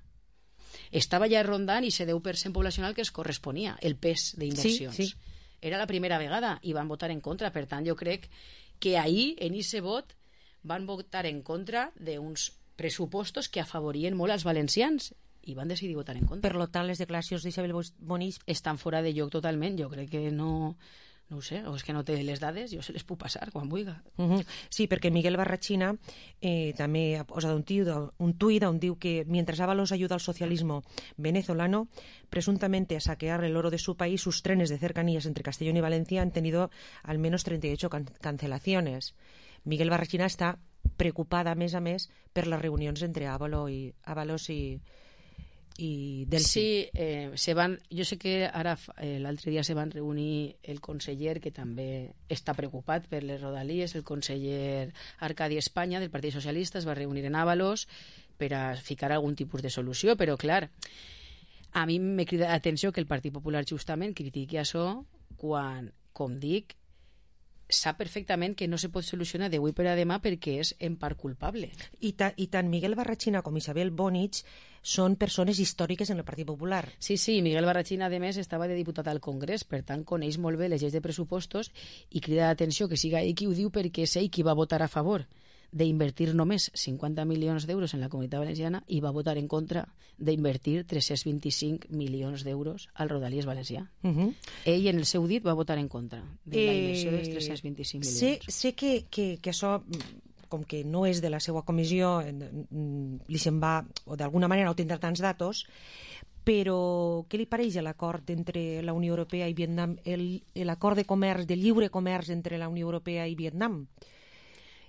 Estava ja rondant i ese deu per cent poblacional que es corresponia, el pes d'inversions. Sí, sí. Era la primera vegada i van votar en contra. Per tant, jo crec que ahir, en ese vot, van votar en contra d'uns pressupostos que afavorien molt als valencians i van decidir votar en contra. Per lo tant, les declaracions d'Isabel Bonich estan fora de lloc totalment. Jo crec que no... No ho sé, o és que no té les dades, jo se les puc passar quan vulgui. Uh-huh. Sí, perquè Miguel Barrachina eh, també ha posat un, tío, un tuit on diu que mientras Ábalos ayuda al socialismo venezolano presuntamente a saquear el oro de su país, sus trenes de cercanías entre Castellón y Valencia han tenido al menos treinta y ocho can cancelaciones. Miguel Barrachina està preocupada, a més a més, per les reunions entre Ábalos i, Ábalos i, i Delcy. Sí, eh, se van, jo sé que ara eh, l'altre dia se van reunir el conseller que també està preocupat per les rodalies, el conseller Arcadi Espanya del Partit Socialista es va reunir en Ábalos per a ficar algun tipus de solució, però clar, a mi me crida l'atenció que el Partit Popular justament critiqui això quan, com dic, sap perfectament que no se pot solucionar d'avui per a demà perquè és en part culpable. I, ta, i tant Miguel Barrachina com Isabel Bonich són persones històriques en el Partit Popular. Sí, sí, Miguel Barrachina, a més, estava de diputat al Congrés, per tant, coneix molt bé les lleis de pressupostos i crida l'atenció que siga ell qui ho diu perquè és ell qui va votar a favor d'invertir només cinquanta milions d'euros en la Comunitat Valenciana i va votar en contra d'invertir tres-cents vint-i-cinc milions d'euros al Rodalies Valencià. Uh -huh. Ell, en el seu dit, va votar en contra de la Eh, inversió dels tres-cents vint-i-cinc milions. Sé, sé que, que, que això, com que no és de la seva comissió, li se'n va, o d'alguna manera no tindrà tants datos, però què li pareix l'acord entre la Unió Europea i Vietnam, l'acord de comerç, de lliure comerç entre la Unió Europea i Vietnam?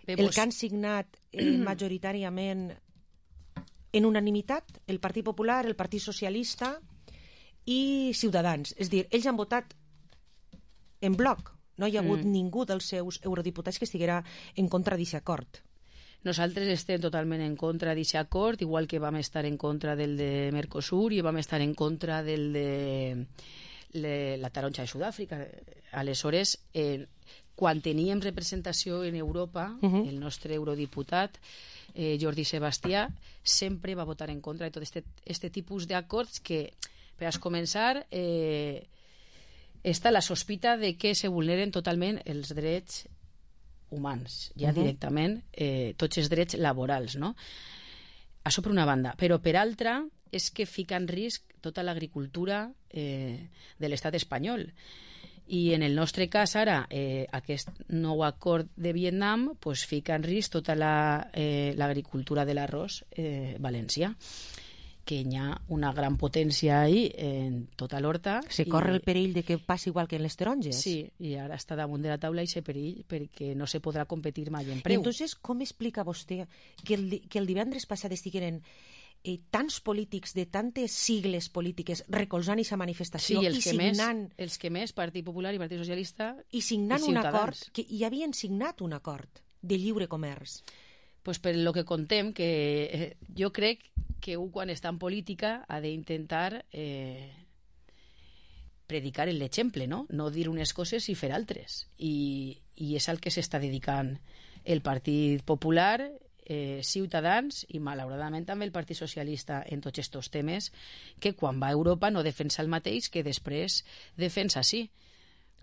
Bé, El pues... que han signat eh, majoritàriament en unanimitat el Partit Popular, el Partit Socialista i Ciutadans. És a dir, ells han votat en bloc. No hi ha hagut Mm. ningú dels seus eurodiputats que estiguera en contra d'aquest acord. Nosaltres estem totalment en contra d'aquest acord, igual que vam estar en contra del de Mercosur i vam estar en contra del de le, la taronja de Sud-àfrica. Aleshores, eh, quan teníem representació en Europa, Uh-huh. el nostre eurodiputat eh, Jordi Sebastià sempre va votar en contra de tot este, este tipus d'acords que, per a començar, eh, està la sospita de que se vulneren totalment els drets humans, ja Uh-huh. directament eh, tots els drets laborals, no? Això per una banda, però per altra és que fica en risc tota l'agricultura eh, de l'estat espanyol. I en el nostre cas ara eh, aquest nou acord de Vietnam pues, fica en risc tota l'agricultura la, eh, de l'arròs eh, valencià, que hi ha una gran potència ahí en tota l'horta. Se i... corre el perill de que passi igual que en les taronges. Sí, i ara està damunt de la taula i se perill perquè no se podrà competir mai en preu. I entonces, com explica vostè que el, que el divendres passat estigueren eh, tants polítics de tantes sigles polítiques recolzant aquesta manifestació sí, els i que signant... Més, els que més, Partit Popular i Partit Socialista i signant i un Ciutadans. acord, que hi havien signat un acord de lliure comerç. Pues per lo que contem, que eh, jo crec que un quan està en política ha d'intentar eh, predicar l'exemple, no? No dir unes coses i fer altres. I, i és al que s'està dedicant el Partit Popular eh, Ciutadans i malauradament també el Partit Socialista en tots aquests temes, que quan va a Europa no defensa el mateix que després defensa sí.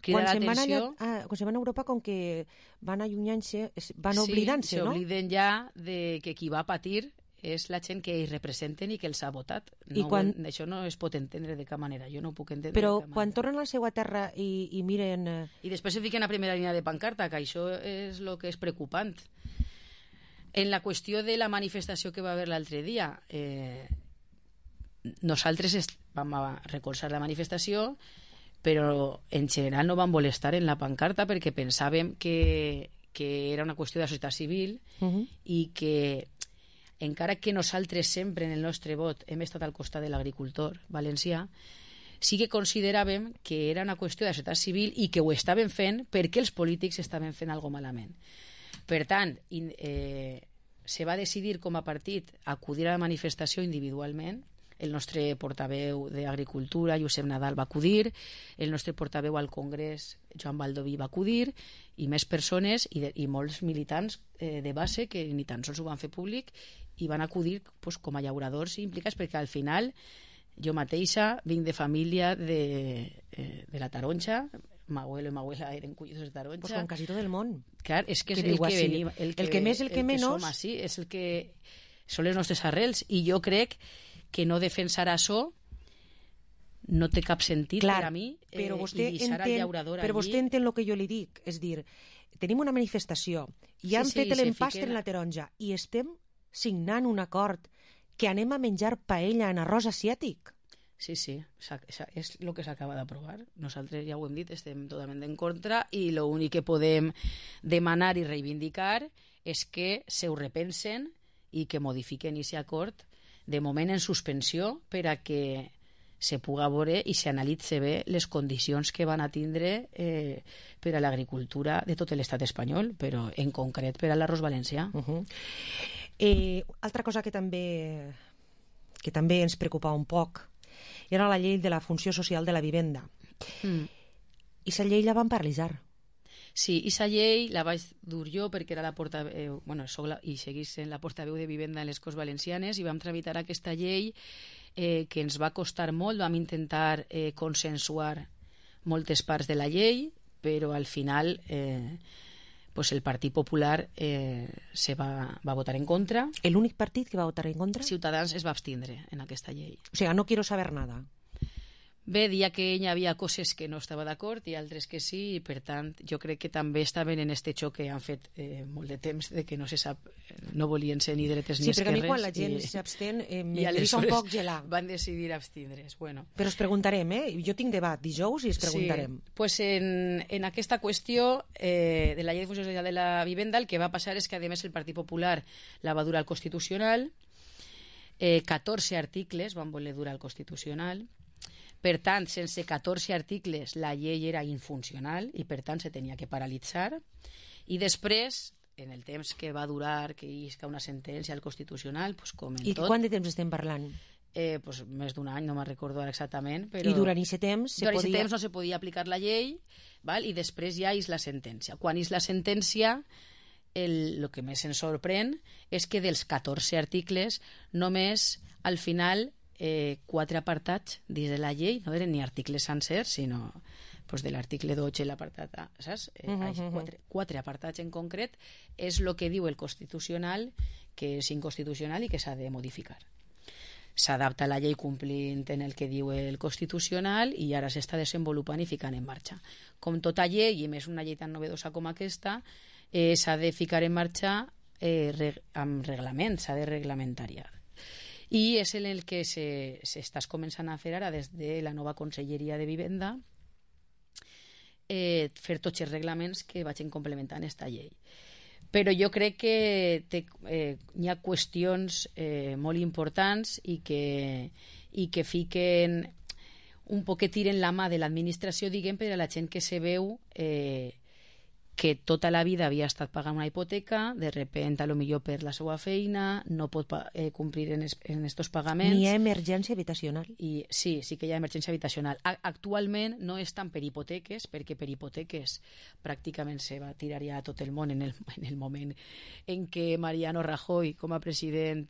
Quan se'n van, allà, ah, quan se van a Europa, com que van allunyant-se, van oblidant-se, sí, no? s'obliden ja de que qui va patir és la gent que ells representen i que els ha votat. No, I quan... Això no es pot entendre de cap manera, jo no ho puc entendre. Però de cap quan manera. tornen a la seva terra i, i miren... I després se fiquen a primera línia de pancarta, que això és el que és preocupant. En la qüestió de la manifestació que va haver l'altre dia, eh, nosaltres est... vam a recolzar la manifestació, però en general no vam voler estar en la pancarta perquè pensàvem que, que era una qüestió de la societat civil Uh -huh. i que encara que nosaltres sempre en el nostre vot hem estat al costat de l'agricultor valencià, sí que consideràvem que era una qüestió de societat civil i que ho estaven fent perquè els polítics estaven fent alguna malament. Per tant, in, eh, se va decidir com a partit acudir a la manifestació individualment. El nostre portaveu d'Agricultura, Josep Nadal, va acudir, el nostre portaveu al Congrés, Joan Baldoví, va acudir, i més persones i, de, i molts militants eh, de base que ni tan sols ho van fer públic i van acudir pues, com a llauradors implicats, perquè al final jo mateixa vinc de família de, eh, de la Taronja, m'abuelo i m'abuela eren collidos de Taronja. Pues com quasi tot el món. Clar, és que, que és el que així. venim, el que, el que més, el que el menys. Que som així, és el que són les nostres arrels, i jo crec que no defensar això no té cap sentit. Clar, per a mi, eh, però vostè i deixar entén, el llaurador però allí. vostè entén el que jo li dic, és dir, tenim una manifestació i Sí, han sí, fet se l'empastre fiquen- en la taronja i estem signant un acord que anem a menjar paella en arròs asiàtic. Sí, sí, s'ha- s'ha- és el que s'acaba d'aprovar. Nosaltres ja ho hem dit, estem totalment en contra, i l'únic que podem demanar i reivindicar és que se ho repensen i que modifiquen aquest acord, de moment en suspensió, per a que se puga veure i s'analitze bé les condicions que van a tindre eh, per a l'agricultura de tot l'estat espanyol, però en concret per a l'arròs valencià. Uh -huh. eh, altra cosa que també, que també ens preocupava un poc era la llei de la funció social de la vivenda. Mm. I la llei la van paralitzar. Sí, aquesta llei la vaig dur jo perquè era la portaveu, bueno, soc la, i seguís sent la portaveu de vivenda en les Corts Valencianes, i vam tramitar aquesta llei eh, que ens va costar molt. Vam intentar eh, consensuar moltes parts de la llei, però al final eh, pues el Partit Popular eh, se va, va votar en contra. L'únic partit que va votar en contra? Ciutadans es va abstindre en aquesta llei. O sigui, no quiero saber nada. Bé, dia que hi havia coses que no estava d'acord i altres que sí, i per tant jo crec que també estaven en este xoc que han fet eh, molt de temps, de que no se sap, no volien ser ni dretes ni Sí, esquerres. perquè a mi quan la gent s'abstén eh, i me deixa un poc gelar. Van decidir abstindre's. Bueno. Però es preguntarem, eh? Jo tinc debat dijous i es preguntarem. Sí, pues en, en aquesta qüestió eh, de la llei de funció social de la vivenda, el que va passar és que, a més, el Partit Popular la va durar al Constitucional, eh, catorze articles van voler durar al Constitucional. Per tant, sense catorze articles la llei era infuncional i per tant se tenia que paralitzar, i després, en el temps que va durar que isca una sentència al Constitucional, pues, com en I tot... quant de temps estem parlant? Eh, pues, més d'un any, no me'n recordo ara exactament, però... I durant aquest temps se durant podia... temps no se podia aplicar la llei, val? I després ja és la sentència. Quan és la sentència, el, el que més ens sorprèn és que dels catorze articles només al final eh, quatre apartats dins de la llei, no eren ni articles sencers, sinó pues, de l'article dotze l'apartat A, saps? Eh, Uh -huh, uh -huh. quatre, quatre apartats en concret és el que diu el Constitucional, que és inconstitucional i que s'ha de modificar. S'adapta a la llei complint en el que diu el Constitucional i ara s'està desenvolupant i ficant en marxa. Com tota llei, i més una llei tan novedosa com aquesta, eh, s'ha de ficar en marxa eh, reg amb reglament, s'ha de reglamentariar. I és en el que s'estàs començant a fer ara des de la nova Conselleria de Vivenda, eh, fer tots els reglaments que vagin complementant aquesta llei. Però jo crec que té, eh, hi ha qüestions eh, molt importants i que, i que fiquen un poc que tiren la mà de l'administració, diguem, per a la gent que se veu eh, que tota la vida havia estat pagant una hipoteca, de repente, a lo millor per la seva feina, no pot eh, complir en, es, en estos pagaments. Ni hi ha emergència habitacional. I, sí, sí que hi ha emergència habitacional. A, actualment no és tant per hipoteques, perquè per hipoteques pràcticament se va tirar ja tot el món en el, en el moment en què Mariano Rajoy, com a president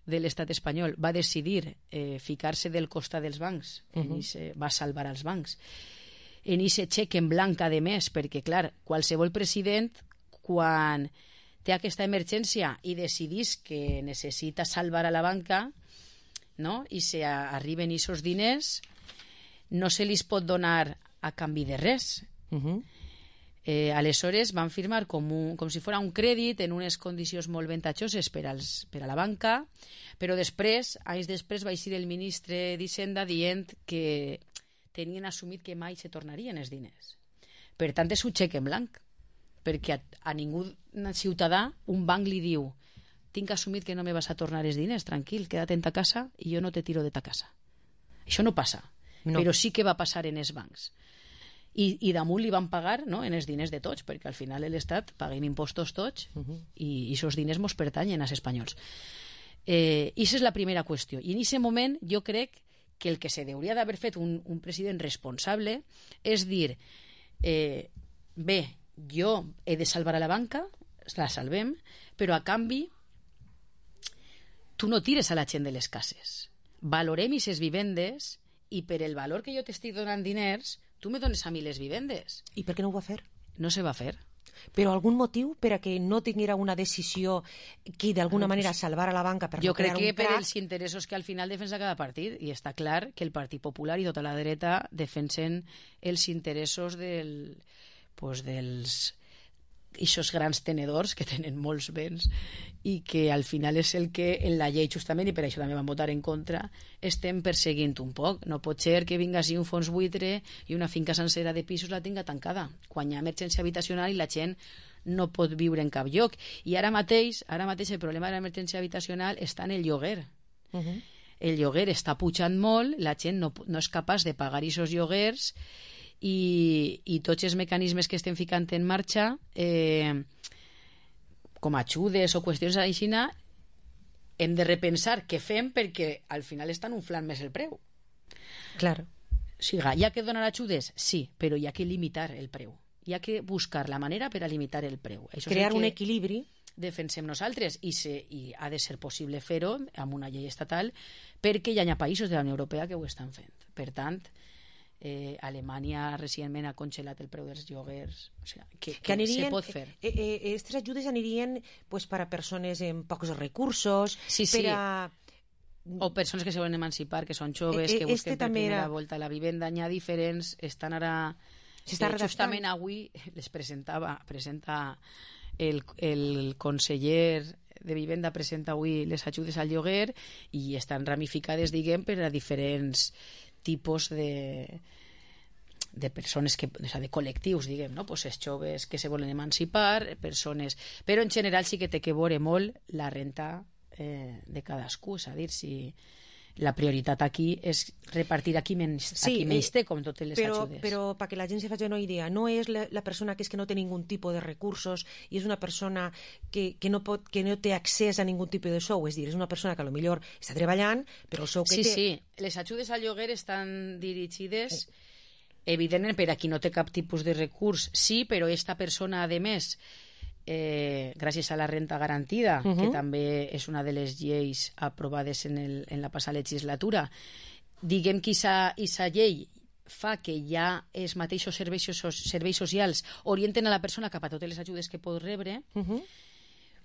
de l'estat espanyol, va decidir eh, ficar-se del costat dels bancs, uh -huh. i se va salvar els bancs. En aquest xec en blanc, a més, perquè, clar, qualsevol president, quan té aquesta emergència i decidís que necessita salvar a la banca, no?, i se arriben aquests diners, no se li pot donar a canvi de res. Uh -huh. Eh, aleshores van firmar com, un, com si fos un crèdit en unes condicions molt ventajoses per, als, per a la banca, però després, anys després, va eixir el ministre d'Hisenda dient que tenien assumit que mai se tornarien els diners. Per tant, és un xec en blanc, perquè a, a ningú ciutadà un banc li diu: tinc assumit que no me vas a tornar els diners, tranquil, queda't en ta casa i jo no te tiro de ta casa. Això no passa, no. Però sí que va passar en els bancs. I, i damunt li van pagar, no?, en els diners de tots, perquè al final l'Estat paguem impostos tots, uh -huh. i aquests diners mos pertanyen als espanyols. Eh, I aquesta és la primera qüestió. I en aquest moment jo crec que el que se hauria d'haver fet un, un president responsable és dir, eh, bé, jo he de salvar a la banca, la salvem, però a canvi tu no tires a la gent de les cases. Valorem aquestes vivendes i per el valor que jo t'estic donant diners tu me dones a mi les vivendes. I per què no ho va fer? No se va fer. Però algun motiu per a que no tinguera una decisió que d'alguna manera salvara la banca per jo no crear un crec que per crac? els interessos que al final defensa cada partit, i està clar que el Partit Popular i tota la dreta defensen els interessos del, pues, dels ixos grans tenedors que tenen molts béns i que al final és el que en la llei justament, i per això també van votar en contra, estem perseguint un poc. No pot ser que vinga així un fons buitre i una finca sencera de pisos la tinga tancada quan hi ha emergència habitacional i la gent no pot viure en cap lloc. I ara mateix, ara mateix el problema de l'emergència habitacional està en el lloguer. Uh -huh. El lloguer està pujant molt, la gent no, no és capaç de pagar aquests lloguers i, i tots els mecanismes que estem ficant en marxa, eh, com ajudes o qüestions així, hem de repensar què fem, perquè al final estan inflant més el preu. Claro. O sigui, hi ha que donar ajudes? Sí, però hi ha que limitar el preu. Hi ha que buscar la manera per a limitar el preu. Això Crear és el un que equilibri. Defensem nosaltres, i, se, i ha de ser possible fer-ho amb una llei estatal, perquè hi ha països de la Unió Europea que ho estan fent. Per tant, Eh, Alemanya recentment ha congelat el preu dels lloguers, o sigui, que, que, que anirien, se pot fer. Eh, eh, aquestes ajudes anirien pues, per a persones amb pocs recursos, sí, sí. per a... o persones que se volen emancipar, que són joves, eh, eh, que busquen este per primera era... volta la vivenda. N'hi ha diferents, estan ara... Eh, justament avui les presentava, presenta el, el conseller de Vivenda presenta avui les ajudes al lloguer i estan ramificades, diguem, per a diferents tipus de de persones, que, o sea, de col·lectius, diguem, no? Pues els joves que se volen emancipar, persones... Però en general sí que té que veure molt la renta eh, de cadascú, és a dir, si la prioritat aquí és repartir aquí menys, sí, aquí menys té, com totes les però, ajudes. Però perquè la gent se faci una idea, no és la, la persona que és que no té ningun tipus de recursos i és una persona que, que, no pot, que no té accés a ningun tipus de sou, és dir, és una persona que a lo millor està treballant, però el sou que sí, té... Sí, sí, les ajudes al lloguer estan dirigides, evidentment, per a qui no té cap tipus de recurs, sí, però esta persona, a més, Eh, gràcies a la renta garantida, uh-huh. que també és una de les lleis aprovades en, el, en la passada legislatura, diguem que aquesta llei fa que ja els mateixos serveis, serveis socials orienten a la persona cap a totes les ajudes que pot rebre, uh-huh.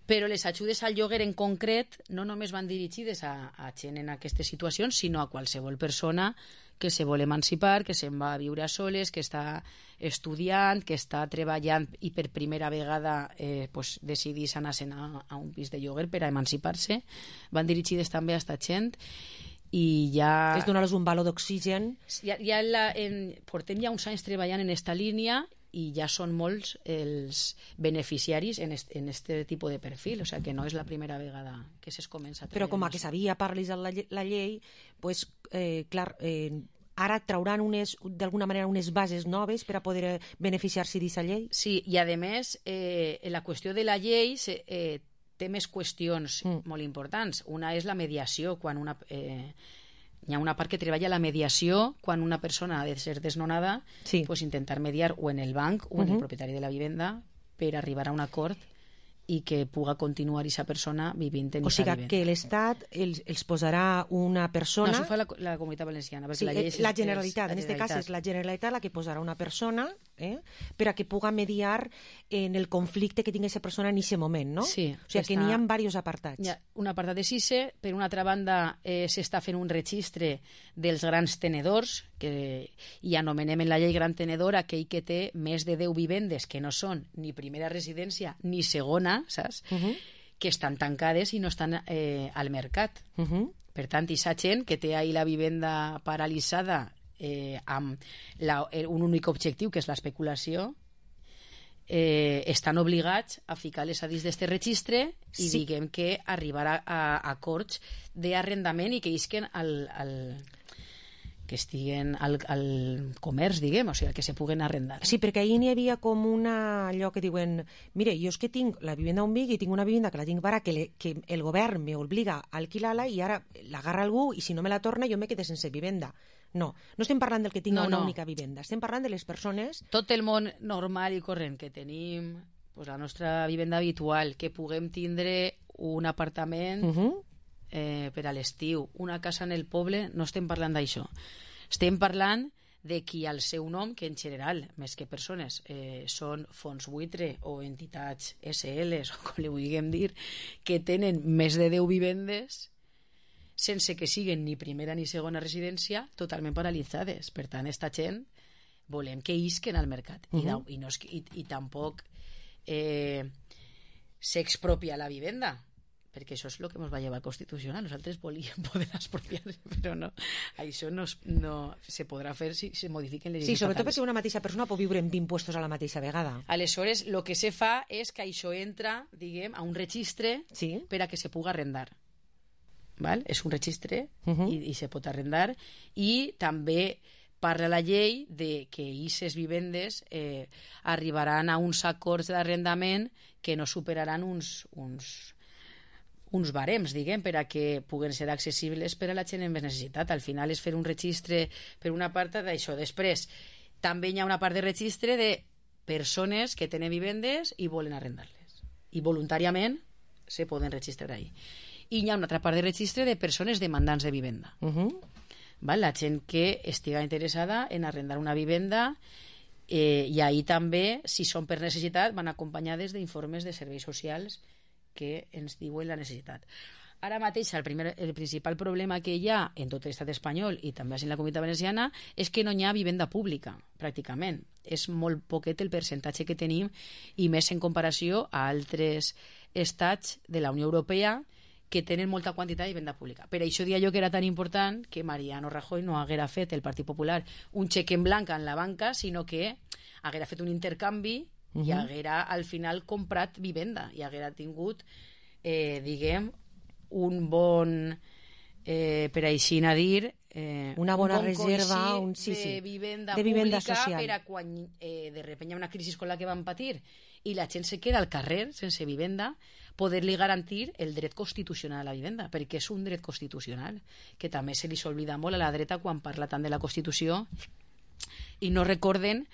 però les ajudes al lloguer en concret no només van dirigides a, a gent en aquestes situacions, sinó a qualsevol persona que se vol emancipar, que se'n va a viure a soles, que està estudiant, que està treballant i per primera vegada eh, pues, decidís anar-se'n a, a un pis de lloguer per a emancipar-se. Van dirigides també a esta gent i ja... És donar-los un valor d'oxigen. Ja, ja la, en, portem ja uns anys treballant en esta línia i ja són molts els beneficiaris en este, en este tipus de perfil, o sea que no és la primera vegada que es comença a treballar. Però com a que s'havia parlat la, la llei, pues, eh, clar, eh, ara trauran unes, d'alguna manera unes bases noves per a poder beneficiar-se d'aquesta llei? Sí, i a més, eh, la qüestió de la llei eh, té més qüestions mm. molt importants. Una és la mediació, quan una... Eh, hi ha una part que treballa la mediació quan una persona ha de ser desnonada, sí. pues intentar mediar o en el banc o en uh-huh. el propietari de la vivenda per arribar a un acord i que puga continuar aquesta persona vivint en aquesta vivenda. O sigui que l'Estat els, els posarà una persona... No, això fa la, la Comunitat Valenciana. Sí, la, llei és, la Generalitat, és, en aquest cas és la Generalitat la que posarà una persona eh, per a que puga mediar en el conflicte que tingui aquesta persona en aquest moment, no? Sí. O sigui que n'hi ha diversos apartats. Hi ha un apartat de sise, per una altra banda eh, s'està fent un registre dels grans tenedors, que hi anomenem en la llei gran tenedor aquell que té més de deu vivendes que no són ni primera residència ni segona, saps? Uh-huh. Que estan tancades i no estan eh, al mercat. Uh-huh. Per tant, aquesta gent que té ahí la vivenda paralitzada eh, amb la, un únic objectiu, que és l'especulació, eh, estan obligats a ficar-les a dins d'aquest registre i sí. diguem que arribar a, a acords d'arrendament i que isquen al... al que estiguen al, al comerç, diguem, o sigui, que se puguen arrendar. Sí, perquè ahir n'hi havia com una... allò que diuen, mire, jo és que tinc la vivenda on vic i tinc una vivenda que la tinc bara, que, le, que el govern me obliga a alquilar-la i ara l'agarra algú i si no me la torna jo me quedé sense vivenda. No, no estem parlant del que tinga no, una no. única vivenda, estem parlant de les persones... Tot el món normal i corrent que tenim, pues, la nostra vivenda habitual, que puguem tindre un apartament... Uh-huh. Eh, per a l'estiu, una casa en el poble, no estem parlant d'això. Estem parlant de qui al seu nom, que en general, més que persones, eh, són fons buitre o entitats esse eles, o com li vulguem dir, que tenen més de deu vivendes sense que siguin ni primera ni segona residència, totalment paralitzades. Per tant, esta gent volem que isquen al mercat. Uh-huh. I, i, no, i, i tampoc eh, s'expropia la vivenda, perquè això és el que ens va llevar al Constitucional. Nosaltres volíem poder expropiar, però no. Això no, no se podrà fer si se modifiquen les lleis. Sí, sobretot perquè una mateixa persona pot viure en vint puestos a la mateixa vegada. Aleshores, el que se fa és que això entra, diguem, a un registre sí. per a que se puga arrendar. Val? És un registre uh-huh. i, i se pot arrendar, i també parla la llei de que aquestes vivendes eh, arribaran a uns acords d'arrendament que no superaran uns... uns uns barems, diguem, per a que puguen ser accessibles per a la gent amb més necessitat. Al final és fer un registre per una part d'això. Després, també hi ha una part de registre de persones que tenen vivendes i volen arrendar-les. I voluntàriament se poden registrar ahí. I hi ha una altra part de registre de persones demandants de vivenda. Uh-huh. Val? La gent que estiga interessada en arrendar una vivenda eh, i ahí també, si són per necessitat, van acompanyades d'informes de serveis socials que ens diuen la necessitat. Ara mateix el, primer, el principal problema que hi ha en tot l'estat espanyol i també en la Comunitat Valenciana és que no hi ha vivenda pública, pràcticament. És molt poquet el percentatge que tenim i més en comparació a altres estats de la Unió Europea que tenen molta quantitat de vivenda pública. Per això dia jo que era tan important que Mariano Rajoy no haguera fet el Partit Popular un xec en blanc en la banca, sinó que haguera fet un intercanvi Uh-huh. i haguera al final comprat vivenda i haguera tingut eh, diguem un bon eh, per així a dir eh, una bona un bon reserva un, sí, sí, de vivenda de pública vivenda social. Per a quan eh, de repente hi ha una crisi com la que van patir i la gent se queda al carrer sense vivenda, poder-li garantir el dret constitucional a la vivenda, perquè és un dret constitucional que també se li s'oblida molt a la dreta quan parla tant de la Constitució i no recorden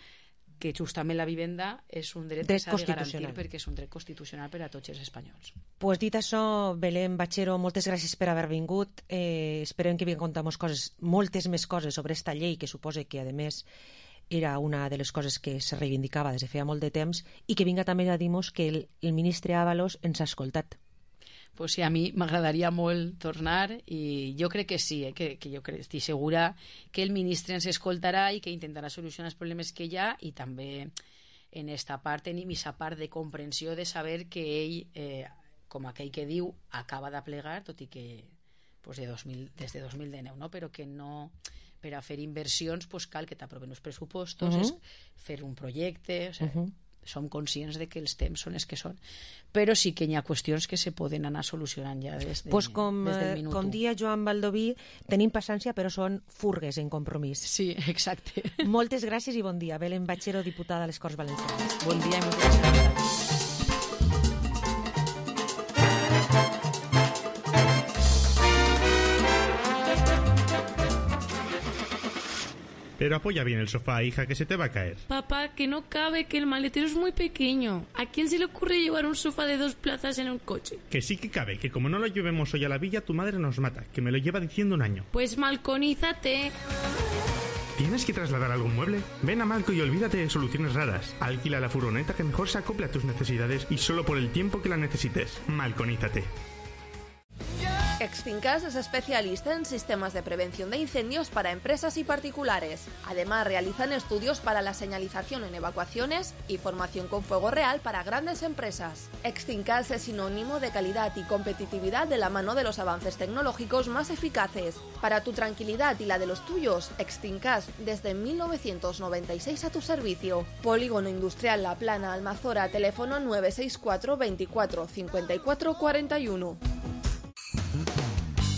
que justament la vivenda és un dret, dret que s'ha de garantir perquè és un dret constitucional per a tots els espanyols. Pues dit això, Belén Bachero, moltes gràcies per haver vingut. Eh, esperem que vinguem a contar coses, moltes més coses sobre esta llei, que suposa que, a més, era una de les coses que se reivindicava des de feia molt de temps, i que vinga també a dir-nos que el, el ministre Ábalos ens ha escoltat. Pues sí, a mi m'agradaria molt tornar i jo crec que sí, eh, que, que jo crec, estic segura que el ministre ens escoltarà i que intentarà solucionar els problemes que hi ha, i també en esta part tenim aquesta part de comprensió de saber que ell, eh, com aquell que diu, acaba de plegar, tot i que pues, de dos mil, des de dos mil dinou, no? Però que no, per a fer inversions pues, cal que t'aproven els pressupostos, uh-huh. és fer un projecte, o sigui, uh-huh. som conscients de que els temps són els que són, però sí que hi ha qüestions que se poden anar solucionant ja des, de, pues com, des del minut com dia Joan Baldoví, tenim paciència però són furgues en compromís. Sí, exacte. Moltes gràcies i bon dia. Belén Bachero, diputada a les Corts Valencianes. Bon dia i moltes gràcies. Pero apoya bien el sofá, hija, que se te va a caer. Papá, que no cabe, que el maletero es muy pequeño. ¿A quién se le ocurre llevar un sofá de dos plazas en un coche? Que sí que cabe, que como no lo llevemos hoy a la villa, tu madre nos mata, que me lo lleva diciendo un año. Pues malconízate. ¿Tienes que trasladar algún mueble? Ven a Malco y olvídate de soluciones raras. Alquila la furgoneta que mejor se acople a tus necesidades y solo por el tiempo que la necesites. Malconízate. Extincas es especialista en sistemas de prevención de incendios para empresas y particulares. Además, realizan estudios para la señalización en evacuaciones y formación con fuego real para grandes empresas. Extincas es sinónimo de calidad y competitividad de la mano de los avances tecnológicos más eficaces. Para tu tranquilidad y la de los tuyos, Extincas desde mil novecientos noventa y seis a tu servicio. Polígono Industrial La Plana, Almazora, teléfono nueve seis cuatro veinticuatro cincuenta y cuatro cuarenta y uno.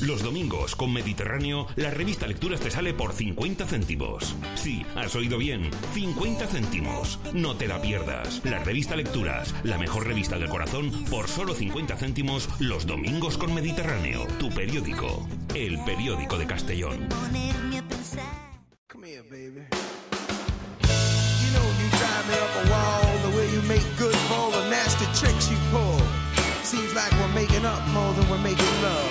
Los domingos con Mediterráneo, la revista Lecturas te sale por cincuenta céntimos. Sí, has oído bien, cincuenta céntimos. No te la pierdas. La revista Lecturas, la mejor revista del corazón, por solo cincuenta céntimos los domingos con Mediterráneo. Tu periódico, el periódico de Castellón. Come here, baby. You know you drive me up a wall, the way you make good for all the nasty tricks you pull. Seems like we're making up more than we're making love.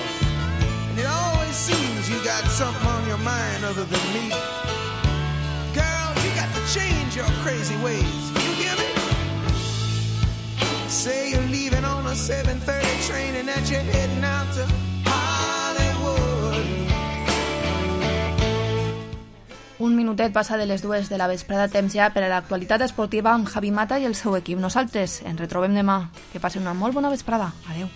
And it always seems you got something on your mind other than me. Girl, you got to change your crazy ways. You hear me? Say you're leaving on a seven thirty train and that you're heading out to Hollywood. Un minutet passa de les dues de la vesprada, temps ja per a l'actualitat esportiva amb Javi Mata i el seu equip. Nosaltres ens retrobem demà. Que passen una molt bona vesprada. Adeu.